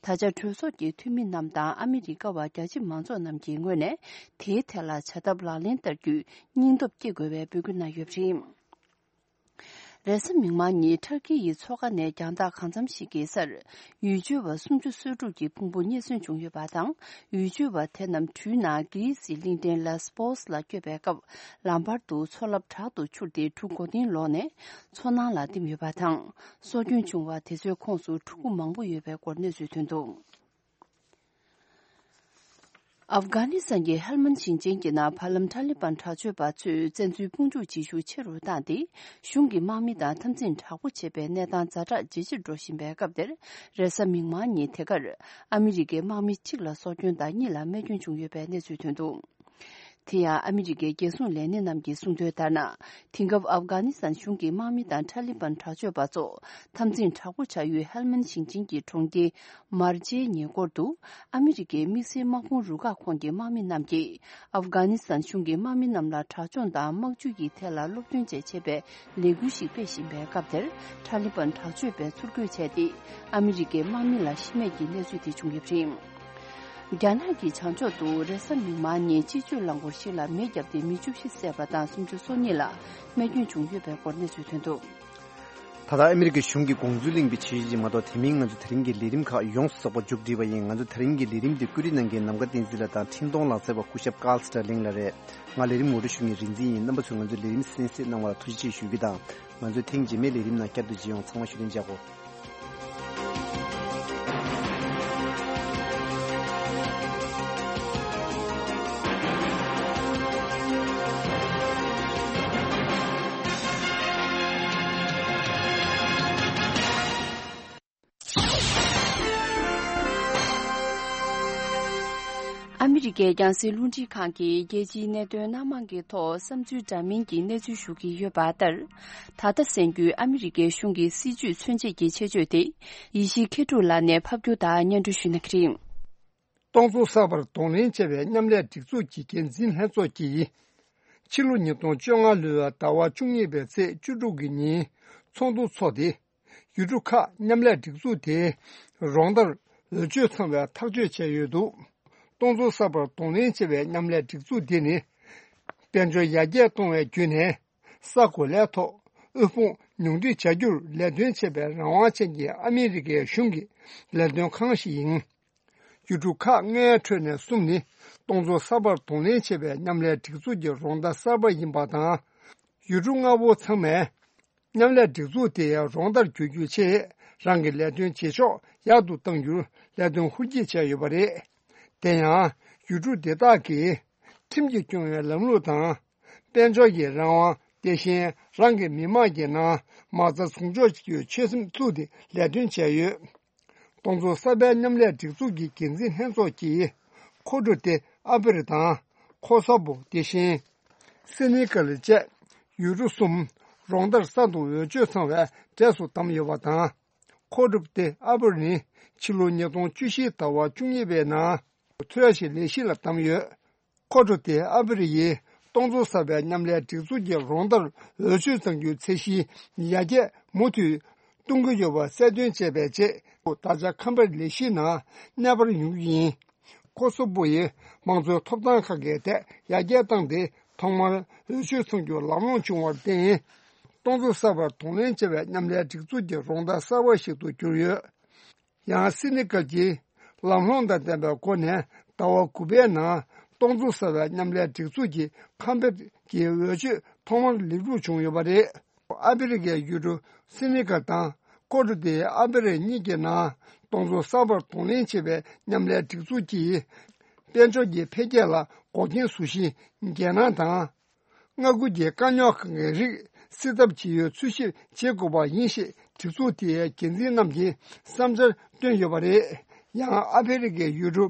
ད་ཆ་གྲོས་ཚོགས་ཀྱི་འཐུས་མི་རྣམས་དང་ཨ་མི་རི་ཀ་བ་རྒྱལ་སྤྱི་མང་ཚོགས་རྣམས་ཀྱི་ངོས་ནས། དེའི་ཐད་ལ་བྱ་ཐབས་ལག་ལེན་བསྟར་རྒྱུའི་སྙིང་སྟོབས་སྐྱེ་དགོས་པའི་འབོད་སྐུལ་གནང་ཡོད་པ་རེད། རེས་གཟའ་མིག་དམར་ཉིན་ཊར་ཀི་ཡི་མཚོ་ཁ་ནས་རྒྱང་ཐག་གང་འཚམ་ཞིག་གི་སར། ཡུལ་སྐྱོད་པ་སུམ་ཅུ་སོ་དྲུག་གི་ཕུང་པོ་རྙེད་སོན་བྱུང་ཡོད་པ་དང་། ཡུལ་སྐྱོད་པ་དེ་རྣམས་གྲུའི་ནང་གྷི་རི་སིའི་གླིང་ཕྲན་ལེ་སི་པོ་སི་ལ་སྐྱོད་པའི་སྐབས། ལམ་བར་དུ་མཚོ་རླབས་དྲག་ཏུ་འཕྱུར་ཏེ་གྲུ་མགོ་རྟིང་ལོག་ནས་མཚོ་ནང་ལ་ལྡིབ་ཡོད་པ་དང་། སྲོག་སྐྱོན་བྱུང་བ་དེ་ཚོའི་ཁོངས་སུ་ཕྲུ་གུ་མང་པོ་ཡོད་པའི་སྐོར་གནས་ཚུལ་ཐོན་འདུག་ཨབ་གྷ་ནི་སི་ཐན་གྱི་ཧེལ་མན་ཞིང་ཆེན་གྱི་ནང་ཕ་ལམ་ཐ་ལི་བན་དྲག་སྤྱོད་པ་ཚོས་བཙན་འཛུལ་དཔུང་འཇུག་བྱེད་ཤུགས་ཆེ་རུ་བཏང་སྟེ། གཞུང་གི་དམག་མི་དང་འཐབ་འཛིང་དྲག་པོ་བྱེད་པའི་གནས་སྟངས་ཛ་དྲག་ཇེ་ཆེར་འགྲོ་བཞིན་པའི་སྐབས་དེར། རེས་གཟའ་མིག་དམར་ཉིན་དེ་གར་ཨ་མི་རི་ཀའི་དམག་མི་གཅིག་ལ་སྲོག་སྐྱོན་དང་གཉིས་ལ་རྨས་སྐྱོན་བྱུང་ཡོད་པའི་གནས་ཚུལ་ཐོན་འདུག་དེ་ཡང་ཨ་མི་རི་ཀའི་རྒྱལ་སྲུང་ལས་སྣེ་རྣམས་ཀྱིས་གསུངས་དོན་ལྟར་ན། དེང་སྐབས་ཨབ་གྷ་ནི་སི་ཐན་གཞུང་གི་དམག་མི་དང་ཐ་ལི་བན་དྲག་སྤྱོད་པ་ཚོ་འཐབ་འཛིང་དྲག་པོ་བྱ་ཡུལ་ཧེལ་མན་ཞིང་ཆེན་གྱི་གྲོང་ཁྱེར་མར་ཇེའི་ཉེ་འཁོར་དུ། ཨ་མི་རི་ཀའི་དམིགས་བསལ་དམག་དཔུང་རུ་ཁག་ཁོངས་ཀྱི་དམག་མི་རྣམས་ཀྱིས་ཨབ་གྷ་ནི་སི་ཐན་གཞུང་གི་དམག་མི་རྣམས་ལ་དྲག་སྦྱོང་དང་དམག་ཇུས་ཀྱི་ཐད་ལ་སློབ་སྟོན་བཅས་བྱེད་པའི་ལས་འགུལ་ཞིག་སྤེལ་བཞིན་པའི་སྐབས་དེར། ཐ་ལི་བན་དྲག་སྤྱོད་པས་ཚུར་རྒོལ་བྱས་ཏེ། ཨ་མི་རི་ཀའི་དམག་མི་ལ་ཤི་རྨས་ཀྱི་གནས་ཚུལ་དེ་བྱུང་ཡོད་པ་རེད། རྒྱ་ནག་གི་བྱང་ཕྱོགས་སུ་རེས་གཟའ་མིག་དམར་ཉིན་སྤྱི་སྤྱོད་རླངས་འཁོར་ཞིག་ལ་མེ་བརྒྱབ་སྟེ་མི་བཅུ་བཞི་བསད་པ་དང་སུམ་ཅུ་སོ་གཉིས་ལ་རྨས་སྐྱོན་བྱུང་ཡོད་པའི་སྐོར་གནས་ཚུལ་ཐོན་འདུག་ད་ལྟ་ཨ་མི་རི་ཀའི་གཞུང་གིས་དགོངས་ཚུལ་གླེང་བའི་བྱེད་ཡུལ་ཅིག་མ་གཏོགས། དེ་མིན་ང་ཚོ་དེ་རིང་གི་ལས་རིམ་ཁག་ཡོངས་སུ་རྫོགས་པ་མཇུག་སྒྲིལ་བ་ཡིན། ང་ཚོ་དེ་རིང་གི་ལས་རིམ་འདི་བཀོད་སྒྲིག་གནང་མཁན་ནམ་མཁའ་བསྟན་འཛིན་ལགས་དང་འཕྲིན་གཏོང་ལག་རྩལ་བ་སྐུ་ཞབས་ཀཱལ་སི་ཏྲ་ལིང་ལགས་རེད། ང་ལས་རིམ་ངོ་སྤྲོད་ཞུ་མཁན་རིག་འཛིན་ཡིན། རྣམ་པ་ཚོས་ང་ཚོའི་ལས་རིམ་གསན་གཟིགས་གནང་བ་ལ་ཐུགས་རྗེ་ཆེ་ཞུ་རྒྱུ་དང་། ང་ཚོས་ཐེངས་རྗེས་མའི་ལས་རིམ་ནང་བསྐྱར་དུ་མཇལ་ཡོང་། ཚང་མ་བཞུགས་གདན་འཇགས་སྒོ། རི་ཀའི་རྒྱང་སྲིང་རླུང་འཕྲིན་ཁང་གིས་རྒྱལ་སྤྱིའི་གནད་དོན་སྣ་མང་གི་ཐོག་བསམ་ཚུལ་འདྲ་མིན་གྱི་གནས་ཚུལ་ཞུ་གི་ཡོད་པ་ལྟར། ད་ལྟ་གསན་རྒྱུའི་ཨ་མི་རི་ཀའི་གཞུང་གི་སྲིད་ཇུས་མཚོན་བྱེད་ཀྱི་ཆེད་བརྗོད་དེ། ཡེ་ཤེས་མཁས་གྲུབ་ལགས་ནས་ཕབ་སྒྱུར་དང་སྙན་སྒྲོན་ཞུ་གནང་གི་རེད། སྟོང་ཚོ་གསར་པར་གདོང་ལེན་བྱས་པའི་མཉམ་ལས་སྒྲིག་འཛུགས་ཀྱི་འགན་འཛིན་ལྷན་ཚོགས་ཀྱིས། ཕྱི་ལོ་ཉིས་སྟོང་བཅོ་ལྔ་ལོའི་ཟླ་བ་བཅུ་གཉིས་པའི་ཚེས་བཅུ་དྲུག་གི་ཉིན་ཚོགས་འདུ་འཚོགས་ཏེ། ཡུལ་གྲུ་ཁག་མཉམ་ལས་སྒྲིག་འཛུགས་དེའི་རོགས་ཟླར་འོས་ཆོས་ཚང་བའི་ཐག་གཅོད་བྱས་ཡོད་འདུག་སྟོང་ཚོ་གསར་པར་གདོང་ལེན་བྱས་པའི་མཉམ་ལས་སྒྲིག་འཛུགས་འདི་ནི། དཔལ་འབྱོར་ཡར་རྒྱས་གཏོང་བའི་བརྒྱུད་ནས། ས་གོ་ལའི་ཐོག་དབུལ་ཕོངས་ཉུང་འཕྲི་བྱ་རྒྱུར་ལས་དོན་བྱེད་པའི་རང་དབང་ཅན་གྱི་ཨ་མི་རི་ཀའི་གཞུང་གི་ལས་དོན་ཁང་ཞིག་ཡིན། ཡུལ་གྲུ་ཁག་ལྔའི་ཁྲོད་ནས་གསུམ་ནི་སྟོང་ཚོ་གསར་པར་གདོང་ལེན་བྱེད་པའི་མཉམ་ལས་སྒྲིག་འཛུགས་ཀྱི་རོགས་ཟླ་གསར་པ་ཡིན་པ་དང་། ཡུལ་གྲུ་ལྔ་པོ་ཚང་མས་མཉམ་ལས་སྒྲིག་འཛུགས་དེའི་རོགས་ཟླར་གྱུར་རྒྱུའི་ཆེད་རང་གི་ལས་དོན་བྱེད་ཕྱོགས་ཡག་ཏུ་གཏང་རྒྱུར་ལས་དོན་ཧུར་སྐྱེད་བྱས་ཡོད་པ་རེད། དེ་ཡང་ཡུལ་གྲུ་དེ་དག་གིས་ཁྲིམས་ཀྱིས་སྐྱོང་བའི་ལམ་ལུགས་དང་། དཔལ་འབྱོར་གྱི་རང་དབང་། དེ་བཞིན་རང་གི་མི་དམངས་ཀྱི་ནང་མ་རྩ་ཟུང་འཇོག་བྱེད་རྒྱུའི་ཆོད་སེམས་བཙུགས་ཏེ་ལས་དོན་བྱས་ཡོད། སྟོང་ཚོ་གསར་པའི་མཉམ་ལས་སྒྲིག་འཛུགས་ཀྱི་འགན་འཛིན་ལྷན་ཚོགས་ཀྱིས་ཁོ་ཊོ་ཏེ་ཨ་བེ་རི་དང་ཁོ་སོ་བོ། དེ་བཞིན་སེ་ནི་གལ་བཅས་ཡུལ་གྲུ་གསུམ་རོགས་ཟླར་གསར་དུ་འོས་ཆོས་ཚང་བའི་གྲས་སུ་བདམས་ཡོད་པ་དང་། ཁོ་ཊོ་ཏེ་ཨ་བེ་རི་ནི་ཕྱི་ལོ་ཉིས་སྟོང་བཅུ་བཞི་ཟླ་བ་བཅུ་གཉིས་པའི་ནང་ཐོས་ཞིང་ལས་གཞི་ལ་བདམས་ཡོད། ཁོ་ཊོ་ཏེ་ཨ་བེ་རི་ཡིས་སྟོང་ཚོ་གསར་པའི་མཉམ་ལས་སྒྲིག་འཛུགས་ཀྱི་རོགས་ཟླར་འོས་ཆོས་གཙང་རྒྱུའི་ཚད་གཞིའི་ཡར་རྒྱས་མུ་མཐུད་གཏོང་གི་ཡོད་པ་གསལ་སྟོན་བྱས་པའི་རྗེས། ད་ཆ་ཁམས་པའི་ལས་གཞིའི་ནང་གནས་སྤར་ཡོང་རྒྱུ་ཡིན། ཁོ་སོ་བོ་ཡིས་དམངས་གཙོའི་ཐོབ་ཐང་ཁག་གི་ཐད་ཡར་རྒྱས་བཏང་སྟེ། ཐོག་མར་འོས་ཆོས་ཚང་རྒྱུ་ལམ་ལྷོང་བྱུང་བར་བརྟེན། སྟོང་ཚོ་གསར་པར་གདོང་ལེན་བྱེད་པའི་མཉམ་ལས་སྒྲིག་འཛུགས་ཀྱི་རོགས་ཟླ་གསར་བ་ཞིག་ཏུ་གྱུར་ཡོད། ཡང་སེ་ནི་གལ་གྱིས་ལམ་ལྷོང་དང་ལྡན་པའི་སྒོ་ནས་ཟླ་བ་དགུ་པའི་ནང་སྟོང་ཚོ་གསར་པའི་མཉམ་ལས་སྒྲིག་འཛུགས་ཀྱི་ཁམས་པའི་གི་འོས་ཆོས་ཐོག་མར་ལེགས་གྲུབ་བྱུང་ཡོད་པ་རེད། ཨ་ཕི་རི་ཀའི་ཡུལ་གྲུ་སེ་ནི་གལ་དང་ཀོ་ཊི་དི་ཨ་ཕི་རི་གཉིས་ཀྱི་ནང་སྟོང་ཚོ་གསར་པར་གདོང་ལེན་བྱེད་པའི་མཉམ་ལས་སྒྲིག་འཛུགས་ཀྱིས་དཔལ་འབྱོར་གྱི་འཕེལ་རྒྱས་ལ་འགོག་རྐྱེན་བཟོ་གཞིའི་རྒྱལ་ནང་དང་། མངའ་ཁུལ་གྱི་དཀའ་རྙོག་ཁག་གི་རིགས་སེལ་ཐབས་ཇི་ཡོད་འཚོལ་ཞིབ་བྱེད་དགོས་པ་ཡིན་ཞེས་སྒྲིག་འཛུགས་དེའི་འགན་འཛིན་རྣམས་ཀྱིས་བསམ་འཆར་བཏོན་ཡོད་པ་རེད། ཡང་ཨ་ཕི་རི་ཀའི་ཡུལ་གྲུ་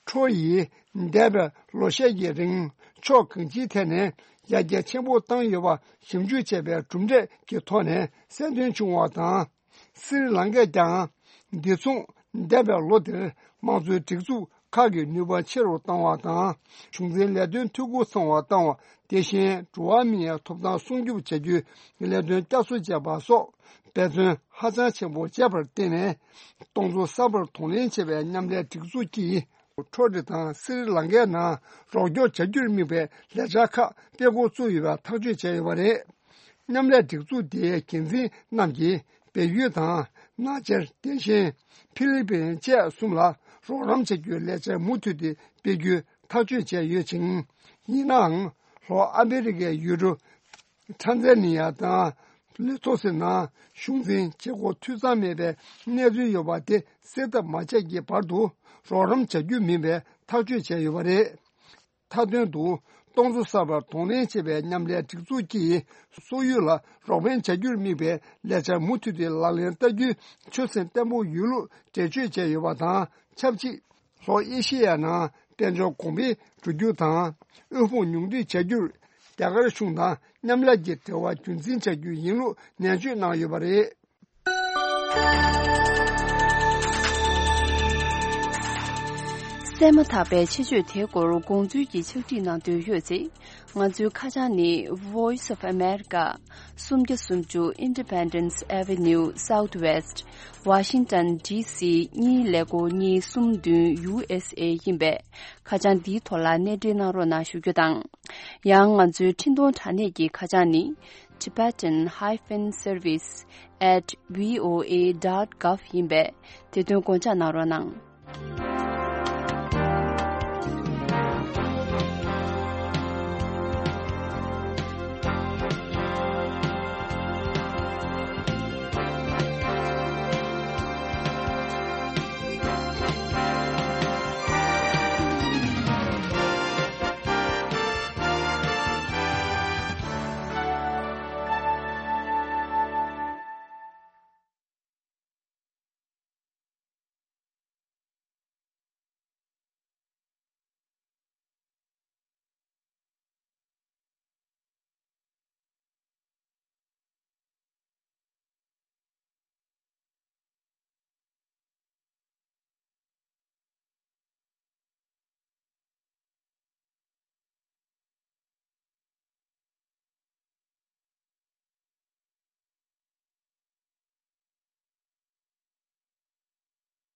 ཁྲོ་ཡིས་འདས་པའི་ལོ་ཤས་ཀྱི་རིང་ཕྱོགས་གང་ཅིའི་ཐད་ནས་ཡར་རྒྱས་ཆེན་པོ་བཏང་ཡོད་པ་ཞིབ་འཇུག་བྱས་པའི་གྲུབ་འབྲས་ཀྱི་ཐོག་ནས་གསལ་སྟོན་བྱུང་བ་དང་། སི་རི་ལང་ཀས་ཀྱང་འདི་མཚུངས་འདས་པའི་ལོ་དེར་དམངས་གཙོའི་སྒྲིག་འཛུགས་ཁག་གི་ནུས་པ་ཆེ་རུ་བཏང་བ་དང་། གཞུང་འཛིན་ལས་དོན་འཐུས་སྒོ་ཚང་བ་བཏང་བ། དེ་བཞིན་འགྲོ་བ་མིའི་ཐོབ་ཐང་སྲུང་སྐྱོབ་བྱ་རྒྱུའི་ལས་དོན་བསྐྱར་གསོ་བྱས་པ་སོགས་འབད་བརྩོན་ཧ་ཅང་ཆེན་པོ་བྱས་པར་བརྟེན་ནས། སྟོང་ཚོ་གསར་པར་གདོང་ལེན་བྱེད་པའི་མཉམ་ལས་སྒྲིག་འཛུགས་ཀྱིས་ཁྲོ་ཊི་དང་སི་རི་ལང་ཀའི་ནང་རོགས་སྐྱོར་བྱ་རྒྱུར་དམིགས་པའི་ལས་འཆར་ཁག་སྤེལ་འགོ་བཙུགས་ཡོད་པ་ཐག་གཅོད་བྱས་ཡོད་པ་རེད། མཉམ་ལས་སྒྲིག་འཛུགས་དེའི་འགན་འཛིན་རྣམས་ཀྱིས་བལ་ཡུལ་དང་ནག་ཆར། དེ་བཞིན་ཕི་ལི་པིན་བཅས་གསུམ་ལ་རོགས་རམ་བྱ་རྒྱུའི་ལས་འཆར་མུ་མཐུད་དེ་སྤེལ་རྒྱུའི་ཐག་གཅོད་བྱས་ཡོད་ཅིང་། ཡིན་ནའང་ལྷོ་ཨ་མེ་རི་ཀའི་ཡུལ་གྲུ་ཊན་ཛ་ནི་ཡ་དང་ལེ་ཐོ་སི་ནང་གཞུང་འཛིན་བྱེད་སྒོ་འཐུས་ཚང་མེད་པའི་གནས་ཚུལ་ཡོད་པ་དེ་སེལ་ཐབས་མ་བྱས་ཀྱི་བར་དུ་རོགས་རམ་བྱ་རྒྱུ་མིན་པའི་ཐག་གཅོད་བྱས་ཡོད་པ་རེད། མཐའ་དོན་དུ། སྟོང་ཚོ་གསར་པར་གདོང་ལེན་བྱེད་པའི་མཉམ་ལས་སྒྲིག་འཛུགས་ཀྱིས་སོག་ཡུལ་ལ་རོགས་ཕན་བྱ་རྒྱུར་དམིགས་པའི་ལས་འཆར་མུ་མཐུད་དེ་ལག་ལེན་བསྟར་རྒྱུའི་ཆོད་སེམས་བརྟན་པོ་ཡོད་ལུགས་འགྲེལ་བརྗོད་བྱས་ཡོད་པ་དང་ཆབས་ཅིག་ལྷོ་ཨེ་ཤེ་ཡ་ནང་དཔལ་འབྱོར་གོང་འཕེལ་འགྲོ་རྒྱུ་དང་། དབུལ་ཕོངས་ཉུང་འཕྲི་བྱ་རྒྱུར་རྒྱ་གར་གཞུང་དང་མཉམ་ལས་ཀྱི་འབྲེལ་བ་རྒྱུན་འཛིན་བྱ་རྒྱུ་ཡིན་ལུགས་ནན་བརྗོད་གནང་ཡོད་པ་རེད། གསན་མ་ཐག་པའི་ཆེད་བརྗོད་དེའི་སྐོར་དགོངས་ཚུལ་གྱི་ཕྱག་བྲིས་གནང་འདོད་ཡོད་ཚེ། ང་ཚོའི་ཁ་བྱང་ནི། Voice of America། སུམ་བརྒྱ་སུམ་ཅུ་Independence Avenue Southwest། Washington D C གཉིས་ཀླད་ཀོར་གཉིས་གསུམ་བདུན་U S A ཡིན་པས། ཁ་བྱང་འདིའི་ཐོག་ལ་གནས་འབྲེལ་གནང་རོགས་གནང་ཞུ་རྒྱུ་དང་། ཡང་ང་ཚོའི་འཕྲིན་གཏོང་དྲ་གནས་ཀྱི་ཁ་བྱང་ནི། Tibetan hyphen service at V O A dot gov ཡིན་པས། དེ་དོན་དགོངས་འཇགས་གནང་རོགས་གནང་།